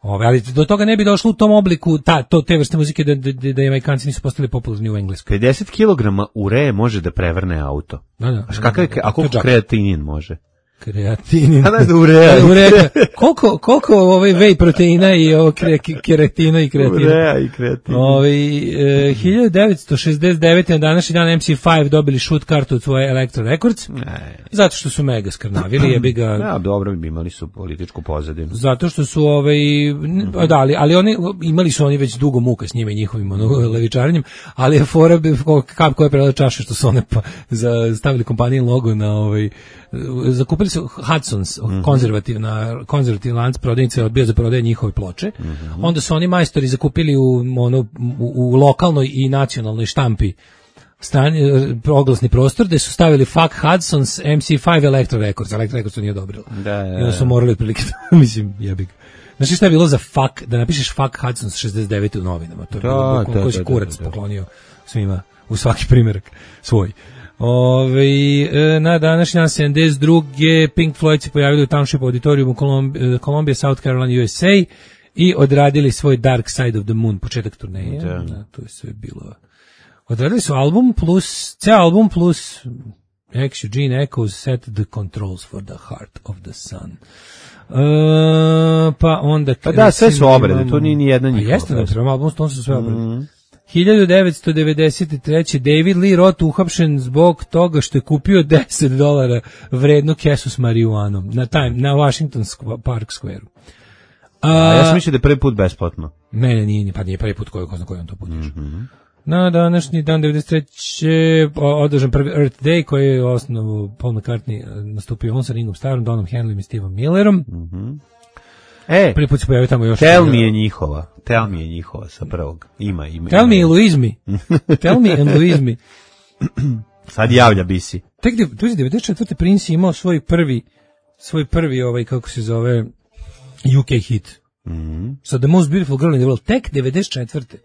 Ove, ali do toga ne bi došlo u tom obliku ta, to, te vrste muzike da, da, da Jamajkanci nisu postali popularni u Engleskoj. pedeset kilograma ureje može da prevrne auto. Da, da. Znaš kakav je, a To je koliko džak. kreatinin može? Kreatinin. A znaš da ureja. Da, ureja. Koliko, koliko ovaj whey proteina i ovo kre, keratina i kreatina? Ureja i kreatin. Ovaj e, hiljadu devetsto šezdeset devete. na današnji dan M C pet dobili shoot kartu od svoje Elektra Records. Ne. Zato što su mega skrnavili, jebi ga. Ja, dobro, imali su političku pozadinu. Zato što su ovaj n- da, ali, ali oni imali su oni već dugo muka s njima i njihovim ono, levičarenjem, ali je fora bi- ko- kap koja je prela čaše što su one pa, za, stavili kompanijin logo na ovaj zakupili su Hudson's, konzervativna konzervativni lanac prodavnice odbio za prodaje njihove ploče. Onda su oni majstori zakupili u ono u, u lokalnoj i nacionalnoj štampi strani, oglasni prostor gde su stavili fuck Hudson's M C pet Electro Records. Electro Records to nije odobrilo. Da, da, I onda su da. morali otprilike, mislim, jebi ga. Znaš šta je bilo za fuck, da napišeš fuck Hudson's šezdeset devete u novinama? To je Da, bilo bukvalno da, koji si da, kurac da, da. poklonio svima u svaki primjerak svoj. Ove, na današnji dan sedamdeset druge Pink Floyd se pojavili u Township auditorijumu Columbia, South Carolina, U S A i odradili svoj Dark Side of the Moon, početak turneje. Da. Da, to je sve bilo. Odradili su album plus, ceo album plus X, Eugene Echoes Set the Controls for the Heart of the Sun. Uh, pa onda... Pa da, sve su obrade, to nije ni jedna njihova. Pa jeste, da, prema albumu to su sve obrade. Mm. hiljadu devetsto devedeset treće David Lee Roth uhapšen zbog toga što je kupio deset dolara vrednu kesu s marijuanom na, time, na Washington Park Square. A, A ja sam mislio da je prvi put besplatno. Mene nije, pa nije prvi put koji, ko zna koji on to put išao. Mm-hmm. Na današnji dan devedeset treće održan prvi Earth Day koji je osnovu Paul McCartney nastupio on sa Ringom Starrom, Donom Henleym i Steveom Millerom. Mm-hmm. E, prvi put se pojavio tamo još... Tell me je njihova. Tell me je njihova sa prvog. Ima, ima. Tell me i Louise me. Tell me and Louise me. Sad javlja bisi. Tek devedeset četvrte Prince imao svoj prvi, svoj prvi, ovaj, kako se zove, U K hit. Mm-hmm. So the most beautiful girl in the world. Tek devedeset četvrte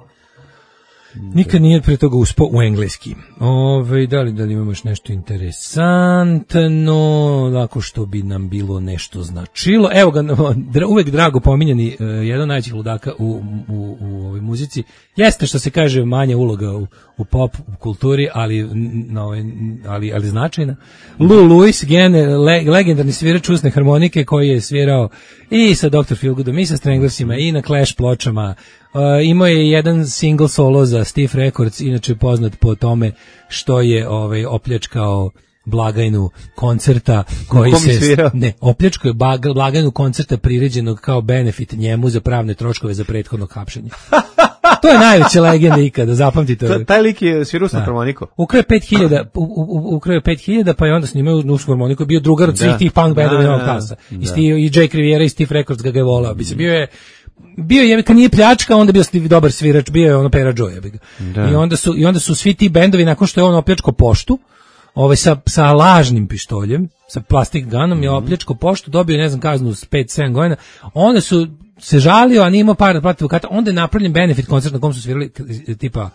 Nikad nije pre toga uspo u engleski. Ove, da li, da li imamo još nešto interesantno, ako što bi nam bilo nešto značilo. Evo ga, uvek drago pominjani, jedan od najvećih ludaka u, u, u ovoj muzici. Jeste što se kaže manja uloga u, u pop kulturi, ali, no, ali, ali značajna. Lou Lewis, gen, le, legendarni svirač usne harmonike koji je svirao i sa doktor Feelgoodom i sa Stranglersima i na Clash pločama. Uh, imao je jedan single solo za Stiff Records, inače poznat po tome što je ovaj opljačkao blagajnu koncerta koji se svirao? ne opljačkao je blagajnu koncerta priređenog kao benefit njemu za pravne troškove za prethodno hapšenje. To je najveća legenda ikada, zapamtite. Ta, taj lik je svirao sa harmoniku. Ukrao je pet hiljada, ukrao je pet hiljada, pa je onda snimao uz harmoniku, bio drugar od svih da. tih punk bendova Novog Tasa. I, Steve, i Jake Riviera i Steve Records ga ga je volao. Bi se bio je bio je, kad nije pljačka, onda bio Steve dobar svirač, bio je ono Pera Joe. I onda su i onda su svi ti bendovi nakon što je on opljačkao poštu, ovaj sa sa lažnim pištoljem, sa plastik gunom mm-hmm. je opljačkao poštu, dobio ne znam kaznu s pet sedam godina. Onda su se žalio, a nije imao para da plati advokata, onda je napravljen benefit koncert na kom su svirali tipa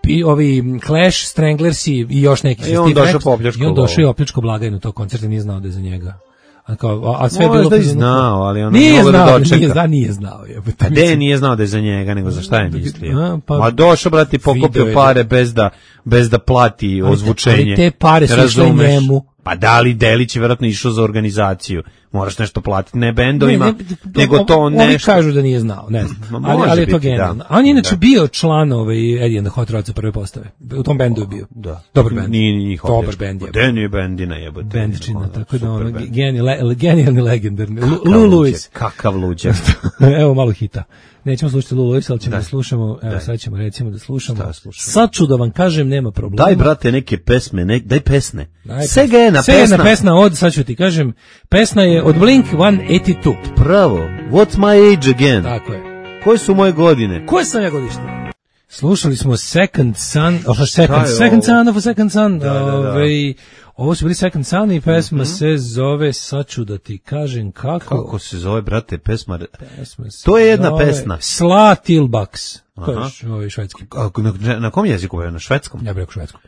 i ovi Clash, Stranglersi i još neki. I on došao po opljačku. I on došao i opljačko blagajnu tog koncerta, nije znao da je za njega. A kao, a sve je bilo da je znao, ali on nije znao, da nije znao, nije znao. Je, a de nije znao da je za njega, nego za šta je mislio. A, pa, Ma došao, brati, pokupio pare bez da, bez da plati ozvučenje. Ali te pare su išle njemu. Pa da li Delić je vjerojatno išao za organizaciju. Moraš nešto platiti, ne bendovima, ne, ne, nego to nešto. Oni kažu da nije znao, ne znam. Ali, ali je to genijalno. A on je inače da. bio član ovaj Eddie and the Hot Rodsa prve postave. U tom bendu je bio. Da. Dobar bend. Nije njih dobar bend je. Den je bendina jebote. Bendčina, tako da ono genijalni, genijalni legendarni. Lou Lewis. Kakav luđak. Evo malo hita. Nećemo slušati Lou Lewis, ali ćemo da, da slušamo, evo sad ćemo recimo da slušamo. Sad ću da vam kažem, nema problema. Daj brate neke pesme, ne, daj pesne. Sega je na pesna. Sega na pesna od, sad ću ti kažem, pesna je od Blink sto osamdeset dva. Pravo, what's my age again? Tako je. Koje su moje godine? Koje sam ja godište? Slušali smo Second Son, of a Second, Second Son of a Second Son. Da, da, da. Ove, ovo su bili Second Son i pesma mm-hmm. se zove, sad ću da ti kažem kako. Kako se zove, brate, pesma? pesma to je jedna pesma. Sla Tilbaks. To je ovaj švedski. Na, na kom jeziku je? Na švedskom? Ja bih rekao švedskom.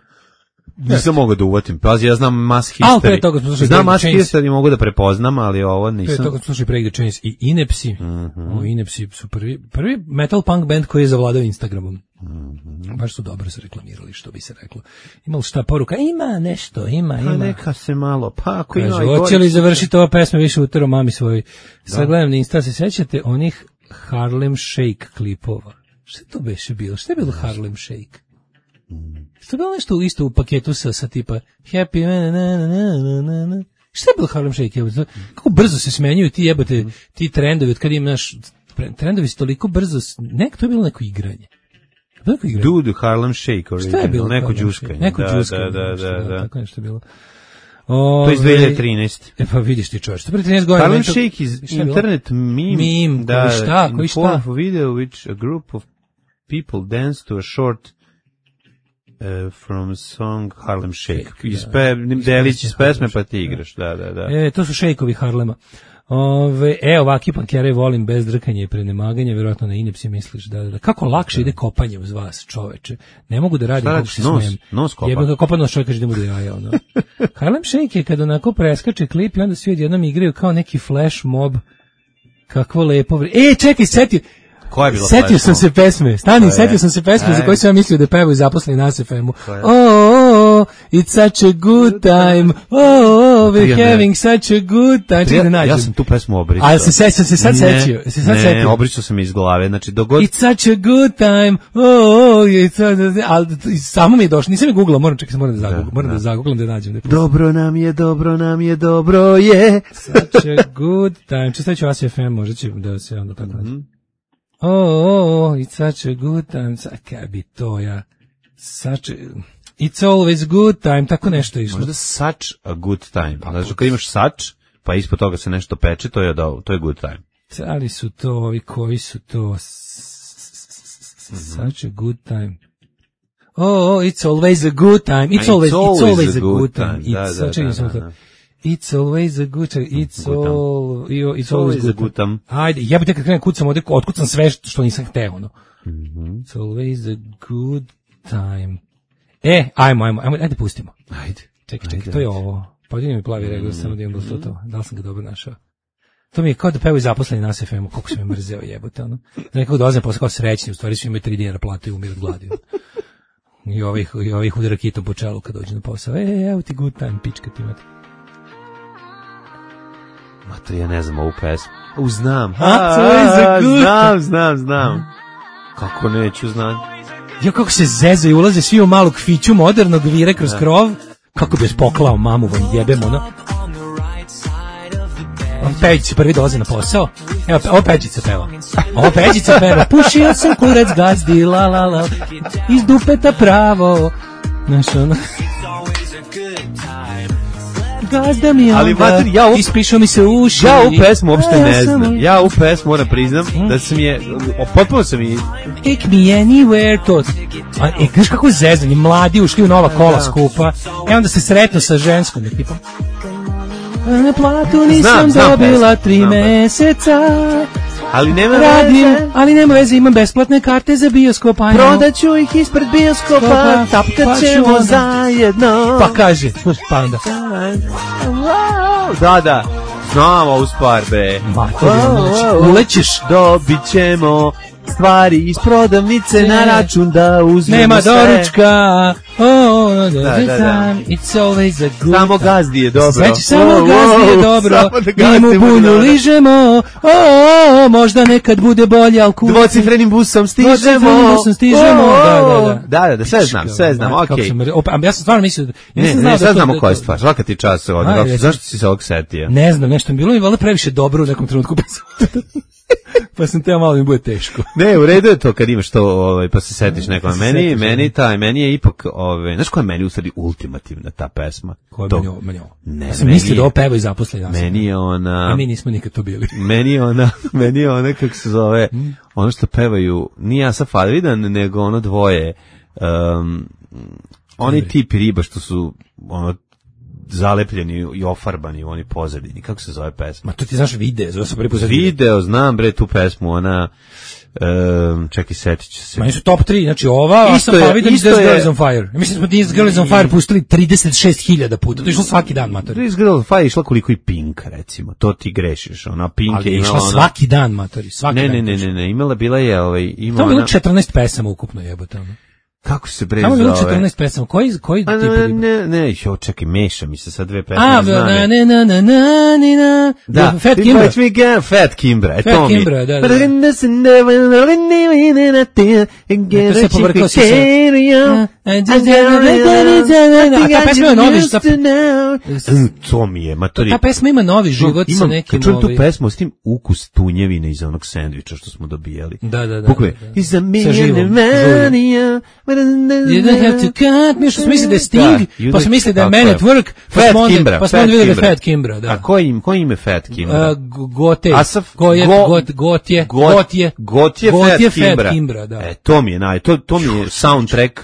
Nisam mogao da uvatim. Pazi, ja znam Mass History. Znam Mass History, mogu da prepoznam, ali ovo nisam. Pre toga smo slušali Break the Chains i Inepsi. Mm-hmm. O, Inepsi su prvi, prvi metal punk band koji je zavladao Instagramom. Mm-hmm. Baš su dobro se reklamirali, što bi se reklo. Imali šta poruka? Ima nešto, ima, ima. Pa neka se malo, pa ako ima. Kaže, hoće li završiti ova pesma više utero mami svoj? Sad gledam na Insta, se sećate onih Harlem Shake klipova? Šta je to beše bilo? Šta je bilo Harlem Shake? Mm. Što je bilo nešto isto u paketu sa, sa tipa Happy na, na, na, na, na, na. Šta je bilo Harlem Shake? Kako brzo se smenjuju ti jebote, ti trendovi, od kada im naš trendovi su toliko brzo, nek to je bilo neko igranje. Neko igranje. Dude, Harlem Shake original, šta je bilo neko džuskanje. Neko da, džuskanje, da, da, da, da. Tako nešto je bilo. O, to je iz dve hiljade trinaeste. E pa vidiš ti čovječ, to pre trinaest godina. Harlem Shake iz internet meme. Meme, da, koji šta, koji šta? In video which a group of people dance to a short Uh, from song Harlem Shake. Iz pe, Delić iz pesme pa ti igraš, da, da, da. E, to su šejkovi Harlema. Ove, e, ovaki pankere volim bez drkanja i prenemaganja, vjerojatno na inepsi misliš da, da, da. Kako lakše ide kopanje uz vas, čoveče. Ne mogu da radim kako se nos, smijem. nos kopa. Jebem ga kopa nos, čovjek kaže da mu da jaja, ono. Harlem Shake je kad onako preskače klip i onda svi odjednom igraju kao neki flash mob. Kakvo lepo vre... E, čekaj, setio... Koja je bila setio sam se pesme, stani, setio sam se pesme za koju sam ja mislio da pevaju zaposleni na S F M-u. Oh, oh, oh, it's such a good time, oh, oh, we're having such a good time. Čekaj da nađem. Ja sam tu pesmu obrisao. Ali se sećam se sad setio. Se sad setio. Ne, obrisao sam iz glave, znači dogod... It's such a good time, oh, oh, it's ali samo mi je došlo, nisam je googlao, moram čekaj, moram da zaguglam, moram da zaguglam da nađem. Dobro nam je, dobro nam je, dobro je. Such a good time. Čisto ću A S F M, možda će da se onda tako nađe. Oh, oh, oh, it's such a good time. Kaj bi to ja? Such a... It's always good time, tako nešto išlo. Možda such a good time. Znači, kad imaš such, pa ispod toga se nešto peče, to je, do, to je good time. Ali su to ovi, koji su to? Such a good time. Oh, oh, it's always a good time. It's always, it's always a good time. It's such a good time. It's always a good time. It's all, it's always a good time. Ajde, ja bih te kad krenem kucam ovdje, otkucam sve što nisam hteo, ono. It's always a good time. E, ajmo, ajmo, ajmo, ajde pustimo. Ajde. Čekaj, čekaj, to je ovo. Podini mi plavi regl, samo da imam bilo to. Da li sam ga dobro našao? To mi je kao da pevaju zaposleni na S F M-u, koliko sam je mrzeo jebote, ono. Da nekako dolazim posle kao srećni, u stvari su imaju tri dinara platu i umir od gladi. I ovih, i ovih udara kitom po čelu kad dođe na posao. E, evo ti good time, pička ti imate. Mater, ja ne znam ovu pesmu. U, znam. A, to je za good. Znam, znam, znam. Kako neću znati. Jo, kako se zeze i ulaze svi u malog fiću modernog vire kroz krov. Kako bi spoklao mamu, vam jebem, ono. On Peđica prvi dolazi na posao. Evo, ovo Peđica peva. Ovo Peđica peva. Pušio sam kurac gazdi, la la la. Iz dupeta pravo. Znaš, ono. Gazda mi onda, ali mater, ja u... ispišao mi se uši. Ja u pesmu uopšte ne znam. Ja u pesmu moram priznam da sam je, potpuno sam i... Take me anywhere, to... A, e, znaš kako zezanje, mladi ušli u nova kola skupa, e onda se sretno sa ženskom ekipom. Na platu nisam znam, znam dobila pesmu. tri znam, meseca. Ali nema radim, veze. Ali nema veze, imam besplatne karte za bioskop. Prodaću ih ispred bioskopa, tapkat ćemo pa zajedno. Pa kaže, pa onda. Da, da, znam ovu stvar, be. Mater, ulećeš. Dobit ćemo stvari iz prodavnice ne. Na račun da uzmemo nema sve. Nema doručka. Oh, no, da, da, da. It's always a good samo gazdi je dobro. Sveći samo oh, gazdi je dobro. Mi mu bunju ližemo. Oh, možda nekad bude bolje, al kući. Dvocifrenim busom stižemo. Dvocifrenim busom stižemo. Oh, da, da, da. Da, da, da, sve znam, sve znam, okej. Okay. Ja sam stvarno mislio... Ja ne, ne, sad znamo koja je stvar. Svaka ti čast. Zašto si se ovog setio? Ne znam, nešto mi bilo mi valjda previše dobro u nekom trenutku. Pa sam teo malo mi bude teško. Ne, u redu je to kad imaš to, ovaj, pa se setiš nekome. Meni, meni taj, meni je ipak, ovaj, znaš koja je meni u stvari ultimativna ta pesma? Koja je to, meni ovo? Meni ovo. Ne, ja sam mislio da ovo peva i zaposleni. Meni je ona... A mi nismo nikad to bili. Meni je ona, meni je ona, kako se zove, ono što pevaju, nije Asaf Alvidan, nego ono dvoje, um, oni tipi riba što su, ono, zalepljeni i ofarbani u oni pozadini. Kako se zove pesma? Ma to ti znaš video, zove se prvi put video, znam bre tu pesmu, ona um, čekaj, setit ću se. Ma su top tri, znači ova, a sam pa vidim This Girl is on Fire. Ja mislim smo This Girl is on Fire pustili trideset šest hiljada puta, to je išlo svaki dan, matori. This Girl is on Fire je išla koliko i Pink, recimo, to ti grešiš, ona Pink ali je išla ona... svaki dan, matori, svaki ne, dan. Ne, ne, ne, ne, imala, bila je, ovaj, ima to ona... bilo četrnaest pesama ukupno jebote, ono. Kako se bre zove? Samo bilo četrnaest pesama. Koji koji tip riba? Ne, ne, jo, čekaj, meša mi se sa dve pesme. A, na na na na na na. Da, Fat Kimbra. Me Fat Kimbra, to mi. Fat Kimbra, da, da. To se povrkao si se. A ta pesma ima novi to mi je, matori. Ta pesma ima novi život sa nekim novi. Čujem tu pesmu s tim ukus tunjevine iz onog sendviča što smo dobijali. Da, da, da. Bukve, iz a million You don't have to cut me, što sam mislio da je Sting, da, pa sam mislio da je Man at Work, pa smo onda, pa smo onda vidjeli Fat Kimbra, da. A koji im, koji im je Fat Kimbra? Uh, Gote, Asaf, Goje, go, got, Gotje, Gotje, Gotje, Gotje, Fat Kimbra. Kimbra, da. E, to mi je, naj, to, to mi je soundtrack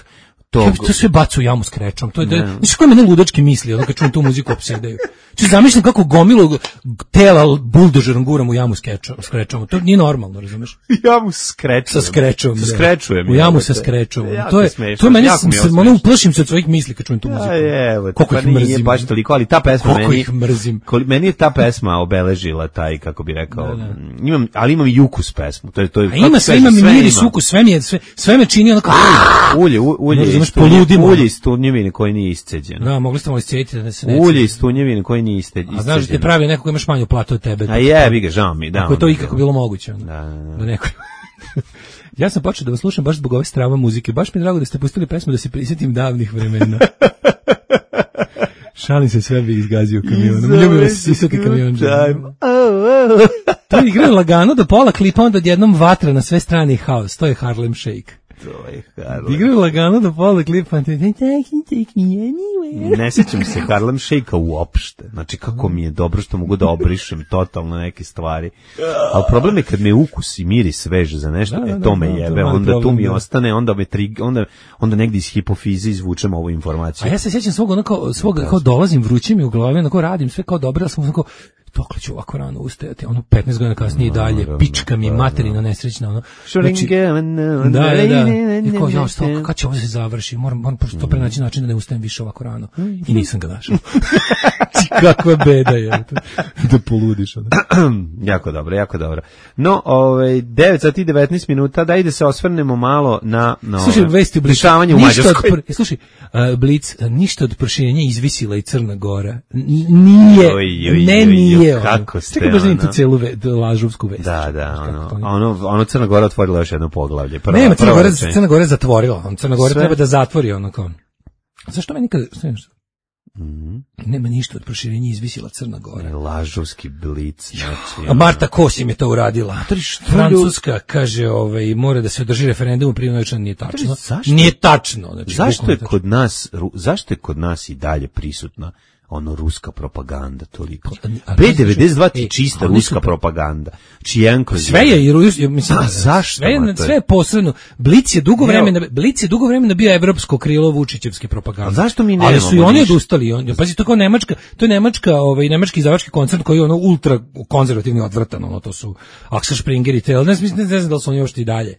tog. To sve bacu jamu s krečom, to je, da, znaš koje mene ludački misli, ono kad čujem tu muziku opsedaju. Či zamišljam kako gomilu tela buldožerom guram u jamu skečom, skrečom. To nije normalno, razumeš? Jamu skrečom. Sa skrečom. Sa skrečujem. U jamu sa skrečom. Jako to je smešno, to je meni jako sam mi je se ovo ono smešno. uplašim se od svojih misli kad čujem tu muziku. A evo, koliko pa ih nije mrzim. baš toliko, ali ta pesma Koliko meni ih mrzim. Koli, meni je ta pesma obeležila taj, kako bi rekao, imam, ali imam i ukus pesmu. To je to je. A ima sve, ima mi miris, ukus, sve mi je sve, sve me čini onako ulje, u- ulje, Ne razumeš, iz tunje- poludimo. ulje iz tunjevine koji nije isceđeno. Da, mogli ste malo iscijetiti da se ne. Ulje iz tunjevine koji nije iste- isceđeno. A znaš da ti pravi neko ko imaš manju platu od tebe. A jebi ga, žao mi, da. Ako je to ono, ikako bilo moguće. Ono, Da, da, da. da neko... Ja sam počeo da vas slušam baš zbog ove strava muzike. Baš mi je drago da ste pustili pesmu da se prisjetim davnih vremena. Šalim se, sve bi izgazio kamionom. Ljubim vas sisati kamion. To je igra lagano do pola klipa, onda odjednom vatra na sve strane i haos. To je Harlem Shake. To je Harlem. Igra lagano do pola klipa. Take me anywhere. Ne sjećam se Harlem Shake-a uopšte. Znači, kako mi je dobro što mogu da obrišem totalno neke stvari. Ali problem je kad me ukus i miris veže za nešto, Da, da, e, to da, me da, to je jebe, mali onda tu problem, mi da. ostane, onda me trig, onda, onda negdje iz hipofize izvučem ovu informaciju. A ja se sjećam svog, ono kao, svog, kao dolazim, vruće mi u glavi, onako radim sve kao dobro, ali sam onako, dokle ću ovako rano ustajati, ono petnaest godina kasnije i dalje, pička mi materina nesrećna, ono. Znači, da, da, da. I kao, ja, sto, kad će ovo se završi, moram, moram prosto prenaći način da ne ustajem više ovako rano. I nisam ga našao. Kakva beda je. Da poludiš, ono. Jako dobro, jako dobro. No, ovaj, devet sati i devetnaest minuta, da ide se osvrnemo malo na, na Slušaj, vesti u Blicu. dešavanje u Ništa od Mađarskoj. pr- Slušaj, uh, Blic, uh, ništa od proširenja izvisila i Crna Gora. N- Nije, Oj, oj, ne oj, oj, nije. ono. kako ste, Čekaj, baš da im tu ono. celu ve, da lažovsku vest. Da, da, Kako ono, to nije? ono, ono Crna Gora otvorila još jedno poglavlje. Prva, Nema, Crna prva Gora, rečenica. Crna Gora je zatvorila. On Crna Gora Sve. treba da zatvori ono kao. Zašto me nikada, šta je nešto? Mhm. Nema ništa od proširenja izvisila Crna Gora. Lažovski blic, znači. A Marta Kosim je to uradila. što Francuska kaže, ovaj, mora da se održi referendum, prije noćno nije tačno. zašto? Nije tačno. Znači, Zašto je bukvalno kod nas, ru- zašto je kod nas i dalje prisutna ono ruska propaganda toliko? A- B devedeset dva ti e, čista oni ruska su- propaganda. Čijen kroz sve je i Rus, mislim, A zašto, sve je, mater? sve je posredno. Blic je dugo Evo. vremena, Blic je dugo vremena bio evropsko krilo Vučićevske propagande. A zašto mi Ali su i nemamo oni ništa? odustali. On, pazi, to kao Nemačka, to je Nemačka, ovaj nemački izdavački koncert koji je ono ultra konzervativni odvratan, ono to su Axel Springer i Tel, ne znam, ne znam da li su oni još i dalje.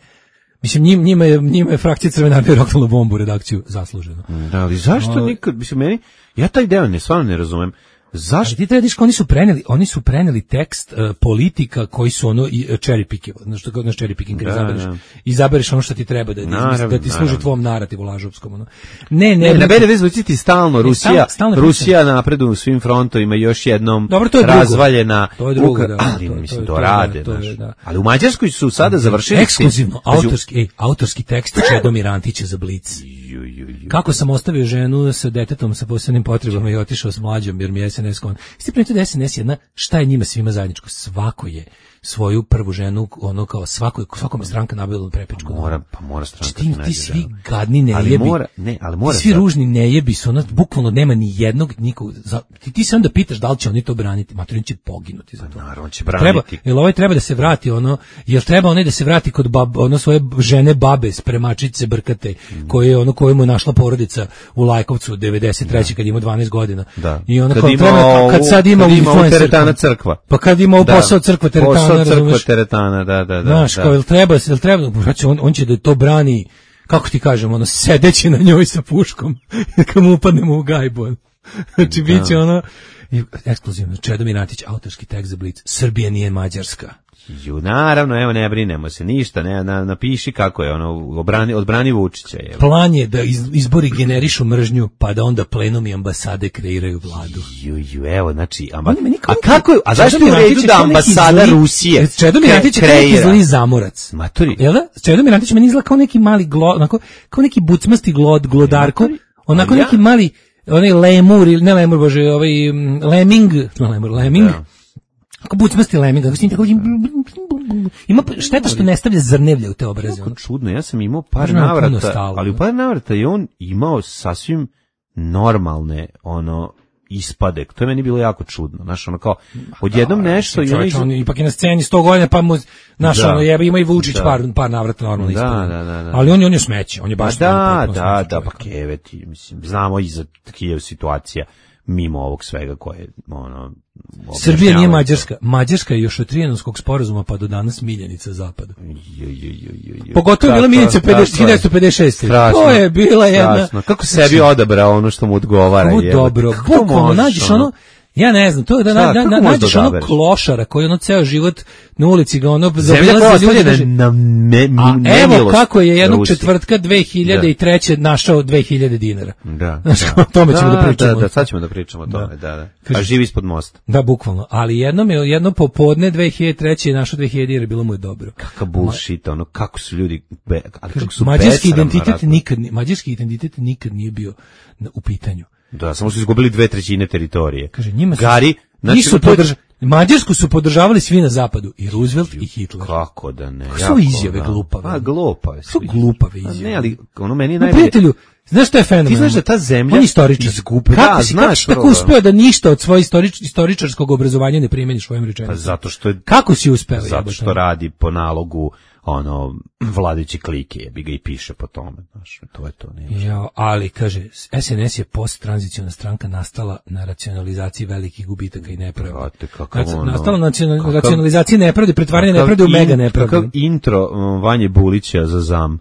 Mislim, njim, njima je, njima je frakcija Crvene armije roknula bombu u redakciju, zasluženo. Da, ali zašto nikad, mislim, meni, ja taj deo ne, stvarno ne razumem. Ali Zašto? ti treba da vidiš kao oni su preneli, oni su preneli tekst uh, politika koji su ono i uh, cherry pickivo, znači kao naš cherry picking kad Da, izabereš, da. izabereš ono što ti treba da da, Naravno, da ti služi naravno. tvom narativu lažovskom ono. Ne, ne, Ne, na brate, B devedeset zvuči ti stalno Rusija, stalno- stalno Rusija napreduje u svim frontovima, još jednom Dobro, to je drugo. razvaljena. To je drugo, Ukra- da, ali, to je- mislim, to je- to to je- rade, to je- znaš. da. Ali u Mađarskoj su sada završili... ekskluzivno, Pazi, autorski, ej, autorski tekst Čedomir Antića za Blic. ju, ju, ju. Kako sam ostavio ženu sa detetom sa posebnim potrebama i otišao s mlađom jer mi je S N S kon. Isti primetio da je S N S jedna, šta je njima svima zajedničko? Svako je svoju prvu ženu, ono kao svako, svakome stranka nabavila prepičku. Mora, pa mora stranka Znači, ti, da ti nađe svi ženu. gadni ne Ali jebi. mora, ne, ali mora Ti svi sad- ružni ne jebi su, ono, bukvalno nema ni jednog nikog. Za, ti, ti se onda pitaš da li će oni to braniti. Maturin će poginuti za to. Naravno će Treba, braniti. jel ovaj treba da se vrati ono, jel treba onaj da se vrati kod bab, ono svoje žene babe, spremačice brkate, koje je ono koju mu je našla porodica u Lajkovcu devedeset treće kad ima dvanaest godina. Da. I ona Kad kao ima treba, ovu- kad sad ima kad ima ovu influencerku. teretana crkva. Pa kad ima ovu Da. posao crkva teretana, Posao crkva razumeš? teretana, da, da, da. Znaš, da. kao, jel treba, jel treba, znači, on, on će da to brani, kako ti kažem, ono, sedeći na njoj sa puškom, kad mu upadnemo u gajbu. Znači, bit će ono, i, ekskluzivno, Čedomir Antić, autorski tekst za Blic, Srbija nije Mađarska. Ju, naravno, evo, ne brinemo se, ništa, ne, na, napiši kako je, ono, obrani, odbrani Vučića, je. Plan je da iz, izbori generišu mržnju, pa da onda plenum i ambasade kreiraju vladu. Ju, ju, evo, znači, amba... On je meni kao a neki- kako je, a zašto je u Čedomir redu Antić je da kao neki ambasada zli- Rusije Čedomir kre- Antić je kao neki kreira? zli zamorac. Maturi. Jel da? Čedomir Antić meni izgleda kao neki mali glo, onako, kao neki bucmasti glod, glodarko, Maturi. onako A ja- neki mali, onaj lemur, ili ne lemur, bože, ovaj mm, lemming, no lemur, lemming, Da. kako bucmasti lemming, kako s njim tako, ima šteta što ne stavlja zrnevlje u te obraze. Jako ono. čudno, ja sam imao par Možda nam puno navrata, stalo, ali u da. par navrata je on imao sasvim normalne, ono, ispade. To je meni bilo jako čudno. Znaš, ono kao, odjednom nešto i ono... Čovječ, iz- on ipak je na sceni sto godina, pa mu, znaš, Da. ono, jebe, ima i Vučić Da. par, par navrata normalno Da, ispade. da, da, da. Ali on, je- on je smeće, on je Pa baš... da, ono, potpuno da, smeće da, pa čovjek. keveti, mislim, znamo i za Kijev situacija. mimo ovog svega koje ono Srbija nije Mađarska. Mađarska je još od Trijanonskog sporazuma pa do danas miljenica zapada. Pogotovo je bila miljenica hiljadu pedeset šeste. To je bila jedna... Strašno. Kako sebi odabrao ono što mu odgovara. Kako dobro. Bukvalno nađeš ono... Ja ne znam, to je da na, na, na, nađeš ono klošara koji ono ceo život na ulici ga ono zaobilazi ljudi kaže, na me, a evo kako je jednog Rusi. Četvrtka dve hiljade treće da. Našao dve hiljade dinara. Da. Znaš, da. O tome ćemo da, da pričamo. Da, da, sad ćemo da pričamo o tome, da, da. Kaže, a živi ispod mosta. Da, bukvalno. Ali jednom je, jedno popodne dve hiljade treće je našao dve hiljade dinara, bilo mu je dobro. Kakav bullshit, ono, kako su ljudi, be, ali kako su mađarski identitet nikad, mađarski identitet nikad nije bio u pitanju. Da, samo su izgubili dve trećine teritorije. Kaže, njima su, Gari, znači, nisu podrža, Mađarsku su podržavali svi na zapadu, i Roosevelt i Hitler. Kako da ne? Kako su izjave da. glupave? Pa, glupave su. glupave izjave. Ne, ali ono meni je najbolje. Prijatelju, znaš što je fenomen? Ti znaš da ta zemlja... On je istoričar. Izgubi, kako da, si, znaš. Kako, kako uspeo da ništa od svoje istorič, istoričarskog obrazovanja ne primeniš svojim rečenicama? Pa zato što je... Kako si uspeo? Zato što jebate? Radi po nalogu ono vladajući klike, jebi ga i piše po tome, znaš, to je to. Ne ja, ali kaže, S N S je post-tranziciona stranka nastala na racionalizaciji velikih gubitaka i nepravde. Ono, nastala na kakav, racionalizaciji nepravde, pretvaranje nepravde u mega nepravde. Kakav intro um, Vanje Bulića za zam,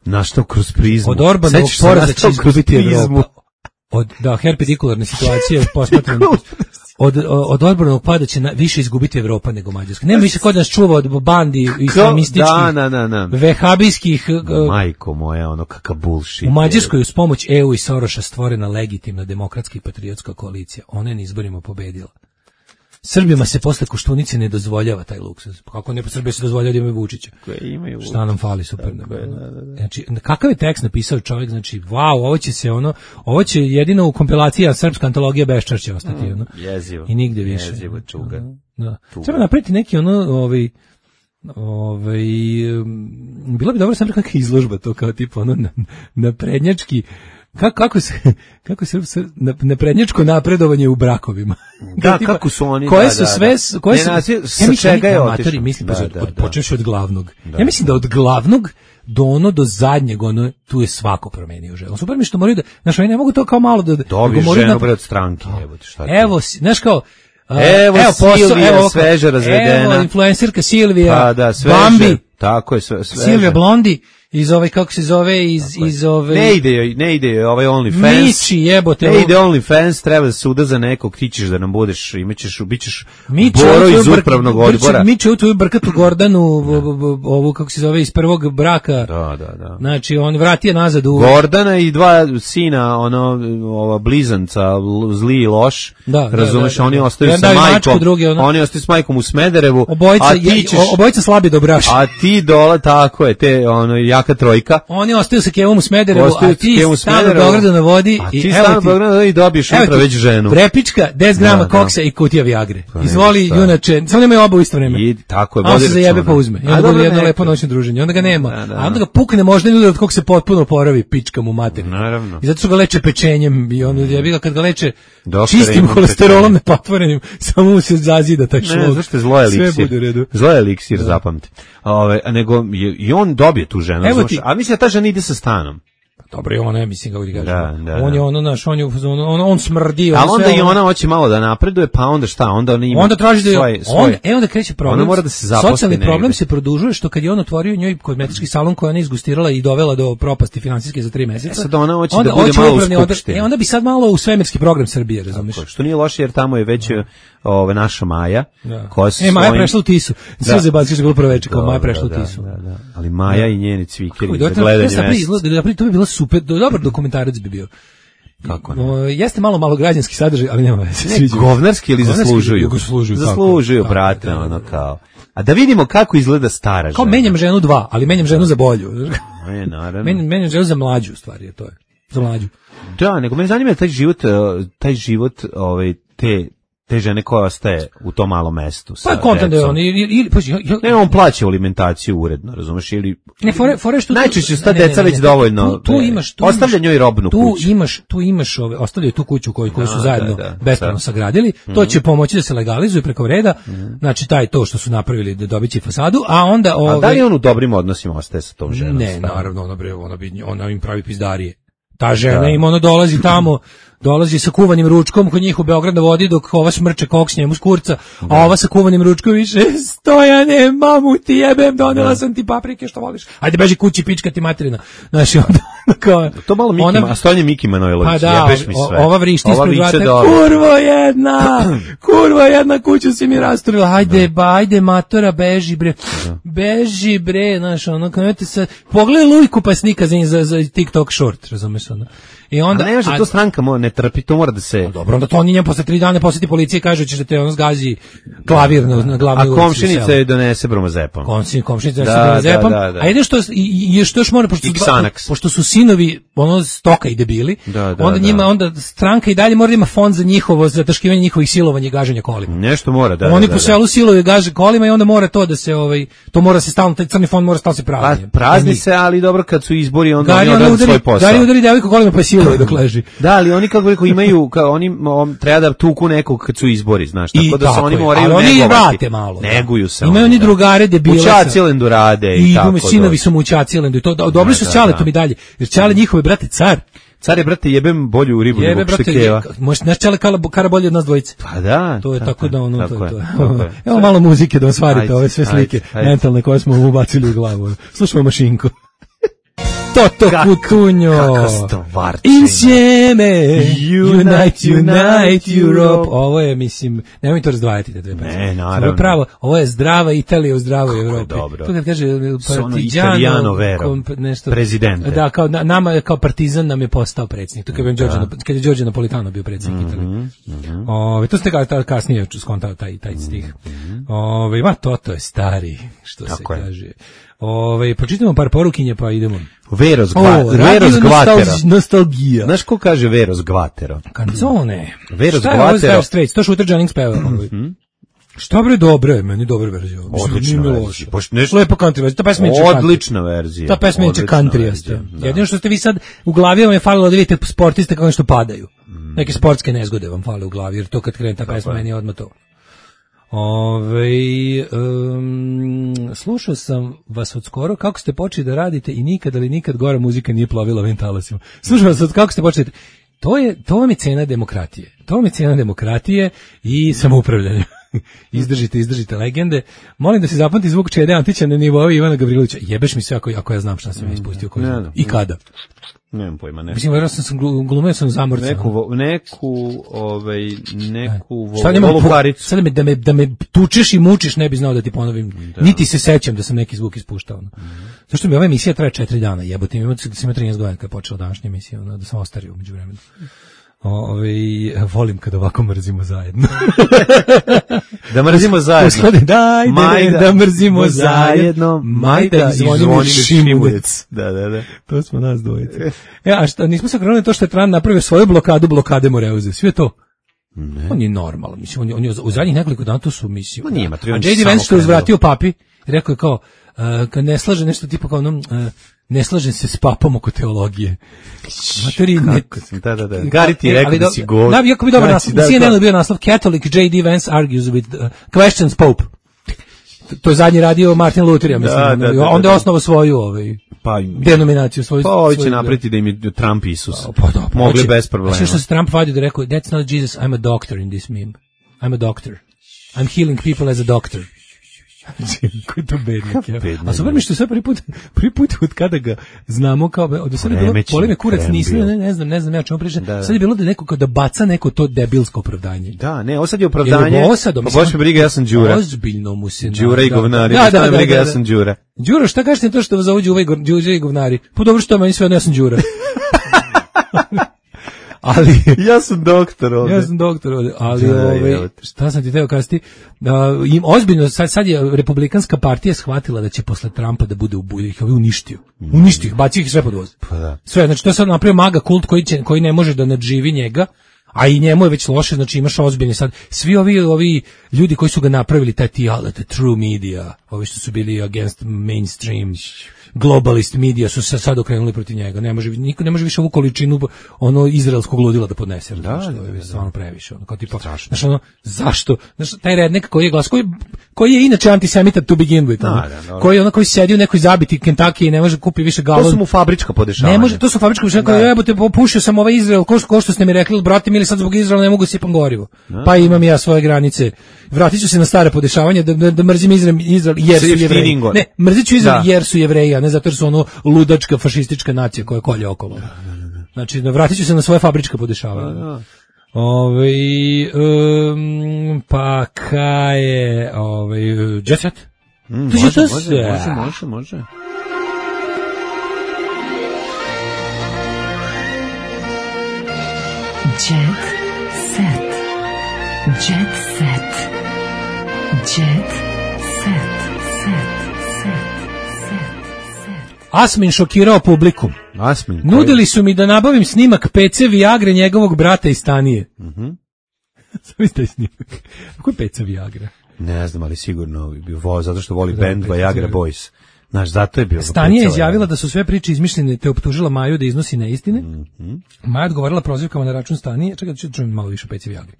naštao kroz prizmu. Od Orbanovog poraza će izgubiti Evropa. Od, da, herpedikularne situacije posmatrane. Od, od Orbanovog pada će na, više izgubiti Evropa nego Mađarska. Nema više kod nas čuva od bandi islamističkih, da, da, da, da. vehabijskih... Majko moja, ono kakav bullshit. U Mađarskoj uz pomoć E U i Soroša stvorena legitimna demokratska i patriotska koalicija. Ona je na izborima pobedila. Srbima se posle Koštunice ne dozvoljava taj luksuz. Kako ne po Srbiji se dozvoljava da imaju Vučića? Imaju Vučića. Šta nam fali, super. Da, da, da. Znači, kakav je tekst napisao čovjek, znači, wow, ovo će se ono, ovo će jedino u kompilaciji srpska antologija Beščašća ostati, ono. Jezivo. I nigde više. Jezivo, čuga. Da. Treba napraviti neki ono, ovaj, ovaj, bila bi dobro sam rekao neka izložba to kao tipa ono naprednjački, Kako, kako se kako se naprednjačko napredovanje u brakovima. Da, tipa, kako su oni koje da, su da, sve da. koje su ne, nazi, ja mislim, čega je otišao mislim da, da, od, da. Počneš od glavnog da. Ja mislim da od glavnog do ono do zadnjeg ono tu je svako promenio ženu. Super mi što moraju da znači oni ne mogu to kao malo da dobiješ ženu bre od stranke jebote šta evo znaš kao Uh, evo, evo Silvija, evo, sveže razvedena. Evo, influencerka Silvija, pa, da, sveže, Bambi, tako je, sveže. Silvija Blondi, iz ove, kako se zove, iz, iz ove... Ne ide, ne ide ovaj OnlyFans. Mići, jebote. Ne ide OnlyFans, treba da suda za nekog, ti ćeš da nam budeš, imaćeš, bićeš Mići, Boro iz upravnog odbora. Mići u tvoju brkatu Gordanu, ovu, kako se zove, iz prvog braka. Da, da, da. Znači, on vratio nazad u... Gordana i dva sina, ono, ova blizanca, zli i loš. Da, razumeš, da, da, da. Oni ostaju ja, sa majkom. Drugi, ono. Oni ostaju s majkom u Smederevu. Obojica, a ti ćeš, obojica slabi dobraši. A ti dola, tako je, te, ono, jaka trojka. Oni ostaju sa Kevom u Smederevu, a ti stan u Beogradu na vodi. A ti stan u Beogradu na vodi i dobiješ utra već ženu. Prepička, deset grama koksa i kutija Viagre. Izvoli, junače, samo nemaju oba u isto vreme. I tako je, vodi računa. A on se zajebe pa uzme. I onda bude jedno lepo noćno druženje. Onda ga nema. A onda ga pukne možda ljudi od kog se potpuno oporavi pička mu mater. Naravno. I zato su ga leče pečenjem i onda jebi ga kad ga leče čistim holesterolom nepatvorenim, samo mu se zazida taj šlog. Ne, zašto je zlo eliksir. Zlo eliksir, zapamti. Ove, a nego i on dobije tu ženu, znaš, a mislim da ta žena ide sa stanom. Dobro, i ona je, mislim, kako ti kažem. Da, da, on je ono, naš, on je, on, on smrdi. Ali onda i ona hoće malo da napreduje, pa onda šta, onda ona ima onda traži da je, svoje, on, svoje. E, onda kreće problem. Ona mora da se zaposli. Socijalni problem se produžuje što kad je on otvorio njoj kozmetički salon koji ona izgustirala i dovela do propasti finansijske za tri meseca. E sad ona hoće da bude malo u skupštini. E, onda bi sad malo u svemirski program Srbije, razumiješ? Tako, što nije loše jer tamo je već ove naša Maja, da. koja se e, Maja svojim... prešla u Tisu. Sve zebacki su bilo proveče kao Maja prešla da, u Tisu. Da, da, da. Ali Maja da. I njeni cvikeri za gledanje mesta. To bi bilo super, dobar dokumentarac bi bio. Kako ne? O, jeste malo malo građanski sadržaj, ali nema veze. Ne, govnarski ili zaslužuju? Zaslužuju, zaslužuju brate, da, ono kao. A da vidimo kako izgleda stara žena. Kao menjam ženu dva, ali menjam ženu za bolju. Ne, naravno. Men, menjam ženu za mlađu, stvari je to je. Za mlađu. Da, nego me zanima taj život, taj život, ovaj te te žene koja ostaje u tom malom mestu. Pa kontent da je on ili ili pa ne, on plaća alimentaciju uredno, razumeš, ili ne fore fore što najčešće sta deca već dovoljno. Tu, tu imaš tu ostavlja njoj robnu tu kuću. Tu imaš tu imaš ove ostavljaju tu kuću koju koju su zajedno da, da, bespravno sagradili. Mm-hmm. To će pomoći da se legalizuje preko reda. Mm-hmm. Znači taj to što su napravili da dobiće fasadu, a onda ove... A da li on u dobrim odnosima ostaje sa tom ženom? Ne, naravno, ona bre, ona bi ona im pravi pizdarije. Ta žena da. Im ono dolazi tamo, dolazi sa kuvanim ručkom kod njih u Beograd na vodi dok ova šmrče koks njemu s kurca, a ova sa kuvanim ručkom više Stojane, mamu ti jebem, donela da. sam ti paprike što voliš. Ajde beži kući, pička ti materina. Znaš, onda kao, to malo Miki, ona, a Stojane Miki Manojlović, pa da, jebeš mi sve. Ova vrišti ispred vrata, kurvo jedna, kurvo jedna, kuću si mi rasturila, ajde, da. ba, ajde matora, beži bre, da. beži bre, znaš, ono, kao te sad, pogledaj Lujku pa snika za, za, za TikTok short, razumeš ono. I onda, a ne može, to stranka mo, ne trpi, to mora da se... Dobro, onda to on njem posle tri dana posjeti policije i kaže će da te ono zgazi klavir na, na glavni ulici. A komšinica je donese bromazepam. Komšinica, komšinica donese da, bromazepam. Da, da, da. A jedno što, i, što još mora, pošto su, dva, pošto su sinovi ono stoka i debili, da, da, onda njima, da. onda stranka i dalje mora da ima fond za njihovo, za taškivanje njihovih silovanja i gaženja kolima. Nešto mora, da. Oni da, po da, selu da. siluju i gaže kolima i onda mora to da se, ovaj, to mora se stalno, taj crni fond mora stalno se prazni. Pa, prazni se, ali dobro kad su izbori, onda oni odrade svoj posao. Gari udari devojku kolima pa siluje dok leži. Da, ali oni kako rekao imaju, kao oni on, treba da tuku nekog kad su izbori, znaš, tako I da se oni moraju negovati. Ali oni vrate malo. Neguju se. Imaju oni drugare debile. U Čacilendu rade i, i tako. I sinovi su mu u Čacilendu i to dobri su s Čaletom i dalje. Jer Čale njihove brate car. Car je, brate, jebem bolju ribu Jebe, nego brate, štekeva. Možeš naš Čale kara bolje od nas dvojice. Pa da. To je tako, tako da ono, tako to, je, to je. Tako je. Evo malo muzike da osvarite ove sve slike ajde, ajde. mentalne koje smo mu ubacili u glavu. Slušamo Mašinko. Toto Kutunjo. Kako stvarčina. Insieme. Unite, unite Europe. Ovo je, mislim, nemoj to razdvajati te dve pesme. Ne, naravno. Ovo je pravo, ovo je zdrava Italija u zdravoj Evropi. Dobro. To kad kaže Partigiano Vero, nešto, prezidente. Da, kao nama, kao partizan nam je postao predsjednik. To kad je Đorđe, kad je Đorđe Napolitano bio predsjednik mm -hmm, Italije. Mm -hmm. Ove, to ste kao kasnije skontao taj, taj stih. Mm -hmm. Ove, ma Toto je stari, što Tako se je. kaže. Ove, pročitamo par porukinje pa idemo. Veros, gva, o, Veros Gvatero. Nostalgija. Znaš ko kaže Veros Gvatero? Canzone. Veros Šta Gvatero. Šta je ovo Straits? To Shooter Jennings peva. Mm-hmm. Šta bre, dobro je, meni dobra verzija. Odlična verzija. Nešto... Lepo country verzija. Ta pesma je odlična verzija. Ta pesma je countryjasta. Da. Jedino što ste vi sad u glavi vam je falilo da vidite sportiste kako nešto padaju. Mm. Neke sportske nezgode vam fale u glavi, jer to kad krene ta pesma meni je odmah to. Ove, um, slušao sam vas od skoro kako ste počeli da radite i nikad ali nikad gora muzika nije plovila ovim talasima. Slušao vas od kako ste počeli. To je, to vam je cena demokratije. To vam je cena demokratije i samoupravljanja. Izdržite, izdržite legende. Molim da se zapamti zvuk Čede Antića na nivou Ivana Gavrilovića. Jebeš mi sve ako, ako ja znam šta sam ja ispustio. Koji ne, ne, I kada. Nemam pojma, ne. Mislim, vjerojatno sam glumio sam zamorca. Neku, neku, ovaj, neku volukaricu. Sad da me, da, me, da me tučeš i mučiš, ne bi znao da ti ponovim. Da. Niti se sećam da sam neki zvuk ispuštao. Mm -hmm. Zašto mi ova emisija traje četiri dana, jebote. Ima sam trinaest godina kad je počela današnja emisija, ono, da sam ostario umeđu vremenu. Ove, volim kad ovako mrzimo zajedno. Da mrzimo zajedno. Uslade, dajde, Majda, da mrzimo zajedno. Majda i zvonimo Šimunec. Da, da, da. To smo nas dvojice. E, a šta, nismo se okrenuli to što je Tran napravio svoju blokadu blokade Moreuze. Sve to. Ne. On je normalan. Mislim, on je, on je u zadnjih nekoliko dana to su mislim. On ima, a J D Vance što je uzvratio papi, rekao je kao, uh, kad ne slaže nešto tipa kao onom, uh, ne slažem se s papom oko teologije. Materi, ne... Da, da, da. Gari ti je rekao da si govor. Da, jako bi dobar naslov. C N N je bio naslov Catholic J D Vance argues with uh, questions Pope. To je zadnji radio Martin Luther, ja mislim. Da, da, da, onda je osnovao svoju ovaj, pa, denominaciju. Svoju, pa ovi će napreti da im je Trump Isus. Pa, da, pa, mogli bez problema. Znači što se Trump vadio da rekao, that's not Jesus, I'm a doctor in this meme. I'm a doctor. I'm healing people as a doctor. Koji to bednik, ja. A super mi što sve prvi put, prvi put od kada ga znamo kao, od sada je bilo, poli me kurac nisi, ne, ne znam, ne znam, ja čemu pričam, da, sad je bilo da neko kao da baca neko to debilsko opravdanje. Da, ne, ovo sad je opravdanje, pa boš me briga, ja sam Đura. Ozbiljno mu se... Đura i govnari, da, da, da, briga, ja sam Đura. Đura, šta kažete to što vas zovu Đura i govnari? Pa dobro što meni sve odno, ja sam Đura. Ali ja sam doktor ovdje. Ja sam doktor ovdje, ali da, ove, šta sam ti teo kazati, da im ozbiljno sad, sad je republikanska partija shvatila da će posle Trumpa da bude u bulji, ih ovaj uništio. Uništio ih, bacio ih sve pod voz. Pa da. Sve, znači to je sad napravio maga kult koji će koji ne može da nadživi njega. A i njemu je već loše, znači imaš ozbiljne sad. Svi ovi ovi ljudi koji su ga napravili, taj ti, the true media, ovi što su bili against mainstream, globalist media su se sad okrenuli protiv njega. Ne može niko ne može više ovu količinu ono izraelskog ludila da podnese. Da, što je stvarno previše. Ono kao tipa, znači ono zašto? Znači taj rednik koji je glas koji koji je inače antisemita to begin with. Ono, da, da, koji ono koji sedi u nekoj zabiti Kentucky i ne može kupi više galon. To su mu fabrička podešavanja. Ne može, to su fabrička podešavanja. Jebote, popušio sam ovaj Izrael, ko što, ko što ste mi rekli, brate, mi sad zbog Izraela ne mogu sipam gorivo. Da. Pa imam ja svoje granice. Vratit ću se na stare podešavanja da, da, da mrzim Izrael, Izrael jer su Jevreji. Ne, mrzit ću Izrael da. jer su Jevreji, a ne zato jer su ono ludačka fašistička nacija koja kolje okolo. Znači, vratit ću se na svoje fabrička podešavanja. Da, da. Ove, um, pa kaj je ove, Jet Set? Mm, može, može, može, može, može. Jet Set. Jet Set. Jet Set. Asmin šokirao publiku. Asmin. Nudili su mi da nabavim snimak P C Viagre njegovog brata iz Stanije. Mhm. Mm Samo taj snimak. Kako je P C Viagra? Ne znam, ali sigurno bio voz, zato što voli band Viagra Boys. Znaš, zato je bio. Stanija je izjavila da su sve priče izmišljene, te optužila Maju da iznosi neistine. Mm-hmm. Maja odgovorila prozivkama na račun Stanije. Čekaj, da čujem malo više o P C Viagri.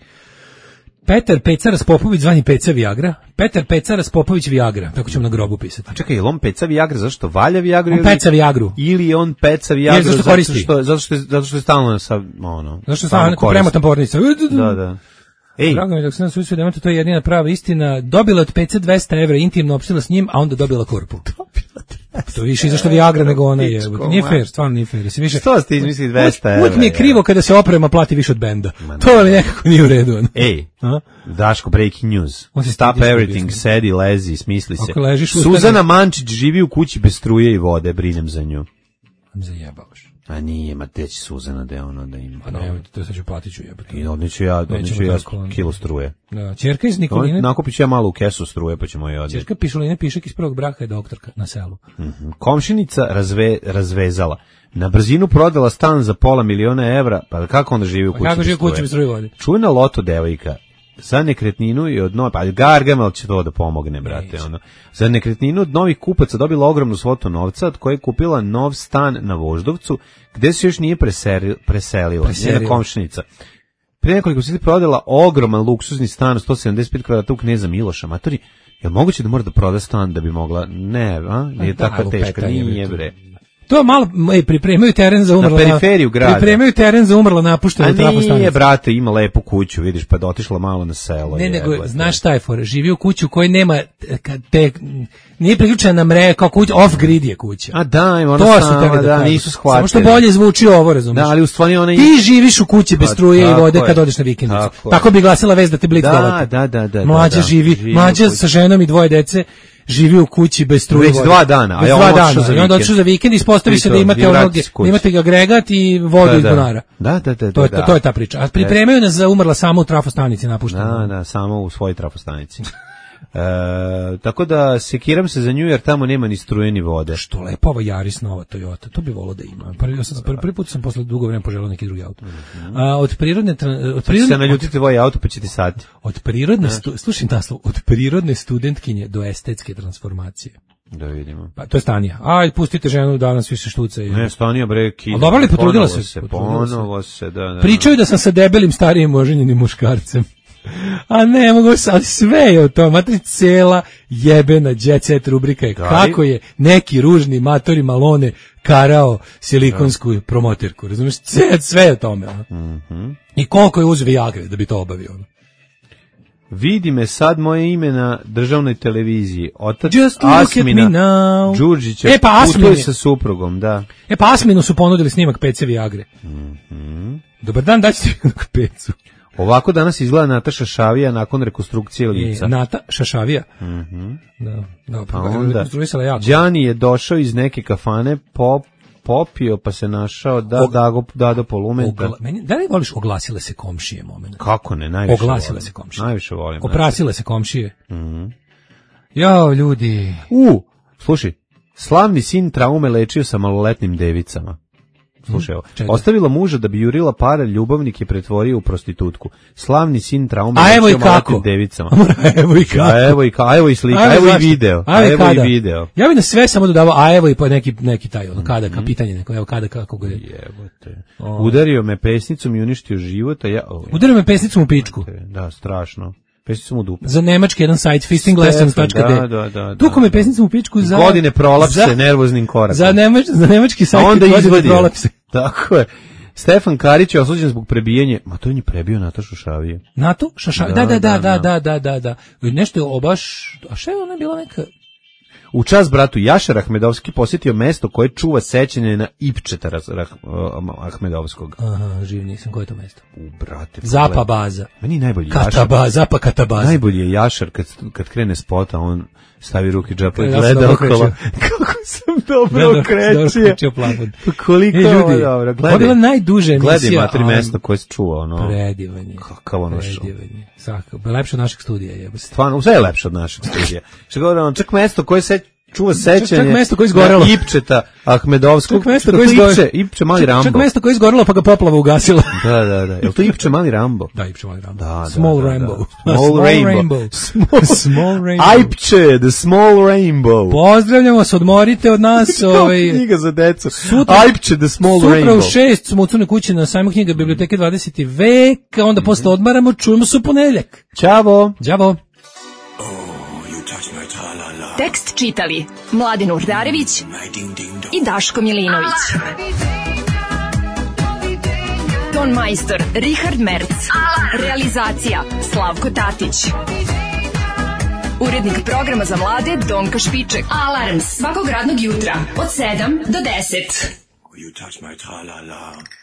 Petar Pecaras Popović zvani Peca Viagra. Petar Pecaras Popović Viagra. Tako ćemo na grobu pisati. A čekaj, je li on Peca Viagra zašto valja Viagru? On ili, peca Viagru. Ili on Peca Viagru je, zašto, zato, što, zato, što je, zato što je stalno sa, ono... Zato što je stalno premotan pornica. Da, da. Ej. Drago mi dok se nas usvije da to je jedina prava istina. Dobila od P C dvesta evra, intimno opštila s njim, a onda dobila korpu. To više izašto Viagra nego ona je. Nije fair, stvarno nije fair. Više, što ste izmislili dvesta evra? Uvijek mi je krivo kada se oprema plati više od benda. To je nekako nije u redu. Ej, a? Daško, breaking news. Stop everything, sedi, lezi, smisli se. Suzana Mančić živi u kući bez struje i vode, brinem za nju. Zajebavaš. A nije, ma teći Suzana da je ono da ima. A ne, to sad ću platit ću jebati. I odneću ja, odneću ja kilo struje. Da, ćerka iz Nikoline. Nakupit ću ja malo u kesu struje, pa ćemo je odneti. Ćerka Pišuline Pišek iz prvog braka je doktorka na selu. Mm-hmm. Komšinica razve, razvezala. Na brzinu prodala stan za pola miliona evra, pa kako onda živi u kući? Pa kako živi u kući bez struje vode? Čujna loto devojka. Za nekretninu i od novih, pa Gargamel će to da pomogne, brate, ono. Za nekretninu od novih kupaca dobila ogromnu svotu novca, od koje je kupila nov stan na Voždovcu, gde se još nije preseri, preselila, njena komšinica. Prije nekoliko sati prodala ogroman luksuzni stan, sto sedamdeset pet kvadrata u Kneza Miloša. Matori, je li moguće da mora da proda stan da bi mogla? Ne, a? Nije da, tako teška, nije bre. To malo ej, pripremaju teren za umrla. Na periferiju grada. Pripremaju teren za umrla napuštenu trafostanicu. A nije, brate, ima lepu kuću, vidiš, pa da otišla malo na selo. Ne, nego, znaš šta je fora, živi u kuću koji nema, te, nije priključena na mreže, kao kuća, off-grid je kuća. A da, ima ona to sama, da, da nisu shvatili. Samo što bolje zvuči ovo, razumiješ. Da, ali u stvari ona... Ti živiš u kući bez struje i vode kad odeš na vikendicu. Tako, tako bi glasila vez da te Blic dovati. Da, da, da. Mlađa živi, mlađa sa ženom i dvoje dece, živi u kući bez struje. Već dva dana, a ja dva dana. I onda odšao za vikend i ispostavi se da imate onog, imate agregat i vodu da, iz bunara. Da, da, da. To je, da. to je ta priča. A pripremaju nas za umrla samo u trafostanici napušteno. Da, da, samo u svojoj trafostanici. E, tako da sekiram se za nju jer tamo nema ni struje ni vode. Što lepo ova Yaris nova Toyota, to bi volao da ima. Prvi, ja sam, prvi, prvi put sam posle dugo vremena poželao neki drugi auto. Mm-hmm. A, od prirodne... Od prirodne se naljutite tvoj auto pa će ti sati. Od prirodne, stu, slušaj naslov, od prirodne studentkinje do estetske transformacije. Da vidimo. Pa to je Stanija. Aj, pustite ženu danas više štuca. I... Ne, Stanija bre, kida. A dobro li potrudila se? se ponovo se, da, da. Pričaju da sam sa debelim starijim oženjenim muškarcem. A ne mogu sad, sve je o tom, matri cela jebena Jet Set rubrika je kako je neki ružni matori Malone karao silikonsku promoterku, razumiješ, sve, sve je o tome, ono. Mm-hmm. I koliko je uzeo Viagre da bi to obavio, ono. Vidi me sad moje ime na državnoj televiziji. Otac Asmina Đurđića e, pa putuje sa suprugom, da. E pa Asminu su ponudili snimak P C Viagre. Mm-hmm. Dobar dan, daćete mi na pecu. Ovako danas izgleda Nata Šašavija nakon rekonstrukcije lica. E, Nata Šašavija? Mhm. Da, da, pa onda Đani je došao iz neke kafane, pop, popio pa se našao da Og... da go da do polumenta. Ogla... Meni, da li voliš oglasile se komšije moment? Kako ne, najviše oglasile volim. se komšije. Najviše volim. Oprasile se komšije. Mhm. Jao, ljudi. U, slušaj, slavni sin traume lečio sa maloletnim devicama. slušaj, ovo. Čega? Ostavila muža da bi jurila pare, ljubavnik je pretvorio u prostitutku. Slavni sin traume. A evo i kako? Devicama. Evo i kako? A evo i ka, a evo i slika, a evo i video. A evo i video. Ja bih na sve samo dodavao, a evo i pa neki neki taj ono kada ka pitanje neko, evo kada kako ga je. Jebote. Udario me pesnicom i uništio život, a ja Udario me pesnicom u pičku. Da, strašno. Pesnicom u dupe. Za nemački jedan sajt fisting lessons dot d. Da, da, da. Tuko me pesnicom u pičku za godine prolapse nervoznim korakom. Za nemač, za nemački sajt onda godine prolapse. Tako je. Stefan Karić je osuđen zbog prebijanja, ma to on je prebio Natašu Šavije. Natu? Šašavije? Da, da, da, da, da, da, da, da. Nešto je obaš, a šta je ona bila neka... U čast bratu Jašar Ahmedovski posjetio mesto koje čuva sećanje na Ipčeta Ahmedovskog. Aha, živ nisam, koje je to mesto? U, brate. Zapa baza. Meni najbolji Kataba, Jašar. Zapa Katabaza. Najbolji je Jašar kad, kad krene spota, on stavi ruke džepa i gleda okolo. Kako sam dobro okrećio. Pa koliko je ovo dobro. Ovo je bila najduža emisija. Gledaj ima tri mesta koje se čuva. Ono, predivanje. Kakav ono što. Predivanje. Svako. Lepše od našeg studija. Je. Stvarno, sve je lepše od našeg studija. Što govorim, čak mesto koje se čuva sećanje. Čak mesto koje je izgorelo. Ipčeta Ahmedovskog. Čak mesto koje je izgorelo. Ipče, Ipče Mali Rambo. Čak mesto koje je izgorelo pa ga poplava ugasila. Da, da, da. Je li to Ipče Mali Rambo? Da, Ipče Mali Rambo. Da, Small da, Rainbow. Da. Small, small Rainbow. Small, small Rainbow. Ipče, the Small Rainbow. Pozdravljamo se, odmorite od nas. ovaj, knjiga za decu. Sutra, Ipče, the Small sutra Rainbow. Sutra u šest smo u Crnoj kući na sajmu knjiga biblioteke dvadeseti vek, onda mm-hmm. posle odmaramo, čujemo se u ponedeljak. Ćavo. Ćavo. Tekst čitali Mladin Urdarević i Daško Milinović. Ton majstor Richard Merc. Realizacija Slavko Tatić. Urednik programa za mlade Donka Špiček. Alarms svakog radnog jutra od sedam do deset. You touch my tra-la-la.